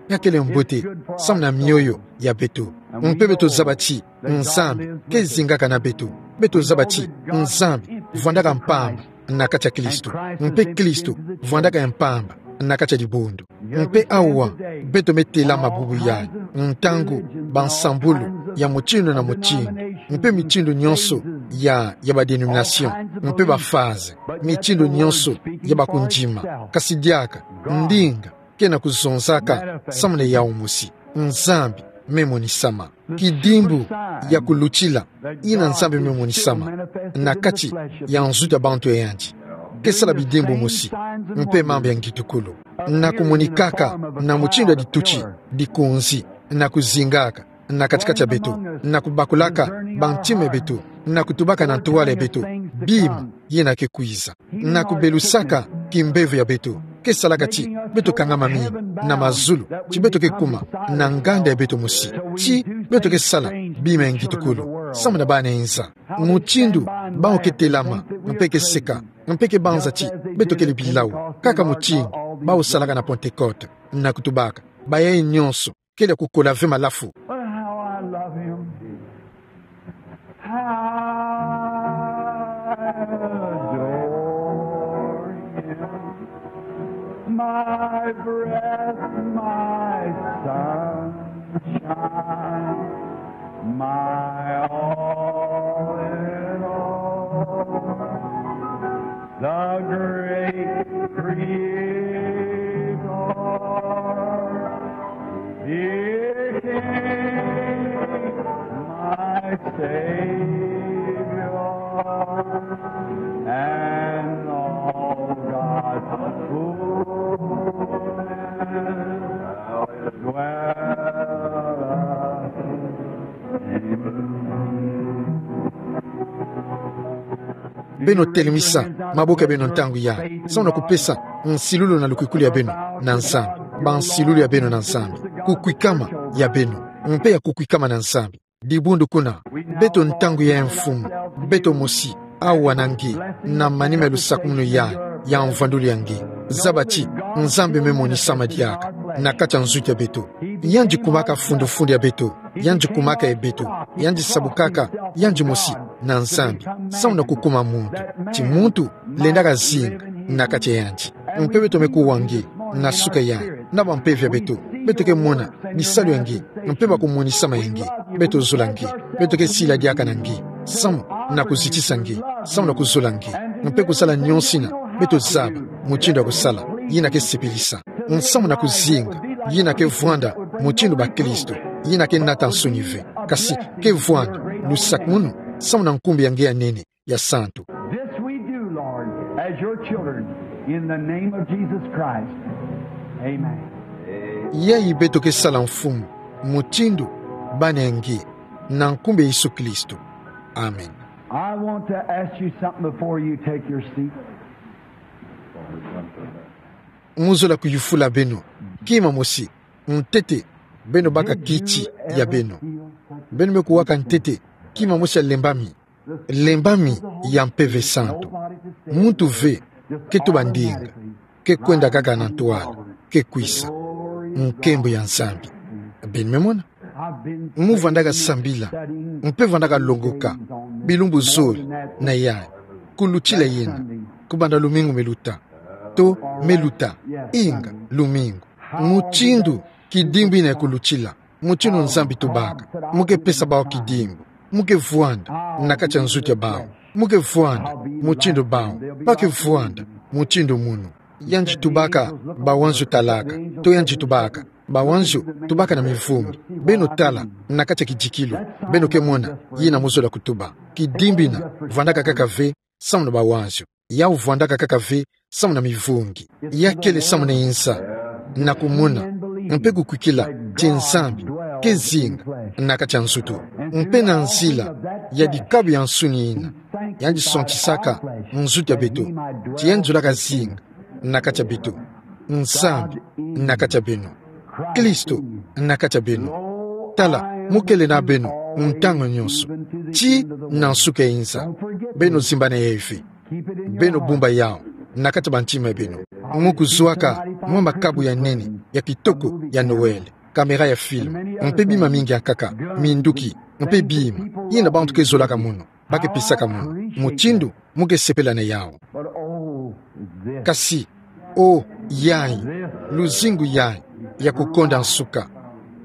Ya kele mbote, samu na mioyo ya beto. Mpe beto zaba ti Nzambi ke zingaka na beto. Beto zaba ti Nzambi vwandaka mpamba na kati ya Kristo. Mpe Kristo vwandaka ya mpamba na kati ya dibundu. Mpe awa, beto me telama bubu yayi, ntangu bansambulu ya mutindu na mutindu, mpe mitindu nyonso ya, ya ba dénomination, mpe ba phase, mitindu nyonso ya bakundima. Kasi diaka, ndinga ke na kuzonzaka samu na yawu mosi. Nzambi me monisama. Kidimbu ya kulutila, yina Nzambi me monisama na kati ya nzutu ya bantu ya yandi, ke sala bidimbu mosi, mpe mambu ya ngitukulu, na kumonikaka na mutindu ya dituti dikonzi, na kuzingaka na kati-kati ya beto, na kubakulaka bantima ya beto, na kutubaka na ntwala ya beto bima yina ke kwiza, na kubelusaka kimbevo ya beto, ke salaka ti beto kangama mina na mazulu, ti beto ke kuma na nganda ya beto mosi, ti beto ke sala bima ya ngitukulu samu na bana nza. Mutindu bawu ke telama, mpe ke seka, mpe ke banza ti beto kele bilau, kaka mutindu bawu salaka na Pentecôte, na kutubaka, bayayi nyonso kele ya kukola ve malafu. But how I love him. How I adore him. My breath, my sunshine, my all in all. The great Creator, dear King, my Savior, and all God's fullness dwelleth in me. Beno telemisa maboko ya beno ntangu yayi, samu na kupesa nsilulu na lukwikulu ya beno na Nzambi. Bansilulu ya beno na Nzambi. Kukwikama ya beno. Mpe ya kukwikama na Nzambi. Dibundu kuna, beto ntangu yayi Mfumu, beto mosi, awa na nge, na manima ya lusakumunu yayi, ya mvwandulu ya nge. Zaba ti Nzambi me monisama diaka na kati ya nzutu ya beto. Yandi kumaka fundu-fundu ya beto. Yandi kumaka ya beto. Yandi sabukaka yandi mosi na Nzambi, samu na kukuma muntu. Ti muntu lenda kazinga na kati ya yandi. Mpe beto me kuwa nge na suka yayi, na bampeve ya beto. Beto ke mona bisalu ya nge, mpe bakumonisama ya nge. Beto zola nge. Beto ke sila diaka na nge, samu na kuzitisa nge, samu na kuzola nge, mpe kusala nyonso yina beto zaba mutindu ya kusala, yina ke sepelisa. Samu na kuzinga, yina ke vwanda mutindu bakristo, yina ke nata nsoni ve. Kasi ke vwanda lusakumunu, samu na nkumbu ya nge ya nene, ya santu. This we do, Lord, as your children, in the name of Jesus Christ. Amen. Yayi beto ke sala Mfumu, mutindu bana ya nge, na nkumbu ya Yesu Kristo. Amen. I want to ask you something before you take your seat. Mu zola kuyufula beno kima mosi, ntete beno baka kiti ya beno. Beno me kuwaka ntete kima mosi ya lembami, lembami ya Mpeve Santu. Muntu ve ke tuba ndinga, ke kwenda kaka na ntwala, ke kwisa. Nkembo ya Nzambi. Beno me mona? Mu vwandaka sambila, mpe vwandaka longoka bilumbu zole na yayi, kulutila yena, kubanda lumingu me luta, to me luta, inga lumingu. Mutindu kidimbu yina kulutila, mutindu Nzambi tubaka, mu ke pesa bawu kidimbu, mu ke vwanda na kati ya nzutu ya bawu, mu ke vwanda mutindu bawu, ba ke vwanda mutindu munu. Yandi tubaka bawanzo talaka, to yandi tubaka Bawanzio tubaka na mivungi. Beno tala, na kati ya kidikilu. Beno ke mona, yina muzola kutuba. Kidimbi na, vwandaka kaka ve, samu na bawanzio. Yau vwandaka kaka ve, samu na mivungi. Ya kele samu na insa, na kumona, mpe kukwikila, ti Nzambi ke zinga na kati ya nzutu. Mpe na nzila ya dikabu ya nsuni ina, yandi sontisaka nzutu ya beto, ti yandi zolaka zinga na kati ya beto. Nzambi na kati ya beno. Kristo na kati ya beno. Tala, mu kele na beno ntangu nyonso, ti na nsuka ya insa. Beno zimbana ya ve. Beno bumba yau na kati ya bantima ya beno. Mu kuzwaka mwa makabu ya nene, ya kitoko, ya Noël, kamera ya film, mpe bima mingi ya nkaka, minduki, mpe bima yina bantu ke zolaka mono, ba ke pisaka mono, mutindu mu ke sepela na yau. Kasi, o, yayi, luzingu yayi ya kukonda nsuka,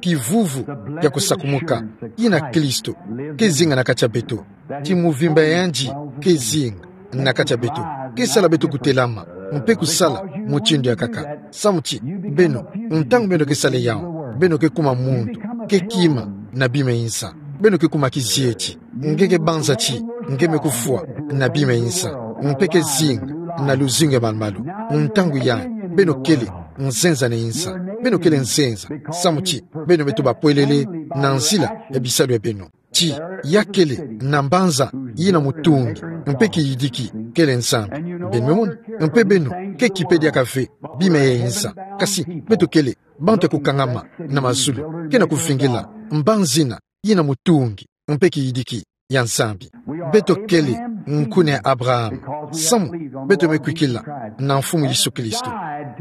kivuvu ya kusakumuka, yina Kristo ke zinga na kati ya beto, ti muvimba ya yandi ke zinga na kati ya beto, ke sala beto kutelama, mpe kusala mutindu ya nkaka. Samu ti, beno, ntangu beno ke sala yau, beno ke kuma muntu ke kima na bima ya insa. Beno ke kuma kizieti, nge ke banza ti nge me kufwa na bima ya insa, mpe ke zinga na luzingu ya malu-malu. Ntangu yayi, beno kele nzenza na insa. Beno kele nzenza, samu ti beno beto bapwelele na nzila ya bisalu ya beno. Ti ya kele na mbanza yina mutungi mpe kiyidiki, kele Nzambi. Beno me mona, mpe beno ke kipe diaka ve bima ya insa. Kasi beto kele bantu ya kukangama na mazulu, ke na kuvingila mbanza yina yina mutungi mpe kiyidiki ya Nzambi. Beto kele nkuna ya Abraham, samu beto me kwikila na Mfumu Yesu Kristo,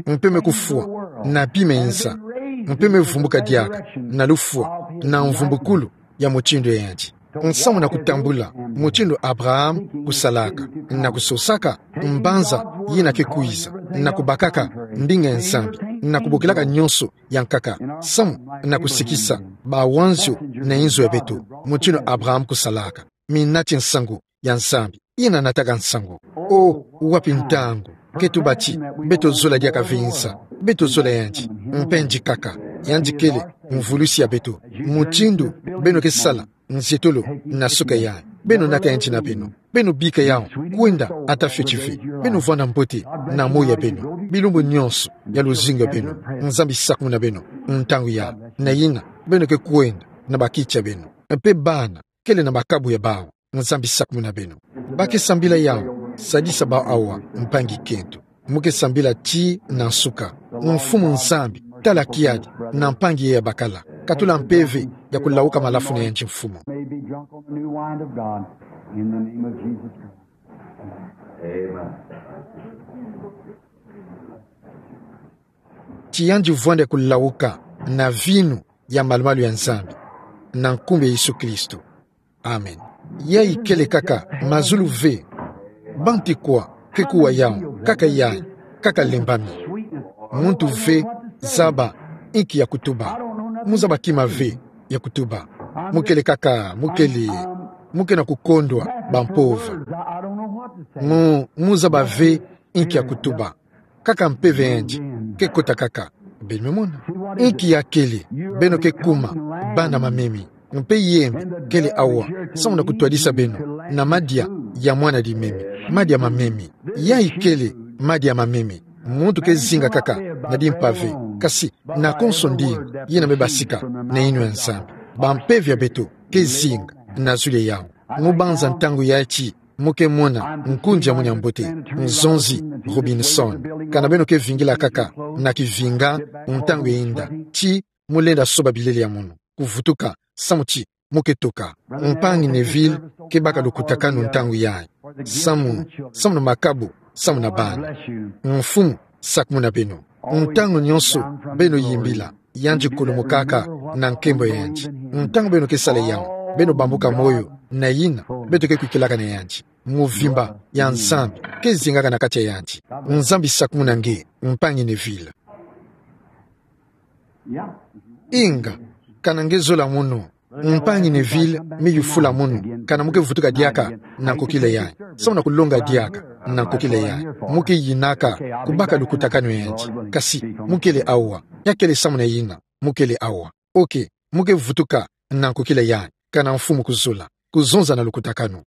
mpe me kufwa na bima ya insa, mpe me vumbuka diaka na lufwa na mvumbukulu ya mutindu ya yandi. Nsamu na kutambula mutindu Abraham kusalaka, na kusosaka mbanza yina ke kwiza, na kubakaka ndinga ya Nzambi, na kubokilaka nyonso ya nkaka, samu na kusikisa bawanzio na inzo ya beto, mutindu Abraham kusalaka. Minati nsangu ya Nzambi, yina nataka nsangu. O, wapi ntangu ke tuba ti beto zola diaka ve insa, beto zola yandi, mpe yandi kaka, yandi kele mvulusi ya beto. Mutindu beno ke sala nzietolo na suka yayi, beno naka yandi na beno. Beno bika yau kwenda ata fioti ve. Beno vwanda mbote na moyo ya beno, bilumbu nyonso ya luzingu ya beno. Nzambi sakumuna beno ntangu yayi, na yina beno ke kwenda na bakiti ya beno, mpe bana kele na makabu ya bawu. Nzambi sakumuna beno. Ba ke sambila yau, sadisa bawu awa, mpangi kento. Mu ke sambila ti na nsuka. Mfumu Nzambi, tala kiadi na mpangi ye ya bakala. Katula mpeve ya kulawuka malafu na yandi, Mfumu. May be drunk on the new wine of God in the name of Jesus Christ. Amen. Ti yandi vwanda kulawuka na vinu ya malu-malu ya Nzambi, na nkumbu ya Yesu Kristo. Amen. Yayi kele kaka mazulu ve. Bantu kwa ke kuwa yau, kaka yayi, kaka lembami. Muntu ve zaba inki ya kutuba. Mu zaba kima ve ya kutuba. Mu kele kaka, mu kele, mu ke na kukondwa bampova. Mu, mu zaba ve inki ya kutuba. Kaka mpeve ya yandi ke kota kaka. Beno me mona. Inki ya kele, beno ke kuma bana mamemi. Mpe yembe kele awa, samu na kutwadisa beno na madia ya mwana dimemi, madia mamemi. Yayi kele madia mamemi. Muntu ke zinga kaka na dimpave, kasi nakonso ndinga yina me basika na yinwa ya Nzambi. Bampeve ya beto ke zinga na zulu ya yau. Mu banza ntangu yayi ti mu ke mona nkundi ya munu ya mbote, Nzonzi Robinson. Kana beno ke vingila kaka na kivinga ntangu ya inda, ti mu lenda soba bilele ya munu, kuvutuka, samu ti mu ke toka. Mpangi Neville ke baka lukutakanu ntangu yayi, samu, samu na makabu, samu na bana. Mfumu sakumuna beno. Ntangu nyonso beno yimbila, yandi kulumukaka na nkembo ya yandi. Ntangu beno ke sala yau, beno bambuka moyo na yina beto ke kwikilaka na yandi. Mvimba ya Nzambi ke zingaka na kati ya yandi. Nzambi sakumuna nge, mpangi Neville. Inga, kana nge zola munu, mpangi Neville me yufula munu, kana mu ke vutuka diaka na nkokila yayi, samu na kulonga diaka na nkokila yayi. Mu ke yinaka kubaka lukutakanu ya yandi, kasi mu kele awa, ya kele samu na yina. mo kele awa. Okay, mo ke vutuka, na kukila yan, kana mfumu kuzula, kuzonza na lukutakano.